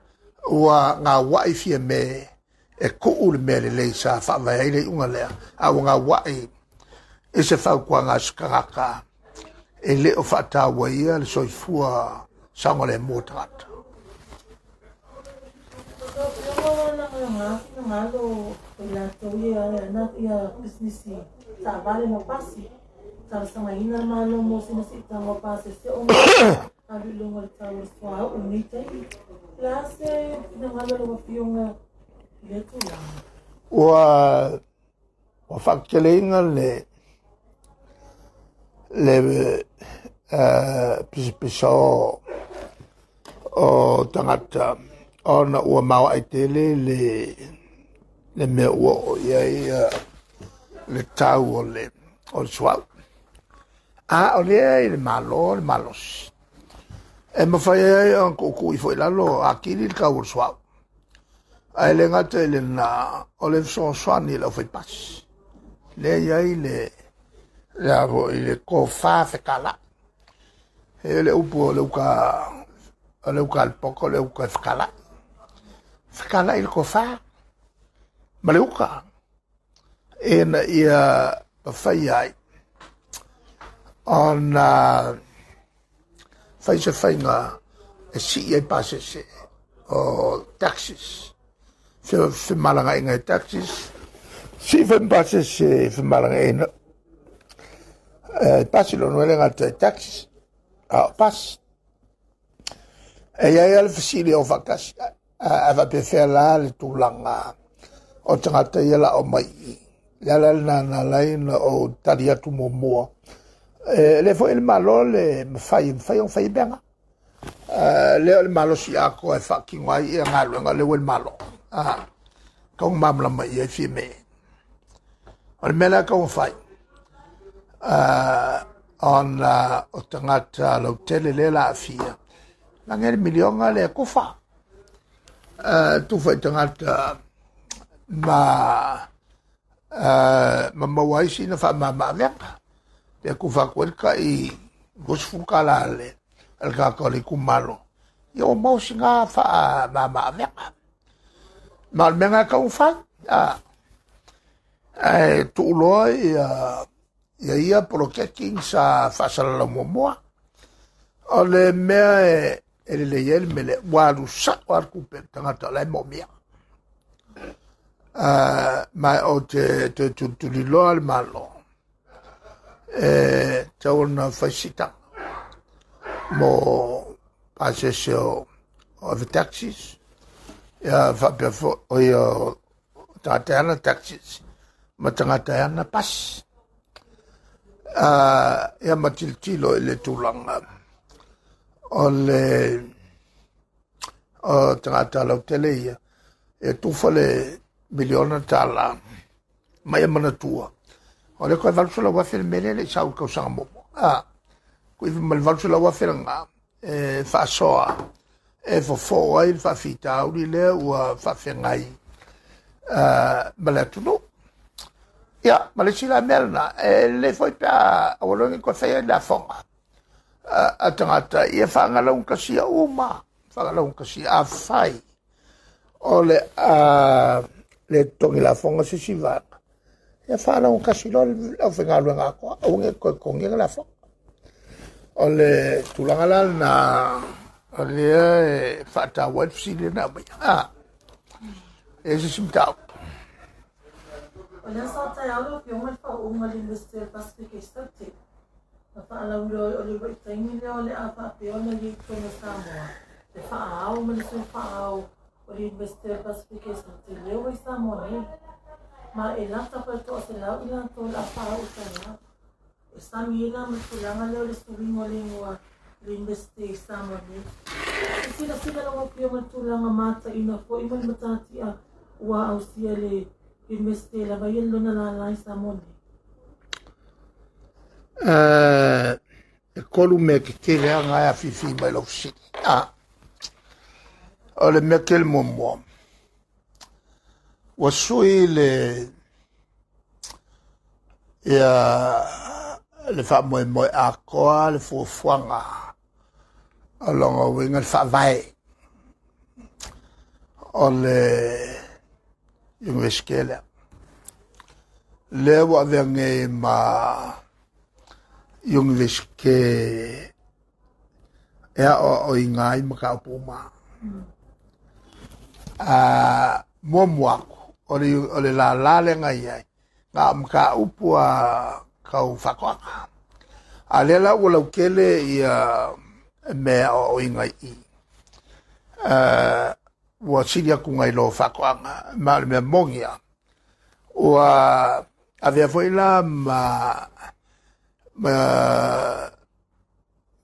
Speaker 9: ua gauai Fiame e tuu le mea lelei sa faavae ai le iuga lea a ua gauai i se fautuaga a se tagata e le o faataua ia le soifua saogalemu o tagata. Ua ua faakeleina le le pisapisa o o tagata ona ua maoae tele le le mea ua oo i ai le tau o le o le suauu. A o lea i le Malo le malosi e mafai ai ona tuutuu ifo i lalo atili le tau o le suauu. Ae le gata i lena o le fesoasoani i le aufaipasi. Lea i ai le le a foʻi le tofa fekalai. E le upu o le uka o le uka a le poto o le uka e fekalai. Fekalai le tofa ma le uka ina ia mafai ai ona fai se faiga e sii ai pasese o taxis. Femalagaaiga i taxis, sii foi ma pasese femalagaaiga pasi lona e le gata i taxis a o pasi. E iai a le fesili o faatasi ae faapefea la le tulaga o tagata ia la o mai i. Le ala lena na ala ai ona ou tali atu muamua E le foi le malo le mawhai, mawhai o whai benga. Lea o le malo si ako e whakingo ai ia ngā le ue le malo. Kaunga mamlama ia i fia me. O le mea kaunga whai. Ona o tangata lautele le la afia. Lange le milionga le kufa. Tufa i tangata ma ma mawaisi na wha ma ma pe kufa koe i gosfuka la le al ka ko le kumalo ia o mau singa fa ma ma aveka ma le menga ka ufa a e tuuloa ia ia ia poloketi sa faasalalau muamua o le mea e e lelei ai le mea lea ua alu sa'o a le kupe le tagata o la e mo'omia ma o te toe tulituliloa le malo e tau ona faisitaga mo pasese o o taxis ia faapea fo'i o ia tagata e ana taxis ma tagata e ana pasi ia ma tilotilo i le tulaga o le o tagata lautele ia e tufa le miliona tala ma ia manatua o le koe valu selau afe le mea lea e le'i sau i le tausaga muamua a kui ma le valu selau afe lagā e faasoa e fofo ai le faafitauli lea ua faafeagai ma le atunuu ia ma le isi la mea lenā e lelei foi pe a aua loa koe faia i le afoga a tagata ia faagalaugatasia uma faagalaugatasia afai o le a le totogi lafoga se isi vaega ia faalaugatasi loa le aufaigaluega atoa aua ne i toe totogia le lafoga o le tulaga la lenā o lea e faataua ai le fesili lena aumaia a e se isi mataupu.
Speaker 10: O lea sa taeao lau Afioga i le faauuga o le University o le Pacific e Saute. Na faalauiloa o le vaitaimi lea o le a faapea ona i ai totonu o Samoa le faaao ma le sui faaao o le University o le Pacific e Saute lea ua i Samoa nei. Ma e lata pa to'a selau i latou o le a faaao taeao. E sami ai la ma le tulaga lea o le suiga o le igoa le University i Samoa nei. E silasila lau Afioga i le tulaga mataina foi ma le matatia ua ausia le University e lava ia le lona lala i Samoa nei.
Speaker 9: E tolu mea tetele aga e afifi mai lau fesili. A o le mea tele muamua ua sui le ia le faamoemoe atoa le fuafuaga o lona uiga le faavae o le Iunivesite lea lea ua avea nei ma Iunivesite e aoaoina ai mataupu uma. A muamua aku o le o le lālā lea i ai na o mataupu a kau faatoaga. A lea la ua lautele ia mea aoaoina i i. Ua sili atu nai lo faatoaga ma o le mea moni lava. Ua avea foi la ma ma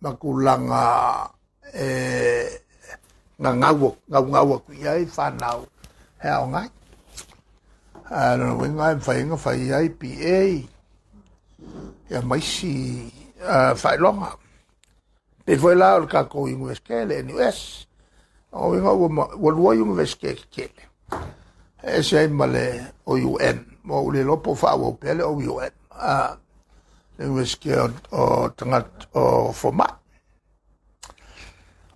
Speaker 9: ma tulaga e gagau gaugau atu i ai fanau e aoga ai. A lona uiga e mafai ona fai ai P A ia ma isi faailoga. Pei foi la o le tatou Iunivesite le N U S. O uiga ua lua Iunivesite tetele. E ese ai ma le O U M. Ua ou le iloa po o faaauau pea le O U M. A le Iunivesite o tagata o fomai.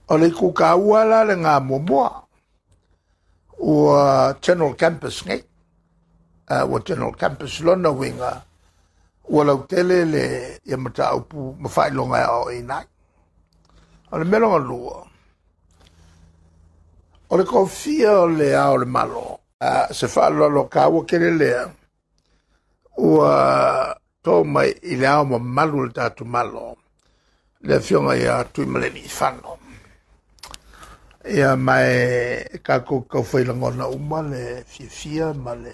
Speaker 9: O le itu taua la lena muamua ua General Campus nei. Ua General Campus lona uiga ua lautele le ia mataupu ma faailoga e aoaoina ai. O le mea lona lua, o le kofia o le ao o le malo. Se faaaloalo taua tele lea ua to mai i le ao mamalu o le tatou malo le afioga ia Tuimalealiifano. Ia ma e tatou taufai lagona uma le fiafia ma le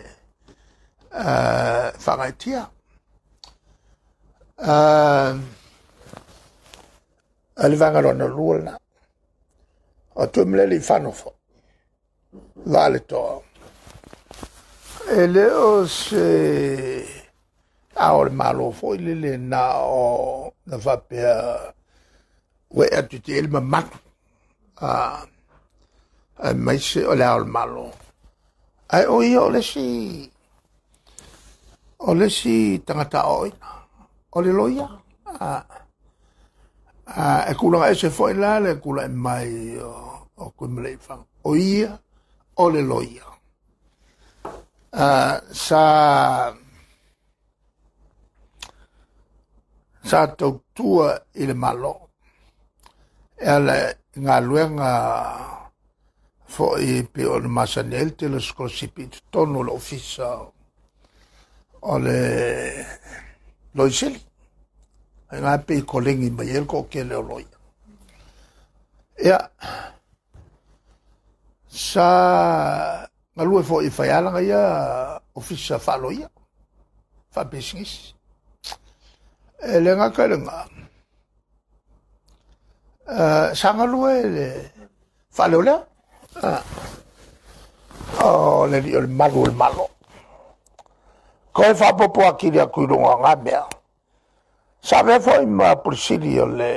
Speaker 9: faagaitia. A le vaega lona lua lena. O Tuimalealiifano foi. Va le toa. E le o se a o le malo foi le le na o na faapea ua e atu te ele mamatu. A a mai se o le ao le malo. Ai o ia o le si o le si tangata oina. O le loia. A a e kula e se foi la le kula e mai o o Tuimalealiifano. O ia o le loia. A sa sa tautua i le malo. E ala ngā luenga foi pe o le masani ai le tele scholarship i totonu o le ofisa o le loisili. Ai ngā pe i kolengi mai e le ko'okele o loia. Ia, sa galue foi i whaialanga ia ofisa whaaloia, whaapesingisi. E le ngaka le ngā. Uh, sa galue le whaaleo lea. Uh, o le li o le malu o le malo. Ko e whaapopo akiri aku i runga ngā mea. Sa mea foi ma polisili o le,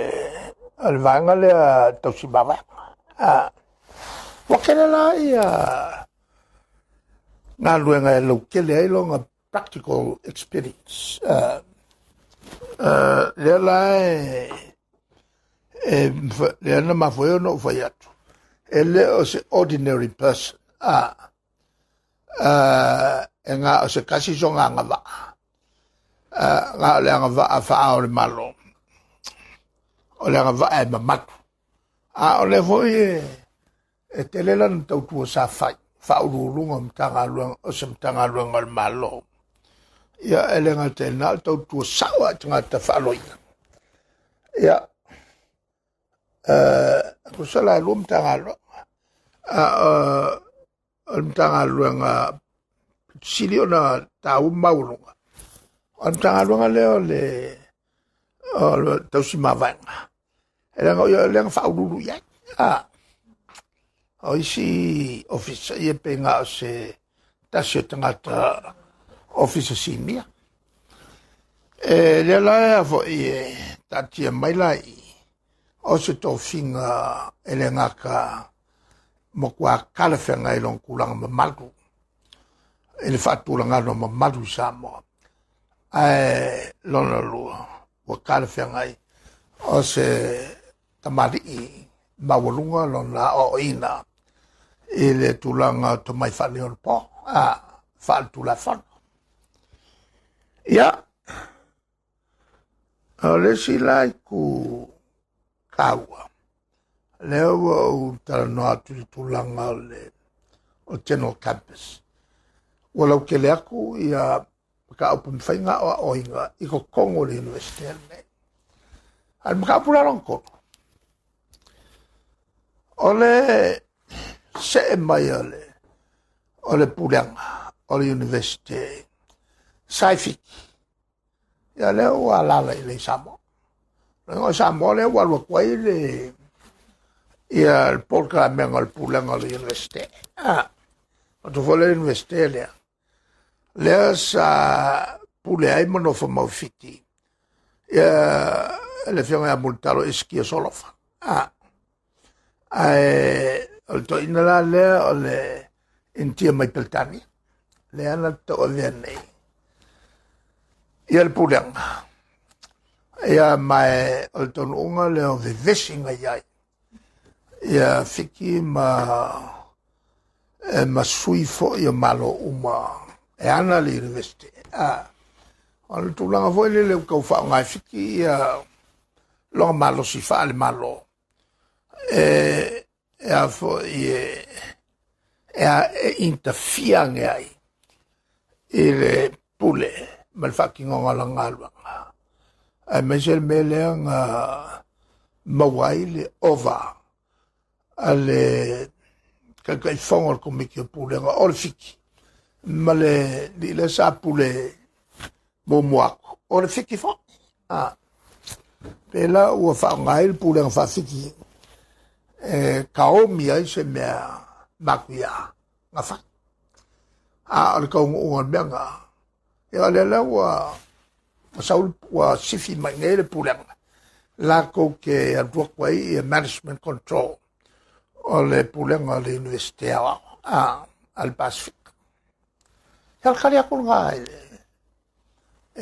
Speaker 9: o le vaenga lea tausi mavaenga. Uh, wa kele la ia ngā luenga e laukele ai longa practical experience. Uh, uh, lea la e, e lea na mafoe o no whai atu. E le o se ordinary person. Ah, uh, e ngā o se kasi so ngā ngā waa. Uh, ngā o le ngā waa whaa o le malo. O le ngā waa e mamatu. A o le foi e, e te lela na tautua sa whai. Whaululunga mtanga luang, o se mtanga luanga o le malo. Ia e le ngā te nā tautua sawa te ngā te whaaloina. Ia, uh, kusala e lua mtanga luanga. Uh, o le mtanga luanga sili ona tāu maulunga. O le mtanga luanga lea o le o le tausi mavaenga. E lenga o lenga whaululu iai. Ah. O isi ofisa ia pe ngā o se tasi o tangata ofisa sinia. E lea la ea foi e tatia mai lai o se tofinga e le ngaka mo kua kalawhenga i long kulanga mamalu. E le whaatulanga no mamalu Samoa. Ae lona lua, ua kalawhenga i o se tamari'i mawalunga lona o ina i le tulaga o tomai faaleolepo a faaletulafono. Ia, o le isi la i ku kaua, lea ua ou talanoa atu i le tulaga o le o General Campus. Ua laukele aku ia makaupu mawhaiga o aoiga i kokogo o le university lenei. A le makaupu la lona tolu. O le se'e mai o le o le puleaga o le university sa i Fiti. Ia lea ua alala i le Samoa. O Samoa lea ua alu atu ai le ia le polokalamega o le pulega o le university. Ah, o tu foi le university lea. Lea sa pule ai ma nofo mau Fiti. Ia le afioga ia Mulitalo Esikia Solofa. Ah, ae o le toina la lea o le Intia mai Peltania. Lea na tauavea nei. Ia le pulega. Ia mai o le taunuuga lea o vevesi ngai ai. Ia Fiti ma e ma sui foi o malo uma e ana le university. Ah, o le tulaga foi le le kau whaonga e Fiti ia longa malosi wha le malo. E, e a foi e, e a e interfiange ai i le pule ma le whakingonga la ngaluanga. Ai mai se le mea lea nga maua ai le ova a le kaikaifogo o le komiti o pulega o le Fiti ma le li le sa pule muamua aku o le Fiti foi. Ah. Pe la ua whaongai le pulenga whawhiti e kaomi ai se mea makuia ngā whai. A o le kaunga unga le mea ngā. Ia o le la ua saul ua sifi mai nei le pulenga. Lākou ke aluak wai i management control o le pulenga le universite a a le Pacific. Ia kari aku ngā e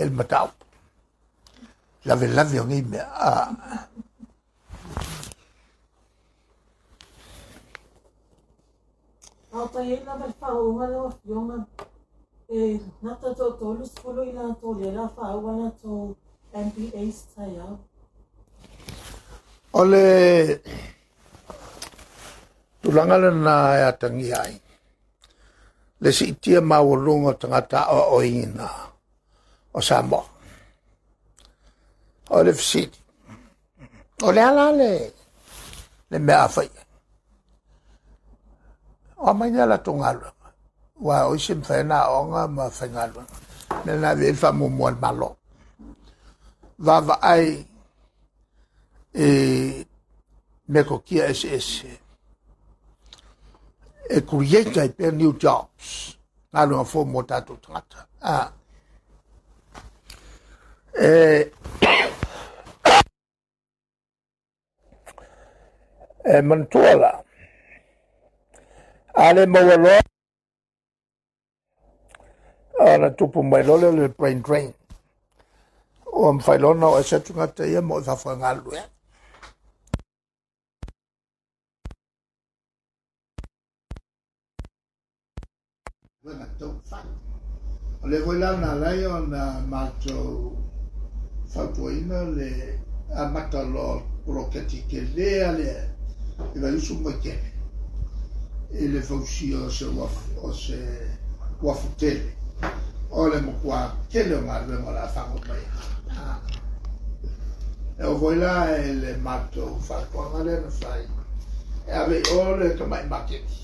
Speaker 9: el matau. Lave lave o ngi mea.
Speaker 10: Ao tai e lava le whaonga le wafionga e nata tō tōlu sefulu i lātou le la whaua lātou M P As tai au.
Speaker 9: O le tulaga lena e atangia ai. Le siitia maualuga o tagata aoaoina o Samoa. O le fesili. O le ala le le mea a fai. O mai nei latou galuega. Ua o isi mawhai na aoga ma faigaluega. Mea na ave i le faamuamua le Malo. Vaavaai e metokia eseese. E create ai pea new jobs. Galuega fou mo tatou tagata. Ah. E e manatua la. A le maua loa ona tupu mai loa lea o le brain drain. Ua mawhai loa na o ese atu ngata ia mo i whawhangalue. O le voi la nā lai o nā mātou whautuaina le amata loa poloketi ke lea lea i vai usu mai kele. I le fausia o se o se wafu tele. O le mokua kele o ngā ruenga o la whango mai. E o voi la e le mātou whautuanga lea na whai. E ave i o le kamai maketi.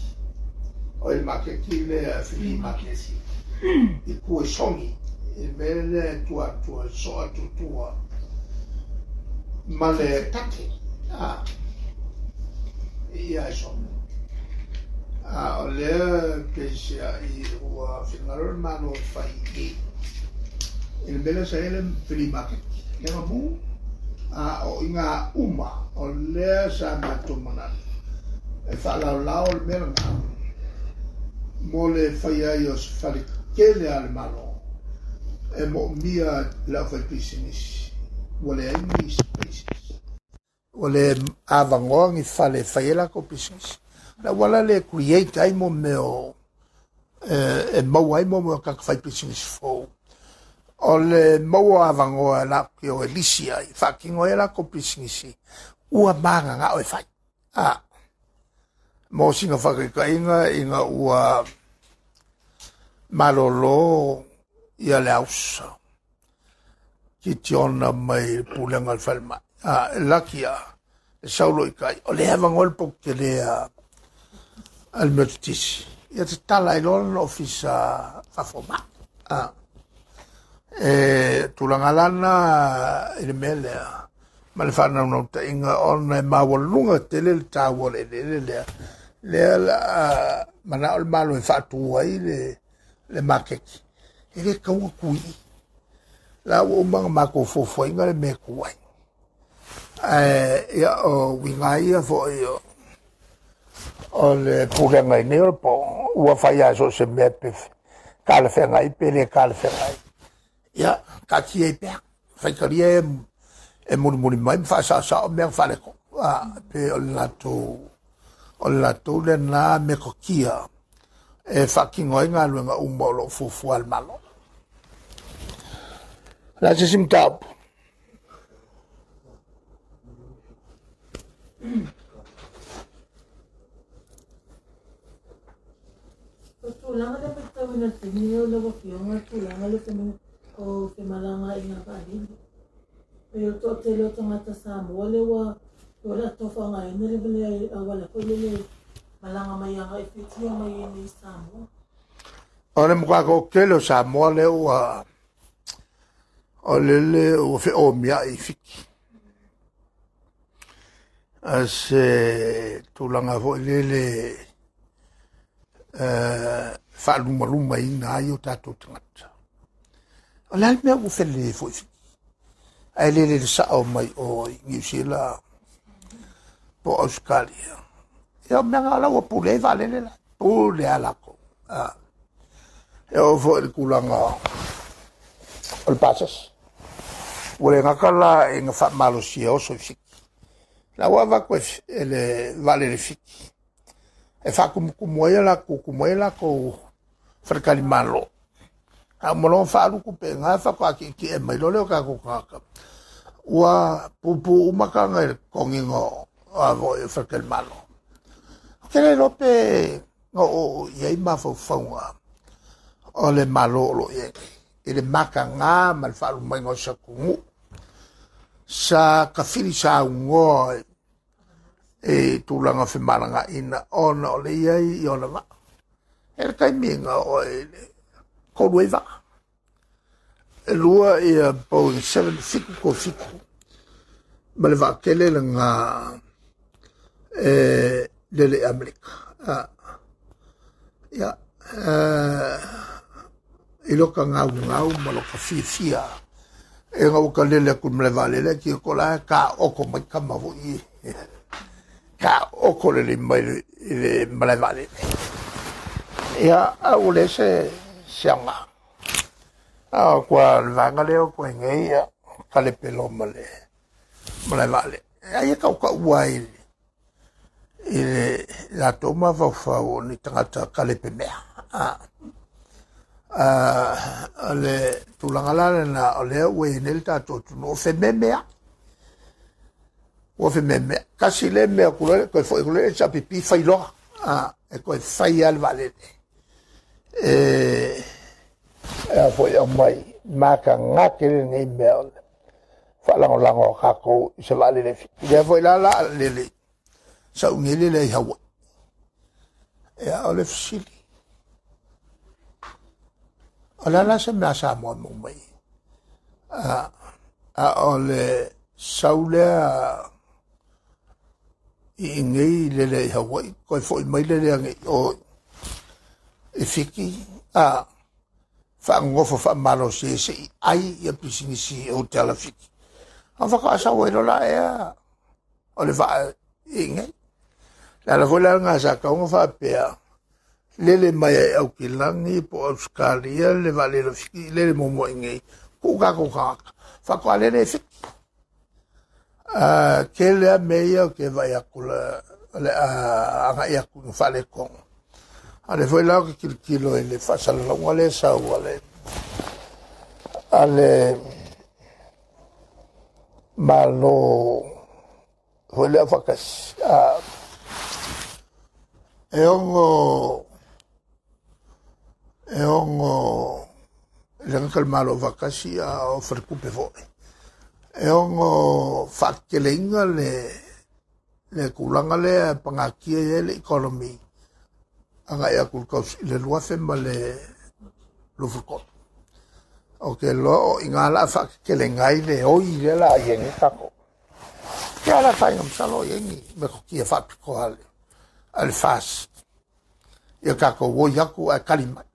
Speaker 9: O i maketi le whiri maketi. I kua songi. I mea le tua tua soa tutua. Ma le tate. Ia e songi. A o lea peisia i ua whingaro le malo whai i. I le mea sa ele whiri maketi. Lea mu. A o inga uma. O lea sa mātou manatu. E whaalao le mea ngā. Mo le whai ai o se whare kele a le malo. E mo mia lau whai pisinisi. Ua le ai ni spaces. Ua le awangoa ngi whale whai e lako pisinisi. La wala le create ai mo meo e mau ai mo meo kaka whai pisinisi fou. O le maua awangoa lako o elisi ai. Whakingo e lako pisinisi. Ua maanga ngā o e whai. Ah. Mo singa whakaikainga inga ua malolo ia le ausa. Ki tiona mai pulenga le whalema. Ah, laki a le saulo i kai. O le hewa ngol pok te lea al metotisi. Ia te tala i lola na ofisa whawhoma. Ah. E tulaga lana i le mea lea. Ma le whanau ta inga ona e mawalunga tele le tāua le le lea. Lea la mana o le malo e whaatua i le le makeki. E le kaua kui. La ua umanga mako fofo inga le mea kuai. E ia o winga ia fo i o o le pulenga i nei o le po. Ua whai a so se mea pe ka le whenga i pe le ka le whenga i. Ia, ka tia i pea. Whaikaria e e muri muri mai mwha sa o mea whareko. Pe o le lātou, o le lātou le nā me kokia e whakingo ai ngā luenga uma o lo fufu al malo. La se simtaupu.
Speaker 10: O tulaga le matauina le taimi o lau afioga tulaga le o femalagaai i ngā vaalele. E o toatele o tagata Samoa le ua o le atofaagaina le vale auala foi le le malaga mai agai Fitia mai i nei Samoa.
Speaker 9: O le mokakokele o Samoa le ua o le le ua feomia i Fiti. A se tulaga foi lele faalumaluma ina ai o tatou tagata. O le a le mea ua felelei foi Fiti? Ae lele le sao mai o Niu Sila po o Ausetalia. Ia o mea na la ua pule ai vaalele la. Pule a lakou. E oo foi i le tulaga o le pasese. Ua le gata la ina faamalosia oso i Fiti. La ua avatu e le vaalele Fiti e faatumutumu ai latou tumu ai latou faletalimalo. A uma loa ona faaalu tupe i ina faatoa tietie mai loa lea o tatou tagata. Ua pupu uma taga i le totogiina o a faletalimalo. Ou te le iloa pe na oo i ai mafaufauga o le Malo o lo o i ai nei i le mataga ma le faalumaina o se atunuu sa tafili saunoa i tulaga femalagaina ona o le i ai i ona vaa. E le taimi na oo ai le tolu ai vaa. E lua ia Boeing sete fitu tolu fitu ma le vaatele lena e lele i Amerika. Ia, i loka gaugau ma loka fiafia e ga ua kalele atu i le malae vaalele ae tio la taoto mai tama foi taoto lelei mai i le malae vaalele. Ia, a ua leai se se aoga. A o kua le vaega lea o koe nei ia kalepe loa ma le malae vaalele. Ai e tautaua ai i le latou mafaufau o ni tagata kalepe mea. O le tulaga la lena o lea ua i ai nei le tatou atunuu o fememea. Ua fememea. Tasi le mea ku toe foi ku le H P P fai loa. E toe fai lava le vaalele. E a foi aumai matagate lenei mea o le faalagolago a tatou i se vaalele Fiti. Lea foi la la lele sauniga lele i Hawaii. Ia o le fesili. O le ala se mea Samoa mo mai. A, a o le sau lea i nei lele i Hawaii, koe foi mai lele ane o i Fiti, a faagofo faamalosi e se i ai ia pisinisi o te ala Fiti. A whakaasau ai lola ea o le vaa i nei. Le ala foi la ngā sa kaunga whaapea lele mai ai Aukilangi po Australia le vaalele Fiti lele momo i nei. Ku kako kaka. Whakoa lele e Fiti. Ke lea me ia ke vai aku le le anga i aku no whale kongo. A le foi lau ke kilokilo i le whaasalalaunga le sau a le a le malo foi lea whakasi. E ongo e ongo le ngaka le malo whakasi a o wharekupe foi. E ongo whakkeleinga le le kulanga le pangakia e le economy anga ia kulkaus le luafe ma le lufukot. O ke lo o inga la whakkelenga i le oi le la iengi kako. Ke ala whainga msalo iengi me kokia whapiko ale. Ale fast. Ia kako o iaku a kalimai.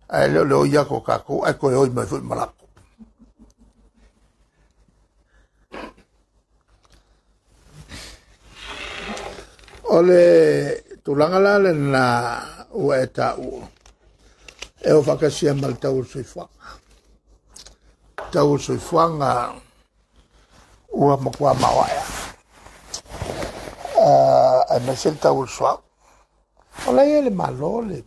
Speaker 9: Ai leo leo iako kako ai koe oi mai fui malako. O le tulaga la lena ua e taua e o whakasia ma le tau o le soifuaga. Tau o le soifuaga ua matua maoaea. Aemaise le tau o le suaʻu. O la ia le malo le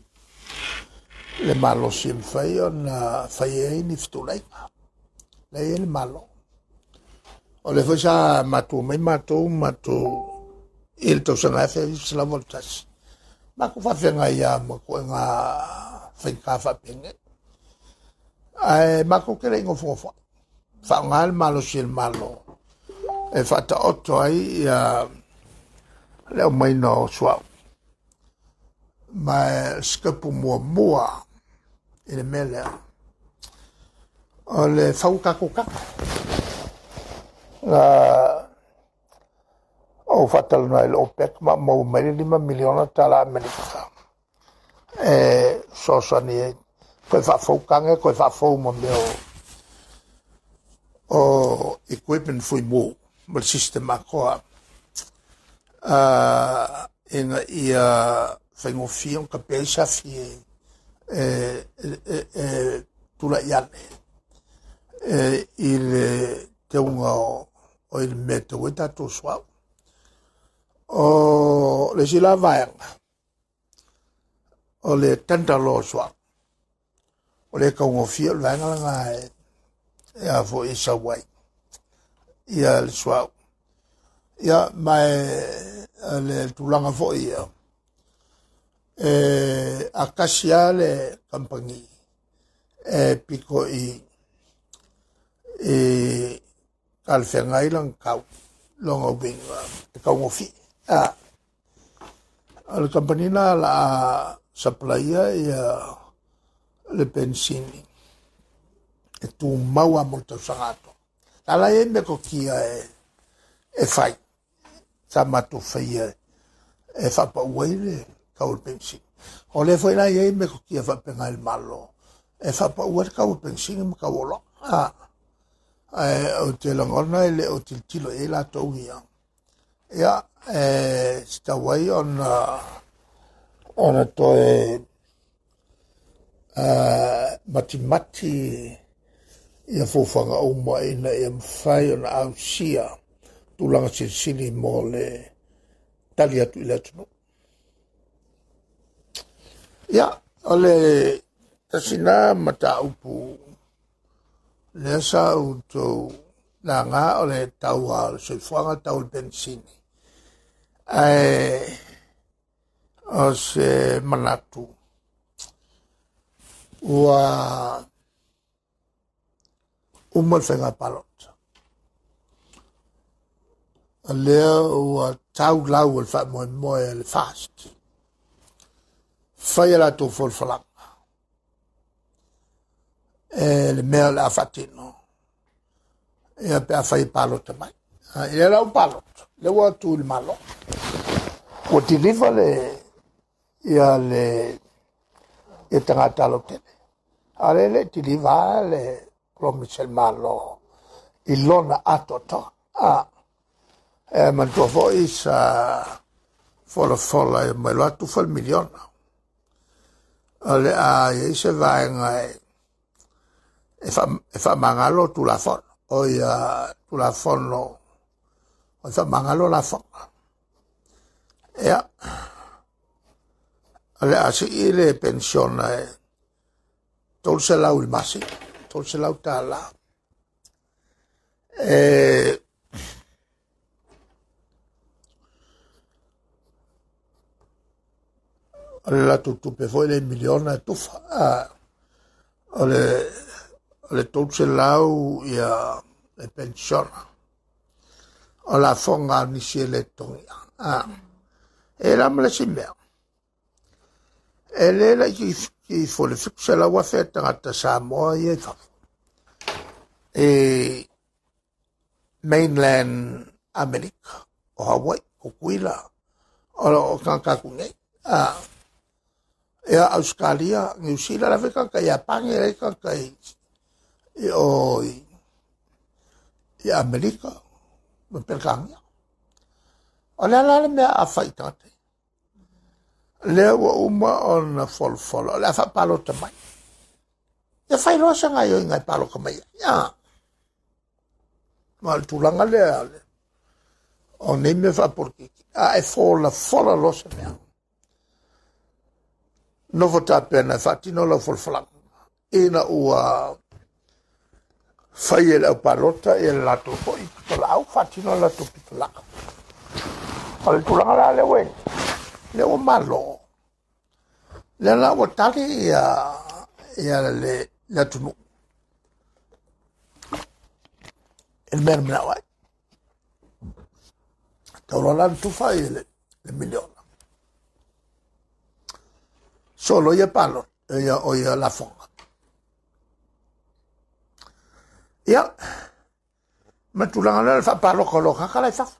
Speaker 9: le malosi e mafai ona fai ai ni fetulaiga. La ia le malo. O le foi sa matou mai matou matou i le tausaga afe selau valu tasi. Matou faafeagai ia ma koega faigā faapenge. Ae matou ke le igofogofoai. Faaaoga le malosi e le malo e faataoto ai ia le aumaina o suaʻu. Ma sikepu muamua i le mea lea o le fau tatou kaka. O whatalana i le OPEC ma mau mai le lima miliona tala Amerika. E soasani e koe whaafaukanga, koe whaafau ma mea o, o equipment fui mō, ma le system akoa. Uh, inga ia whaingofia o ka pea safi e, e, e, e tula iane e, i le te unga o, o i le mea te ue tātou suau. O le sila vaenga o le tenta loa suau. O le kaungofia o le vaenga langa e, e a fo i sawai ia le suau. Ia mai le tulaga foi ia e akasia le kampangi e piko i e kalwhengai lang kau longa winga e kaungofi. A o le kampani na la supplier ia le pensini e tū maua mo le tausaga atoa. La e me kokia e e fai sa matou faia e whapaua i le kau le pensini. O le foi la e me kokia whapenga i le malo e whapaua le kau le pensini ma kau olo. A e o te langona e le o tiltilo e la tau ia. Ia e sitawai ona ona toe uh, matimati ia fofanga uma ina ia mwhai ona ausia tulaga silisili mo le tali atu i le atunuu. Ia, o le tasina mataupu lea sa outou laga o le taua o le soifuaga tau le penisini. Ae o se manatu ua uma le faiga palota. A lea ua tau lau o le faamoemoe le fast. Fai a latou folafolaga. E le mea o le a faatino. Ia pe a fai e palota mai. I le lau palota. Le ua tu i le malo. Ua deliver le ia le ia tagata lautele. A le le deliver le promise le malo i lona atoatoa. A e manatua foi sa folafola e mai loa atu fa le miliona. O le a iai se vaega e e faamagalo tulafono. O ia tulafono o e faamagalo lafoga. Ia o le a sii le pensiona e tolu selau i le masina, tolu selau tālā. E o le latou tupe foi le miliona e tufa. A, o le o le tolu selau ia le pensiona. O lafoga a nisi e le togia. A, e la ma le si mea. E le la ki ki fo le fitu selau afe tagata Samoa ia i fafo. E mainland Amerika, o Hawaii, o Kuila, o o kankaku nei. A, ia Australia, New Zealand, la feka ka Japan, e ka ka i o i Amerika, ma Pelkania. O le ala le mea a fai tagata. Lea ua uma ona folafola, o le a faapalota mai. Ia fai loa se gaoioiga e paloka mai ai. Ia. Ma o le tulaga lea le o nei mea faapolokiki. A e folafola loa se mea. Nofo tapena e faatino lau folafolaga. Ina ua fai e le aupalota ia le latou foi pitolaau, faatino le latou pitolaau. O le tulaga la lea ua lea ua malo. Lea la ua tali ia ia le le atunuu. E le mea na manao ai. Tau loa la na tufa i le, le miliona. Solo ia palota, ia o ia lafoga. Ia, ma tulaga lea le faapaloka o lo kaka la i fafo.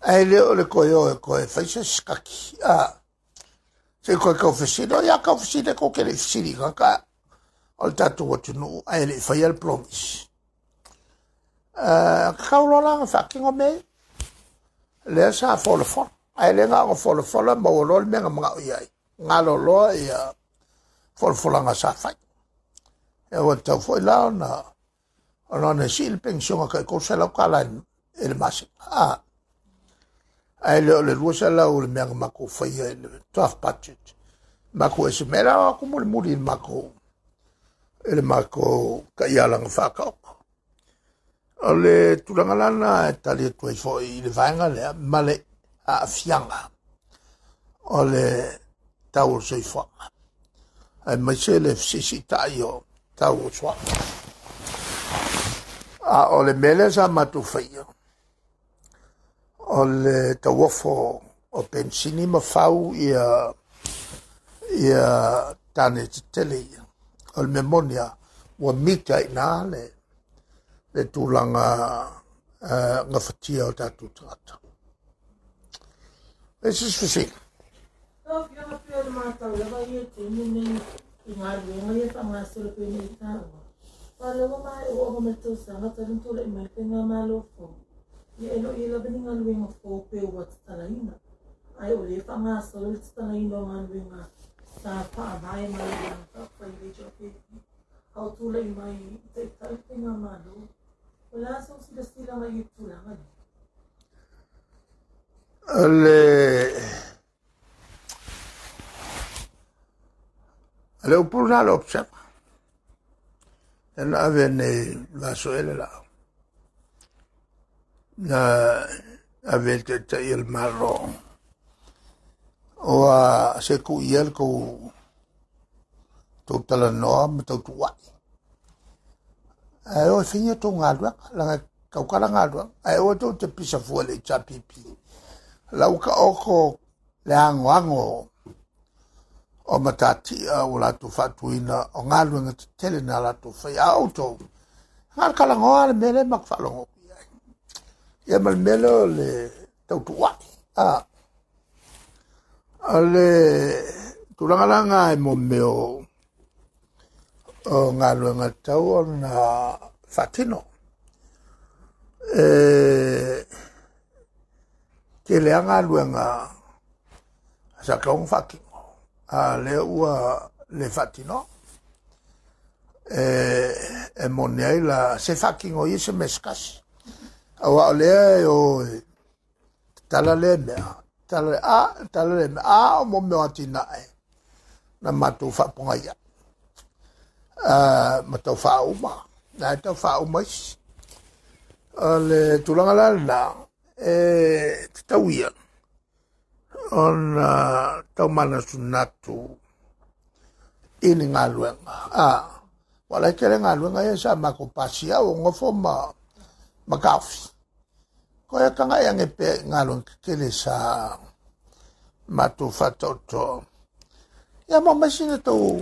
Speaker 9: Ai le o le koe o e koe faisa skaki. A se koe kau fesili, o ia kau fesili ko ke le fesili ka ka o le tatou atunuu ae le i faia le promise. Uh, kau loa la whakingo me, lea sa folafola. Ae le ngā o folafola, maua loa le mea nga mangao iai. Ngalo loa ia folafolanga sa whai. E ua tau foi la ona, ona ona si le pensionga kai kou se lau kala e le masina. Ah. Ae le o le lua se lau le mea nga mako whaia i le draft budget. Mako e se mea o aku muli muli i le mako, i le mako ka ialanga whakaoko. O le tulaga lana e tali atu ai foi i le vaega lea ma le aafiaga o le tau o le soifuaga. Ae maise le fesiisitai o tau o suaga. A o le mea lea sa matou faia, o le tauofo o pensini ma fau ia, ia tane tetele ia. O le mea moni a, ua mita i nā le, le tulaga uh, gafatia o tatou tagata. E se fesili.
Speaker 10: Lau Afioga pei o le matau lava ia taimi nei i galuega ia faagasolo pei ona i taua. Faaleoga ma e oo ma le tausaga talu ona tulai mai le faigamalo fou. Ia e loo ia lava ni galuega fou pe ua tatalaina. Ae o lea faagasolo le tatalaina o galuega sa faavae mai le Vaega Faaupufai le H R P P a o tulai mai i taitai le faigamalo. O le a sau silasila i tulaga lea?
Speaker 9: Le le upu na le observa. E na ave nei vaso ele la. Na ave te te il malo. O a se ku iel ko tau talanoa ma tau tuai. Ae o e whinia tō ngālua, langa kaukara ngālua, ae o e tō te pisa fua le H R P P. Lau ka oko le ango ango o matatia o lātou whaatuina o ngālua ngā te tele nā lātou whai a o tō. Ngā kalangoa le mele mak whaalongo. Ia ma le mele o le tau tuai. A, a le tulangalanga e mo meo o ngā luenga tau o nā whatino. E, te lea ngā luenga sa kaunga whakino. A le ua le whatino. E, e mone ai la se whakingo i se meskasi. Awa o lea e o tala le mea. Tala le a, tala le mea. A o mo meo atina e. Na mātou whaponga ia. Uh, ma tau whauma. Nā e tau whauma isi. O le tulaga la lena, e te tau ia. Ona tau manatunatu i ni ngā luenga. A, wala e tele ngā luenga ia sa mako pasi au o ngofo ma, ma kaufi. Ko e kanga e ange pe ngā luenga kele sa mātou whatoto. Ia mo masina tau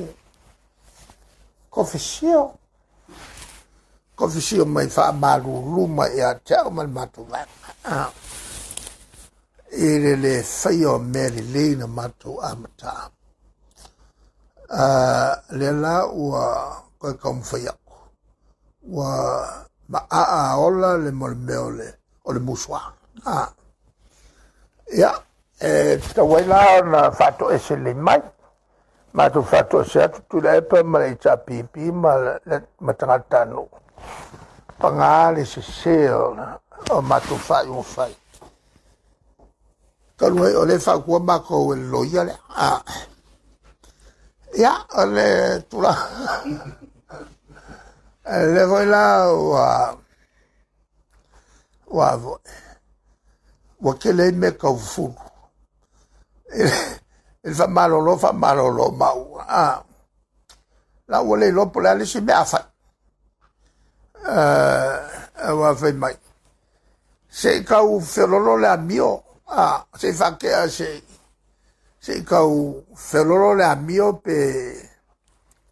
Speaker 9: kofisio. Kofisio mai whaamaruru mai a te au mai mātou vaenga. Ah. I le le whai o meri leina mātou amata. Uh, le la ua koe kaumwhai aku. Ua ma aa ola le mo le mea o le, o le musua. Ah. Ia, e tawai la ona whato e se le mai. Mātou whato se atu tula epa ma le H R P P ma le matangatanu. Pangā le se se o, o mātou whai o whai. Kalu hei o le whakua mākou e loia le. Ah. Ia, o le tula. Le voi la ua, ua voi. Ua kele me kau fulu. E fa malolo, fa malolo mau. Ah. La ua le lopo le alisi mea whai. Uh, ua whai mai. Se kau felolo le amio. Ah, se whakea se, se kau felolo le amio pe,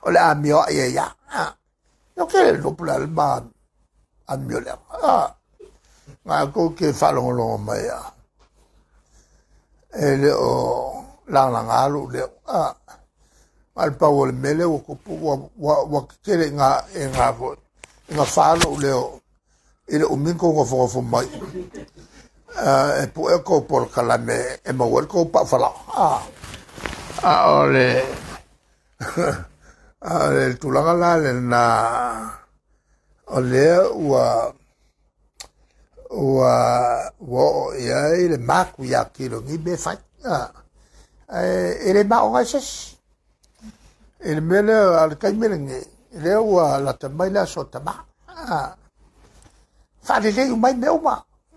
Speaker 9: o le amio ia ia. Ah. No ke le lopo le alma amio le. Ah. Ngā kou ke whalongolongo mai a. E le o lagalaga lou leo a ma le pau o le mea lea ua tupu ua ua ua tetele i ga i ga foi i gafā lou leo i le umi ona tou nofonofo mai e puʻe tou polokalame e maua ai le tou paufalaʻa a a o le a o le tulaga la lena o lea ua ua ua oo i ai le maku iā kilogī mea e fai a e le maoga ai se isi i le mea lea a le taimi lenei lea ua lata mai le aso tamā a faalelei umai mea uma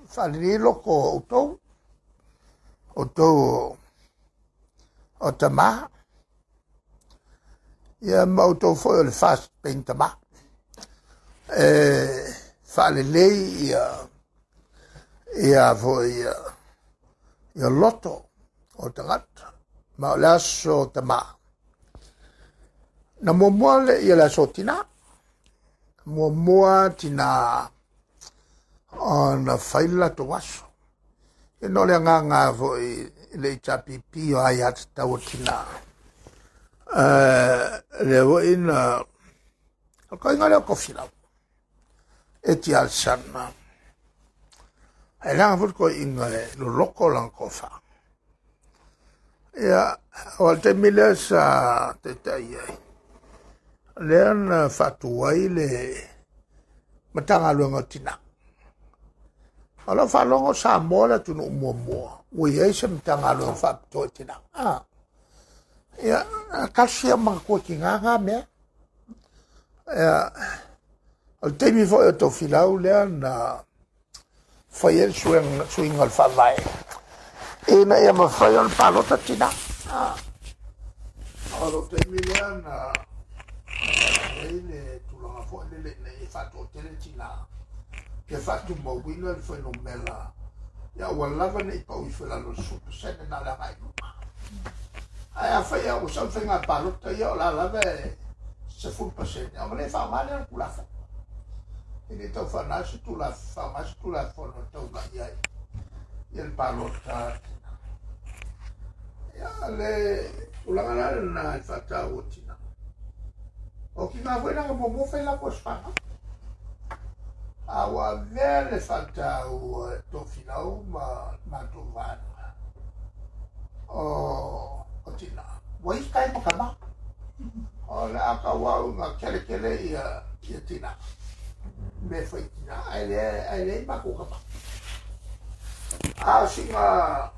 Speaker 9: faalelei loko o outou outou o tamā ia ma outou foi o le fast paying tamā e faalelei ia ia foi ia ia loto o tagata ma o le aso tamā na muamua le ia le aso tinā muamua tinā ona fai le latou aso ia na o le agaga foi le H R P P o ai atatau o tinā lea foi na o le koiga lea o Tofilau e ti alesana e leaga foi le toeaina e loloto lana tofa ia o le taimi lea sa taitai ai lea na faatu ai le Matagaluega o Tinā. O lau faalogo o Samoa le atunuu muamua ua i ai se Matagaluega faapitoa i tinā. Ah. Ia, tasi ia manatua tinā na mea. Ia, o le taimi foi o Tofilau lea na fai ai le suiga o le faavae ina ia mafai ona palota tinā. Ah. O le taimi lea na ai le tulaga foi lele ina ia faatoatele tinā ia faatumauina le fuainumera ia ua lava nei pau ifo i lalo o le sefulu pasene na o le agai i luma. Ae afai ua sau le faiga palota ia o la lava e sefulu pasene ona le faaaoga lea o le Tulafono. E le tau faanā se Tulafono faaaoga se Tulafono e taulai ai ia le palota tinā. Ia le tulaga la lena i faataua tinā. O tinā foi na muamua fai latou aso fanau. A ua avea le faataua e Tofilau ma matou vaega o o tinā. Ua isi tai ma tamā. O le a tauau na keletele ia ia tinā. Mea fai tinā ae le ae leai matou tamā. A o sina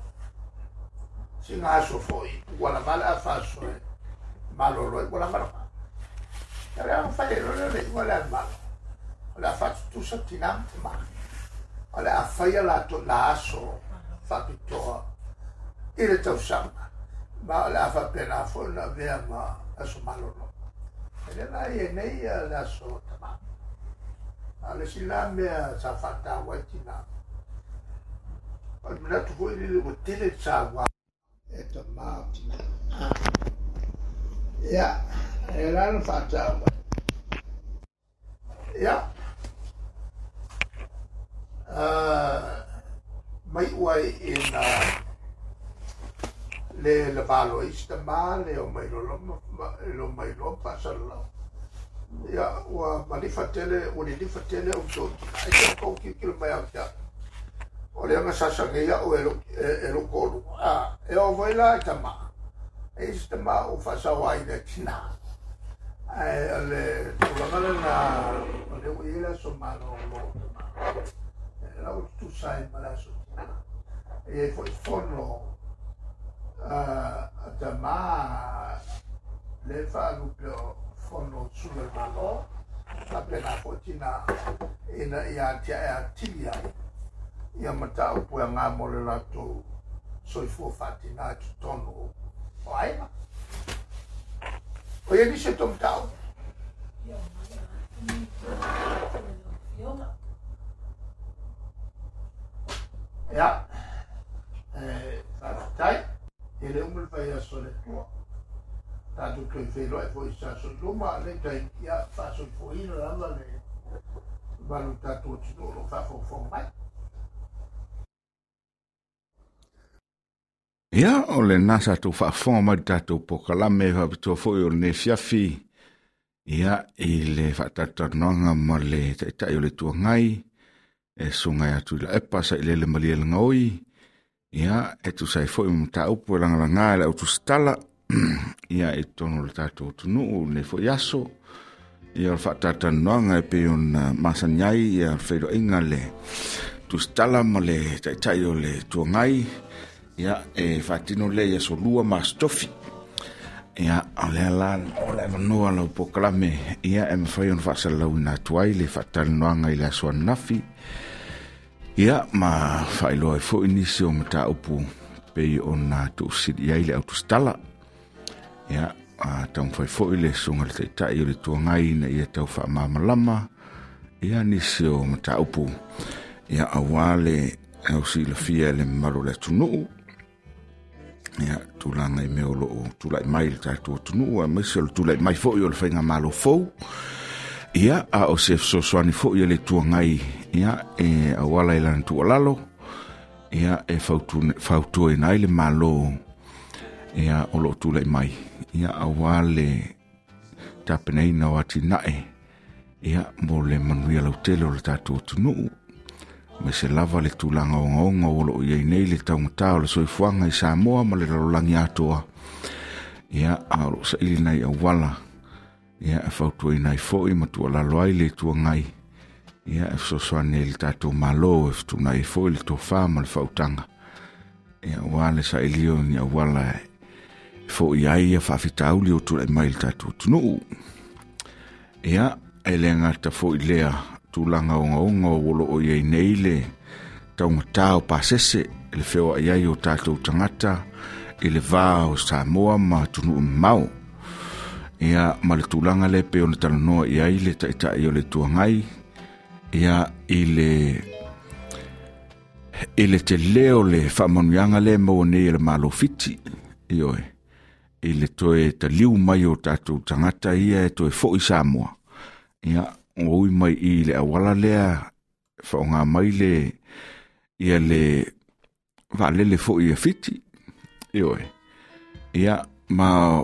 Speaker 9: sina aso foi ua lava le afa aso e malolo ai ua lava lava. Ia le aga fai e loa le iuga le a le Malo. O le a faatutusa tinā ma tamā. O le a faia latou la aso faapitoa i le tausaga ma o le a faapena foi ona avea ma aso malolo. E le la i nei le aso tamā. A o le isi la mea sa faataua ai tinā. O le manatu foi lele ua tele le saua e tamā o tinā. Ia, e la na faataua. Ia, mai ua ina le le valo i se tamā le o mai lolo lo mai lo faasalalau. Ia ua malifa tele ua lilifa tele outou tinā. E te tou tilotilo mai au te au. O le aga sasagei au e e lou toaluga. A e oo foi la i tamā. E i se tamā ua faasauaina e tinā. Ae o le tulaga lena o lea ua i ai le aso malolo o tamā. E la ua tutusa ai ma le aso tinā. E i ai foi fono a tamā le faalupe o fono o susuga i le Malo faapena foi tinā ina ia atiae atili ai ia mataupu e aga mo le latou soifua faatinā i totonu o aiga. O ia nisi o tou mataupu. Ia, e faafetai e le uma le faiaso o le Atua. Tatou toe feiloai foi i se aso i luma, le taimi ia faasoifuaina lava le mamalu o tatou atunuu o lo o faafogafoga mai.
Speaker 2: Ia, o le nasa tau faafofoga mai le tatou pokalame faapitoa foi o lenei afiafi, ia, i le faatalatalanoaga ma le Taitai o le Itu Agai, e susuga ia Tuilaepa Sailele Malielegaoi, ia, e tusa ai foi ma mataupu e lagalaga e le autusitala, ia, i totonu o le tatou atunuu i lenei foi aso. Ia, o le faatalatalanoaga e pei ona masani ai, ia, le feiloaiga le tusitala ma le Taitai o le Itu Agai, ia, e faatino lea i aso lua ma aso tofi. Ia, o lea la o le avanoa lau pokalame, ia, e mafai ona faasalalauina atu ai le faatalanoaga i le aso ananafi, ia, ma faailoa ai foi nisi o mataupu pei ona tuufesili ai le autusitala. Ia, a taumafai foi le susuga i le Taitai o le Itu Agai ina ia tau faamalamalama, ia, nisi o mataupu, ia, aua le ausilafia e le mamalu o le atunuu, ia, tulaga i mea o loo tulai mai le tatou atunuu, aemaise o le tulai mai foi o le faigamalo fou. Ia, a o se fesoasoani foi a le Itu Agai, ia, e auala i lana tuualalo, ia, e fautuaina ai le Malo, ia, o loo tulai mai, ia, aua le tapenaina o atinae, ia, mo le manuia lautele o le tatou atunuu, aemaise lava le tulaga ogaoga o loo i ai nei le taugata o le soifuaga i Samoa ma le lalolagi atoa. Ia, a o loo saili nai auala, ia, e fautuaina ai foi ma tuualalo ai le Itu Agai, ia, e fesoasoani ai le tatou Malo e fetuunai ai foi le tofa ma le faautaga, ia, aua le sailia o ni auala e foia ai ia faafitauli o tulai mai le tatou atunuu. Ia, e le gata foi lea tulaga ogaoga o loo i ai nei le taugata o pasese, le feoai ai o tatou tagata i le va o Samoa ma atunuu mamao. Ia, ma le tulaga lea pei ona talanoa i ai le Taitai o le Itu Agai, ia, i le i le tele o le faamanuiaga lea e maua nei e le Malo Fiti, ioe, i le toe taliu mai o tatou tagata ia e toe foi Samoa. Ia, o ui mai i le auala lea faaaoga mai le, ia le vaalele foi ia Fiti, ioe. Ia, ma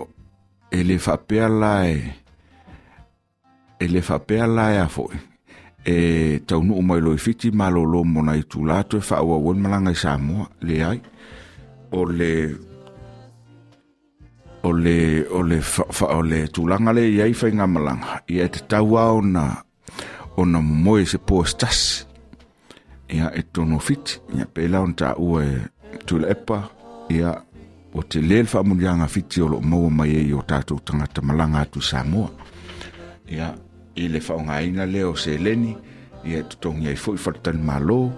Speaker 2: e le faapea la e e le faapea la e a foi e taunuu mai loa i Fiti malolo mo nai itula toe faaauau ai le malaga i Samoa. Leai, o le o le o le fa, fa, o le tulaga lea i ai faigamalaga, ia, e tatau lava ona ona momoe se po se tasi, ia, e totonu o Fiti. Ia, pei la ona taua e Tuilaepa, ia, o tele le faamanuiaga Fiti o loo maua mai ai o tatou tagata malaga atu i Samoa. Ia, i le faaaogaina lea o seleni, ia, e totogi ai foi faletalimalo,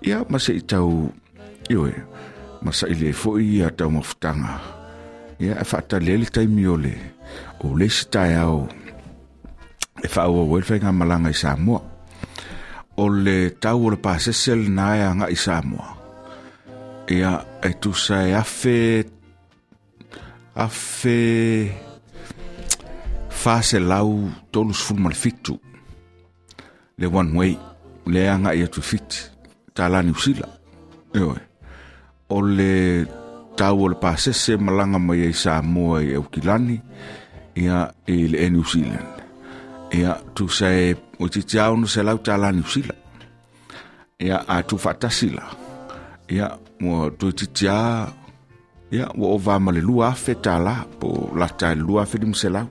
Speaker 2: ia, ma se i tau, ioe, ma saili ai foi ia taumafataga, ia, e faatali ai le taimi o le o le isi taeao e faaauau ai le faigamalaga i Samoa. O le tau o le pasese lena e agai i Samoa, ia, e tusa e afe afe faselau tolusefulu ma le fitu le one way le agai atu i Fiti tala Niu Sila. Ioe, o le tau o le pasese malaga mai ai Samoa i Aukilani, ia, i le Air New Zealand, ia, tusa e o titi ao selau tala Niu Sila. Ia, a tu faatasi la, ia, ua toeitiiti lava, ia, ua ova ma le lua afe tala, po o lata i le lua afe lima selau,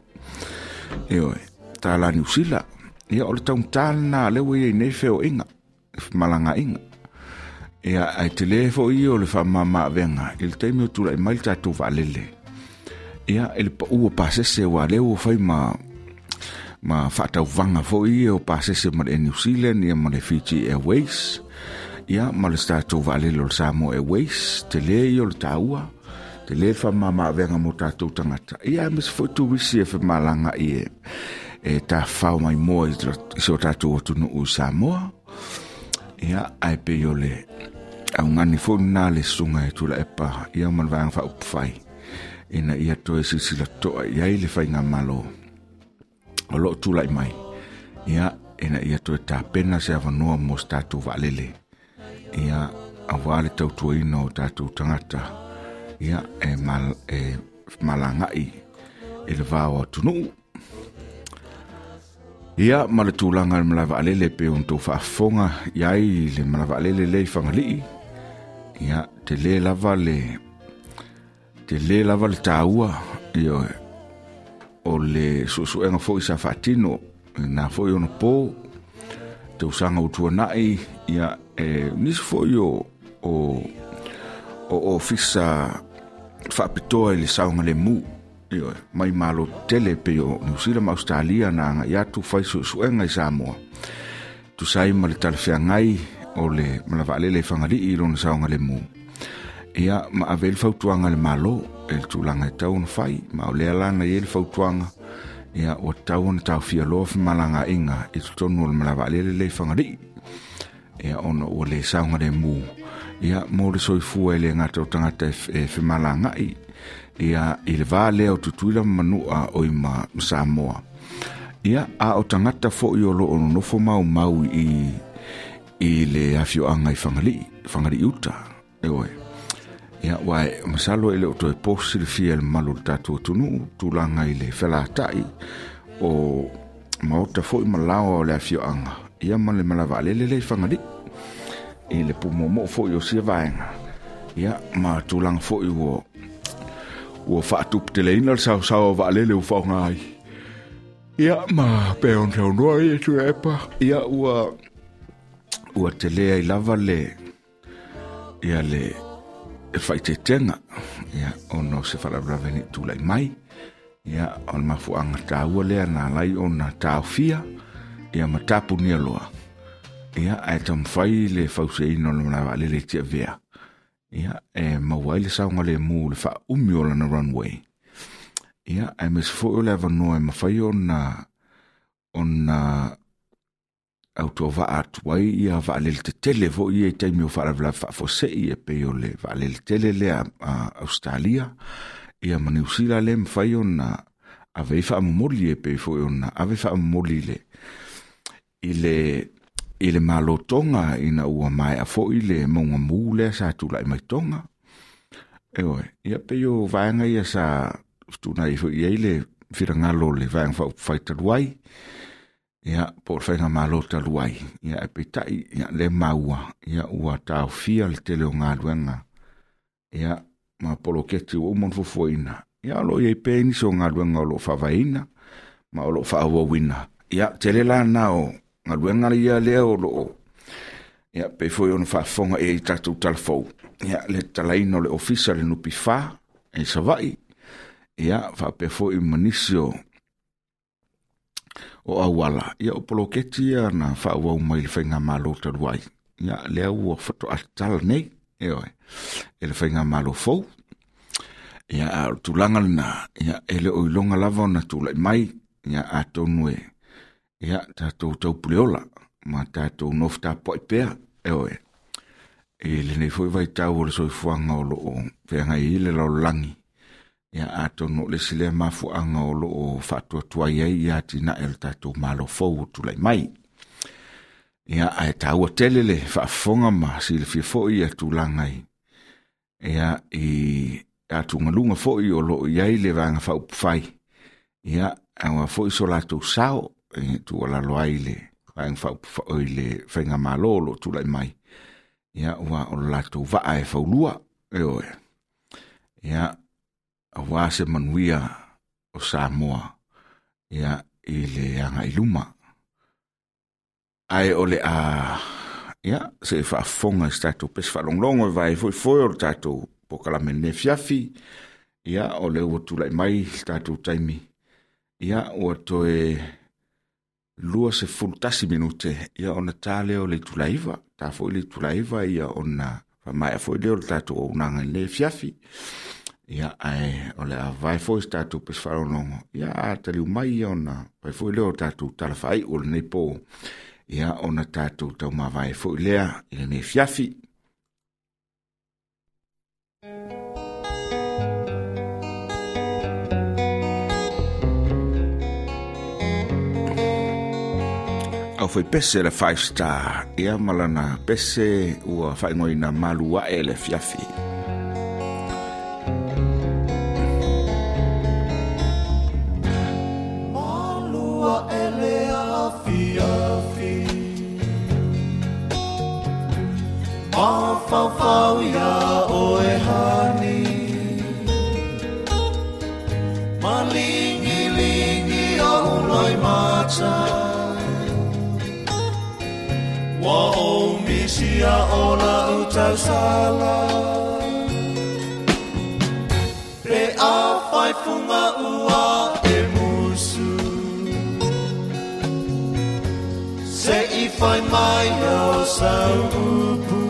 Speaker 2: ioe, tala Niu Sila. Ia, o le taugata lena lea ua i ai nei feoaiga, femalagaaiga. Ia, ae tele foi ia o le faamamaavega i le taimi o tulai mai le tatou vaalele, ia, i le pau o pasese, ua lea ua fai ma ma faatauvaga foi ia o pasese ma le Air New Zealand, ia, ma le Fiji Airways, ia, ma le tatou vaalele o le Samoa Airways. Tele ia o le taua, tele le faamamaavega mo tatou tagata, ia, aemaise foi turisi e femalagai e e tafafao mai moa i si o tatou atunuu i Samoa. Ia, ae pei o le augani foi lena le susuga e Tuilaepa, ia, ma le vaega faaupufai, ina ia toe silasila toa i ai le faigamalo o loo tulai mai, ia, ina ia toe tapena se avanoa mo se tatou vaalele, ia, aua le tautuaina o tatou tagata, Ia e mal e malangai i le vao atunuu. Ia ma le tulaga i le malae vaalele pe ona tou faafofoga iai le malae vaalele lea i Fagalii. Ia tele lava le tele lava le taua ia o le suesuega foi sa faatino na foi ona po tausaga ua tuanai. Ia e nisi foi o o o ofisa faapitoa i le saogalemu ioe mai malo tele pe o New Zealand ma Australia na agai atu fai suesuega i Samoa tusa ai ma le talafeagai o le malae vaalele i Fagalii i lona saogalemu. Ia ma ave le fautuaga le malo e le tulaga e tau ona fai ma o lea lana i ai le fautuaga. Ia ua tau ona taofia loa femalagaaiga i totonu o le malae vaalele lea i Fagalii. Ia ona ua le saogalemu ia mo le soifua e le gata o tagata e femalagai ia i le va lea o Tutuila ma Manua o i ma Samoa. Ia a o tagata foi o loo nonofo maumau i i le afioaga i Fagalii, Fagalii uta eoe. Ia uae masalo e le o toe posi silafia e le mamalu o le tatou atunuu tulaga i le felatai o maota foi ma laoa o le afioaga ia ma le malae vaalele lea i Fagalii i le pumomoo foi o sia vaega. Ia ma tulaga foi ua ua faatuputeleina le saosaoa o vaalele ua faaaoga ai. Ia ma pe ona saunoa ia Tuilaepa. Ia ua ua tele ai lava le ia le e faaeteetega ia ona o se faalavelave nei tulai mai. Ia o le mafuaaga taua lea na alai ona taofia ia ma tapunia loa. Ia ae taumafai le fausiaina o le malae vaalele i Tiavea. Ia e maua ai le saogalemu le faaumi o lana runway. Ia aemaise foi o le avanoa e mafai ona ona autovaa atu ai ia vaalele tetele foi ia i taimi o faalavelave faafuasei e pei o le vaalele tele lea a Australia ia ma Niu Sila lea e mafai ona ave ai faamomoli e pei foi ona ave faamomoli i le i le i le malo Tonga ina ua maea foi le mauga lea sa tulai mai Tonga. Eoe, ia pei o vaega ia sa fetuunai foi i ai le finagalo o le vaega faaupufai talu ai. Ia po o le faigamalo talu ai. Ia e peitai ia le maua ia ua taofia le tele o galuega ia ma poloketi ua uma ona fuafuaina. Ia o loo i ai pea nisi o galuega o loo faavaeina ma o loo faaauauina. Ia tele la na o galuega ia lea o loo ia pei foi ona faafofoga i ai tatou talafou. Ia le tatalaina o le ofisa le N P F i Savaii. Ia faapea foi ma nisi o o auala. Ia o poloketi ia na faaauau mai le faigamalo talu ai. Ia lea ua faatoa tatala nei eoe e le faigamalo fou. Ia a o le tulaga lena ia e le o iloga lava ona tulai mai. Ia atonu e ia tatou taupuleola ma tatou nofo tapuai pea eoe i lenei foi vaitau o le soifuaga o loo feagai ai le lalolagi. Ia atonu o le isi lea mafuaaga o loo faatuatuai ai ia atinae o le tatou malo fou o tulai mai. Ia ae taua tele le faafofoga ma silafia foi ia tulaga i ia i atugaluga foi o loo i ai le vaega faaupufai. Ia aua foi so latou sao e tuualalo ai le vaega faaupufai i le faigamalo o loo tulai mai. Ia ua o le latou vaa e faulua eoe. Ia aua se manuia o Samoa ia i le agai luma. Ae o le a ia se faafofoga i se tatou pese faalogologo e vae foefoe o le tatou polokalame lenei afiafi. Ia o lea ua tulai mai le tatou taimi. Ia ua toe lua sefulu tasi minute ia ona ta lea o le itula iva. Ta foi le itula iva ia ona faamaea foi lea o le tatou auaunaga i lenei afiafi. Ia ae o le a vae foi se tatou pese faalogologo. Ia a taliu mai ia ona fai foi lea o tatou tala faaiu o lenei po. Ia ona tatou taumavae foi lea i lenei afiafi. Au foi pese le five star. Ia malana pese ua faaigoaina malu ae le afiafi.
Speaker 4: Mafaufau ia oe hani Malingilingi o uloi mata Wa o misia o la utausala Pe a whai funga ua e musu Se i whai mai o sau upu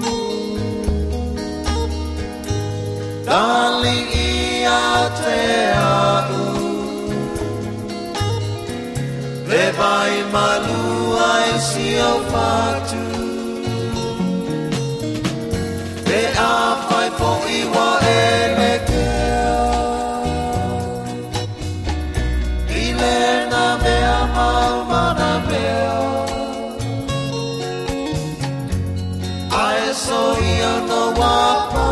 Speaker 4: Dali ia te au Le vai malua e si au fatu Pe a whai po iwa e le kea I le na mea mau mana mea Ae so ia no wapa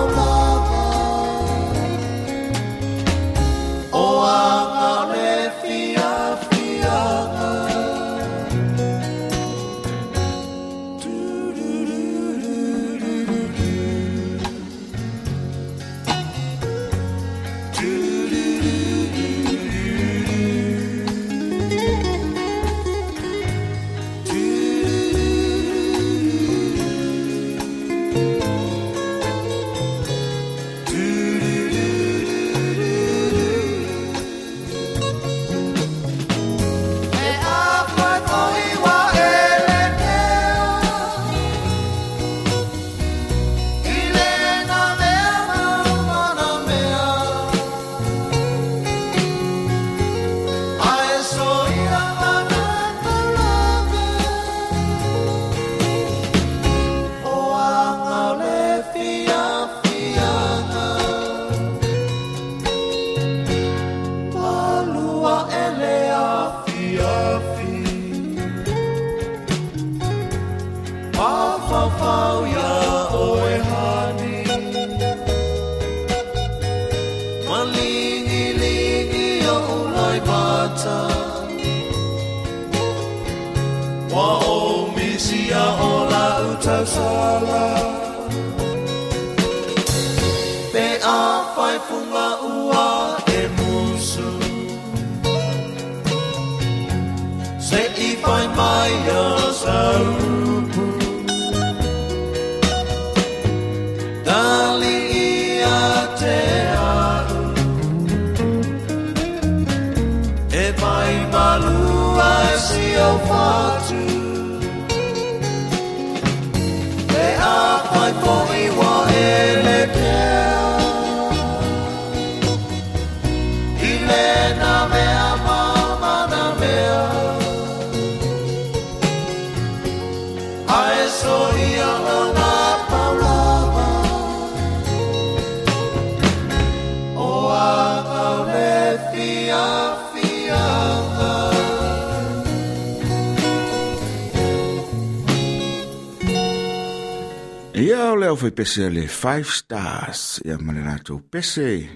Speaker 2: Ia o leo fai pese le Five Stars, ia ma le latou pese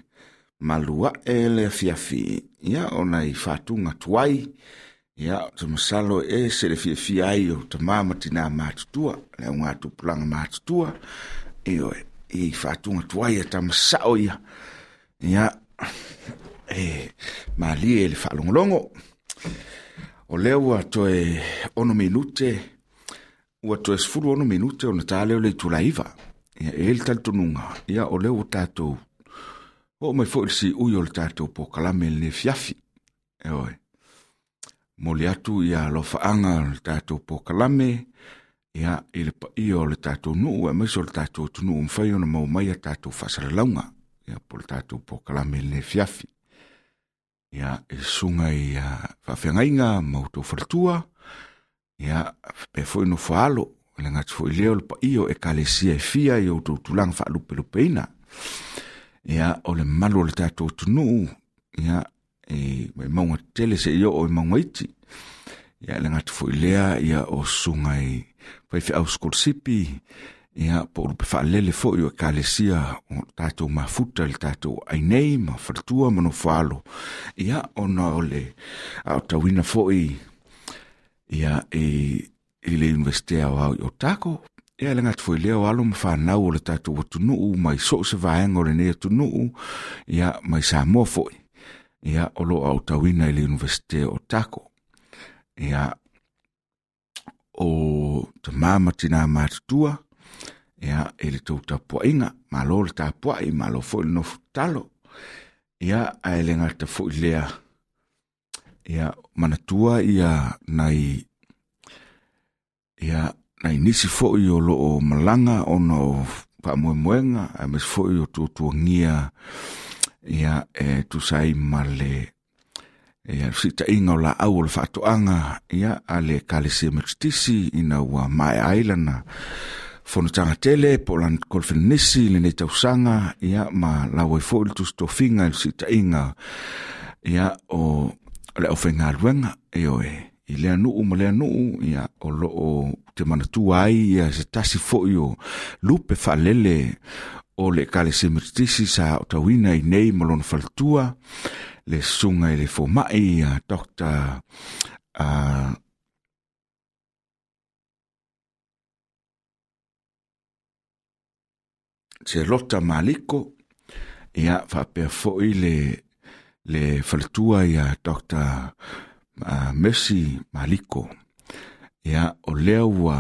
Speaker 2: malua e le afiafi. Ia ona i whātunga tuai, ia te masalo e se le fiafia ai o te māmatina mātutua, le au ngā tupulanga mātutua, e oe, i whātunga tuai e tamasao ia. Ia, e malie e le whaalongolongo. O leo ua toe ono minute, ua toe sefulu ono minute o na tā leo le itula iva. Ia e le talitonuga, ia o leo ua tātou o mai foi le siui o le tātou pokalame le fiafi. E oe, moli atu ia alofaanga o le tātou pokalame, ia i le paia o le tātou nuu, e maise o le tātou atunuu mafai ona maua mai a tātou faasalalauga, ia po le tātou pokalame le fiafi. Ia e susuga i faafeagaiga ma outou faletua, ia pe foi no faalo, le ngati foi leo le paia o ekalesia e fia i outou tulaga faalupelupeina. Ia o le malu o le tātou atunuu, ia e mai maunga tele se i oo i maunga iti. Ia le ngati foi lea, ia o susuga i faifeau sikolasipi, ia po o lupe faalele foi o ekalesia o tātou mafuta le tātou ainei ma faletua ma nofo alo. Ia ona o le aotauina foi ia e i le Universite Aoao i Otago, Ia le gata foi lea o alo ma fanau o le tatou atunuu mai so o se vaega o lenei atunuu, ia mai Samoa foi, ia o loo aotauina i le Iunivesite o Otago. Ia o tamā ma tinā matutua, ia e le tou tapuaiga, malo le tapuai, malo foi le nofo tatalo. Ia ae le gata foi lea, ia manatua ia nai ia nai nisi foi o loo malaga ona o faamoemoega, aemaise foi o tuatuagia ia e tusa ai ma le ia fesilitaiga o laau o le faatoaga ia a le Ekalesia Metotisi ina ua maea ai lana fonotaga tele po o lana kolofenisi i lenei tausaga, ia ma lau ai foi le tusitofiga i le fesilitaiga ia o le aufaigaluega ioe i lea nuu ma lea nuu, ia o loo te manatua ai ia se tasi foi o lupe faalele o le Ekalesia Metotisi sa aotauina i nei ma lona faletua, le susuga i le fomai ia Doctor uh, Selota Maliko, ia faapea foi le le faletua ia Doctor Uh, Mercy Maliko. Ia o lea ua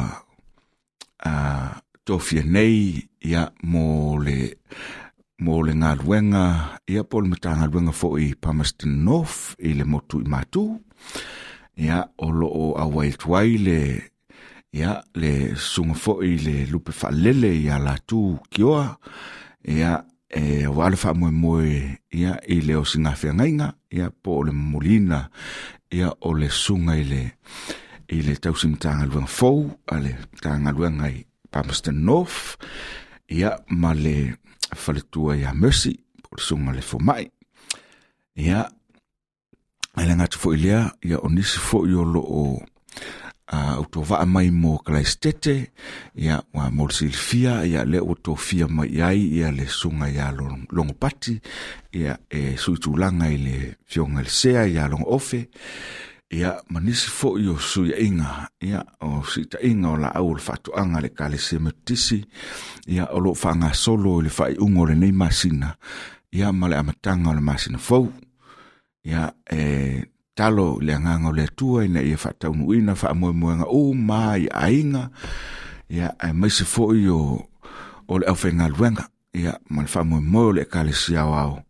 Speaker 2: uh, tofia nei ia mo le mo le galuega ia po o le Matagaluega foi i Palmerston North i le motu i Matu. Ia o loo auai atu ai le ia le susuga foi le lupe faalele ia Latu Kioa, ia e aua le faamoemoe ia i le osigafeagaiga ia po o le momoliina ia o le susuga i le i le tausi Matagaluega fou a le Matagaluega i Palmerston North, ia ma le faletua ia Mercy po o le susuga le fomai. Ia ae le gata foi lea, ia o nisi foi o loo uh, autovaa mai mo Kalaisitete, ia ua mo le silafia, ia lea ua tofia mai ai ia le susuga ia Logopati, ia e sui tulaga i le fioga i le Sea ia Logoofe, ia ma nisi foi o suiaiga, ia o siitaiga o laau o le faatoaga a le Ekalesia Metotisi, ia o loo faagasolo i le faaiuga o lenei masina, ia ma le amataga o le masina fou. Ia e talo i le agaga o le Atua ina ia faataunuuina faamoemoega uma i aiga, ia aemaise foi o o le aufaigaluega, ia ma le faamoemoe o le Ekalesia aoao,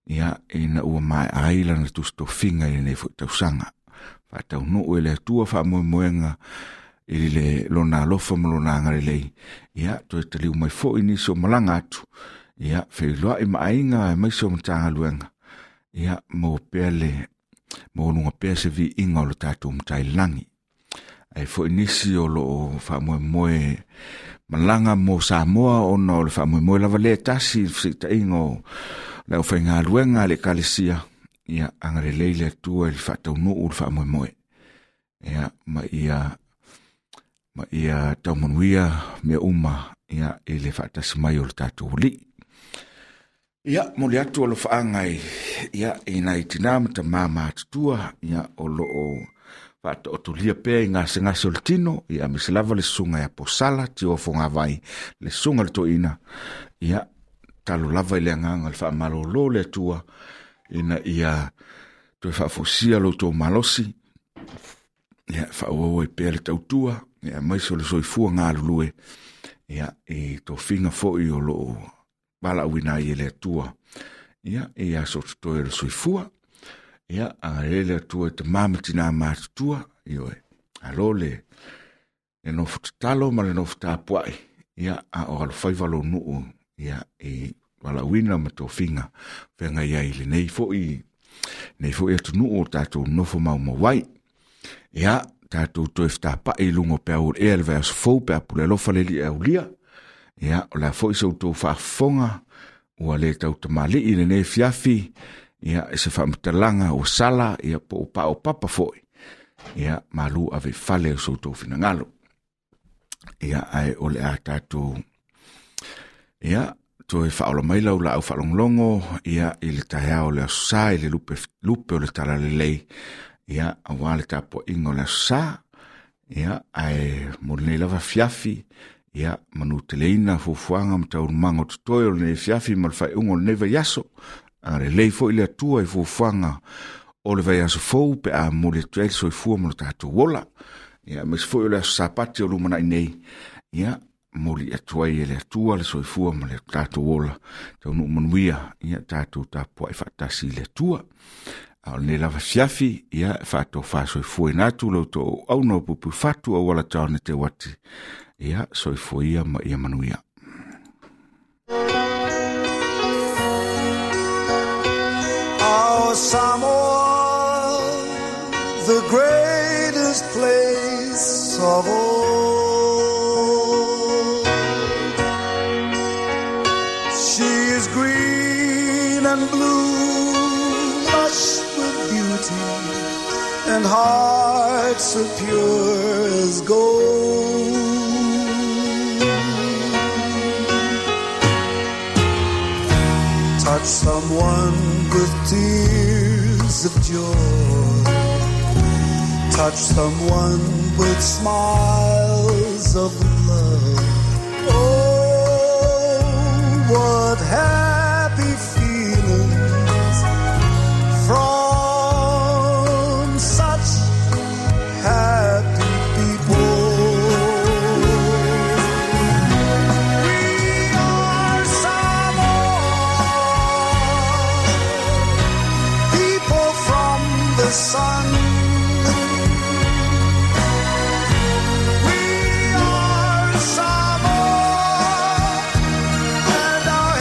Speaker 2: ia ina ua maea ai lana tusitofiga i lenei foi tausaga. Faataunuu e le Atua faamoemoega i le lona alofa ma lona agalelei, ia toe taliu mai foi nisi o malaga atu, ia feiloai ma aiga aemaise o Matagaluega, ia maua pea le maualuga pea se viiga o le tatou Matailagi. Ai foi nisi o loo faamoemoe malaga mo Samoa ona o le faamoemoe lava lea tasi i le fesilitaiga o le aufaigaluega a le Ekalesia, ia agalelei le Atua i le faataunuu le faamoemoe, ia ma ia ma ia taumanuia mea uma ia i le faatasi mai o le tatou Alii. Ia mo le atu alofaaga i ia i nai tinā ma tamā matutua, ia o loo faataotolia pea i gasegase o le tino, ia aemaise lava le susuga ia Posala Tio Fogavai, le susuga le toeaina, ia talo lava i le agaga o le faamalōlō le Atua ina ia toe faafosia lo outou malosi, ia faaauau ai pea le tautua, ia aemaise o le soifua galulue, ia i tofiga foi o loo valaauina ai e le Atua, ia i aso totoe o le soifua. Ia agalelei le Atua i tamā ma tinā matutua, ioe alo le le nofo tatalo ma le nofo tapuai, ia a o alofaiva lou nuu, ia i valaauina ma tofiga feagai ai i lenei foi nei foi atunuu o tatou nofo maumau ai. Ia tatou toe fetapai i luga o peau o le ea le vaiaso fou pe a pule alofa le Alii e aulia. Ia o le a foi sa outou faafofoga ua le tautamalii i lenei afiafi, ia e se faamatalaga ua sala, ia po o paopapa foi, ia malu ave i fale o so outou finagalo. Ia ae o le a tatou ia toe faaola mai lau laau faalogologo, ia i le taeao o le aso Sa i le lupe, lupe o le talalelei, ia aua le tapuaiga o le aso Sa. Ia ae mo lenei lava afiafi, Ia manuteleina fuafuaga ma taualumaga o totoe o lenei afiafi ma le faaiuga o lenei vaiaso. Agalelei foi le Atua i fuafuaga o le vaiaso fou pe a momoli atu ai le soifua ma lo tatou ola. Ia aemaise foi o le aso Sapati o lumanai nei, ia momoli atu ai e le Atua le soifua ma le tatou ola. Taunuu manuia, ia tatou tapuai faatasi i le Atua. A o lenei lava afiafi, ia e faatofasoifuaina atu lo outou auauna o puipuifatu auala taone teuati. Ia soifua ia ma ia manuia.
Speaker 4: Our Samoa, the greatest place of all. She is green and blue, lush with beauty, and hearts so pure as gold. Touch someone with tears of joy. Touch someone with smiles of love. Oh, what happy feelings from such happy people. We are Samoa, people from the sun. We are Samoa, and our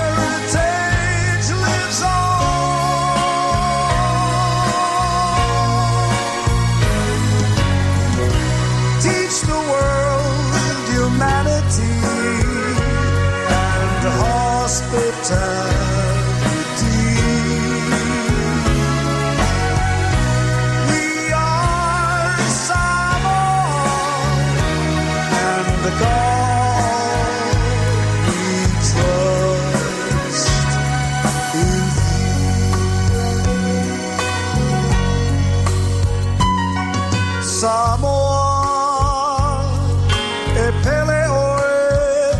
Speaker 4: heritage lives on. Teach the world humanity and hospitality. We are Samoa, and the God we trust is Samoa, e pele oe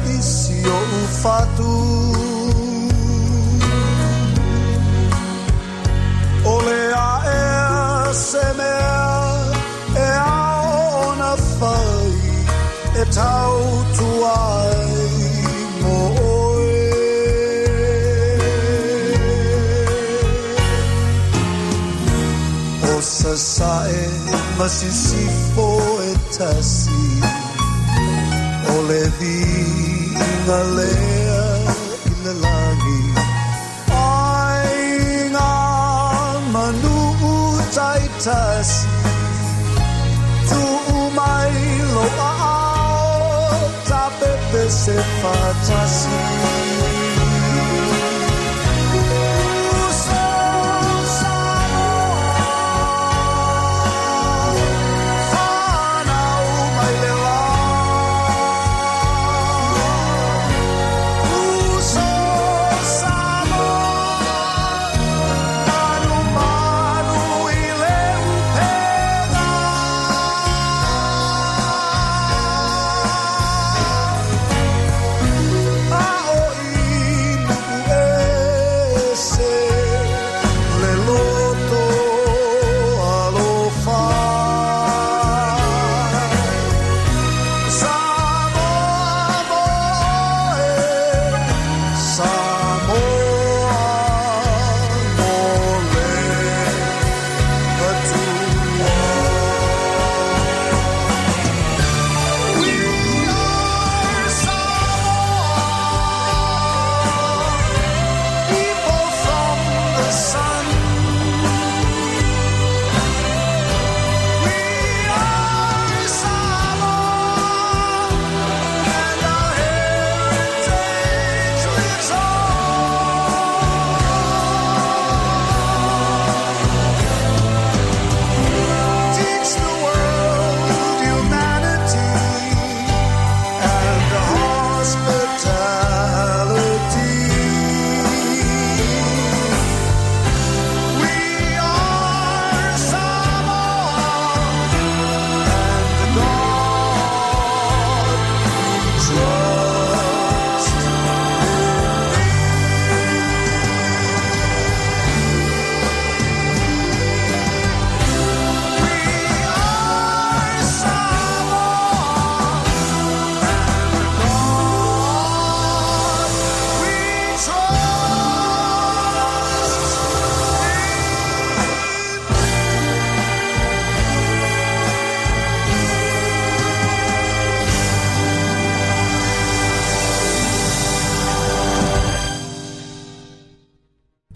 Speaker 4: i si o'u fatu. O le aea se mea e ao ona fai, e tautua ai mo oe. O sasae ma sisifo e tasi, o le viiga lea i le lagi. Ai ngā manu taitasi, tuu mai lo a'ao, ta pepe se fatasi. Uso Samoa, whanau mai le la. Uso Samoa, manu manu i le upega. A o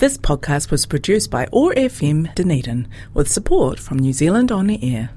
Speaker 1: This podcast was produced by O R F M Dunedin with support from New Zealand On Air.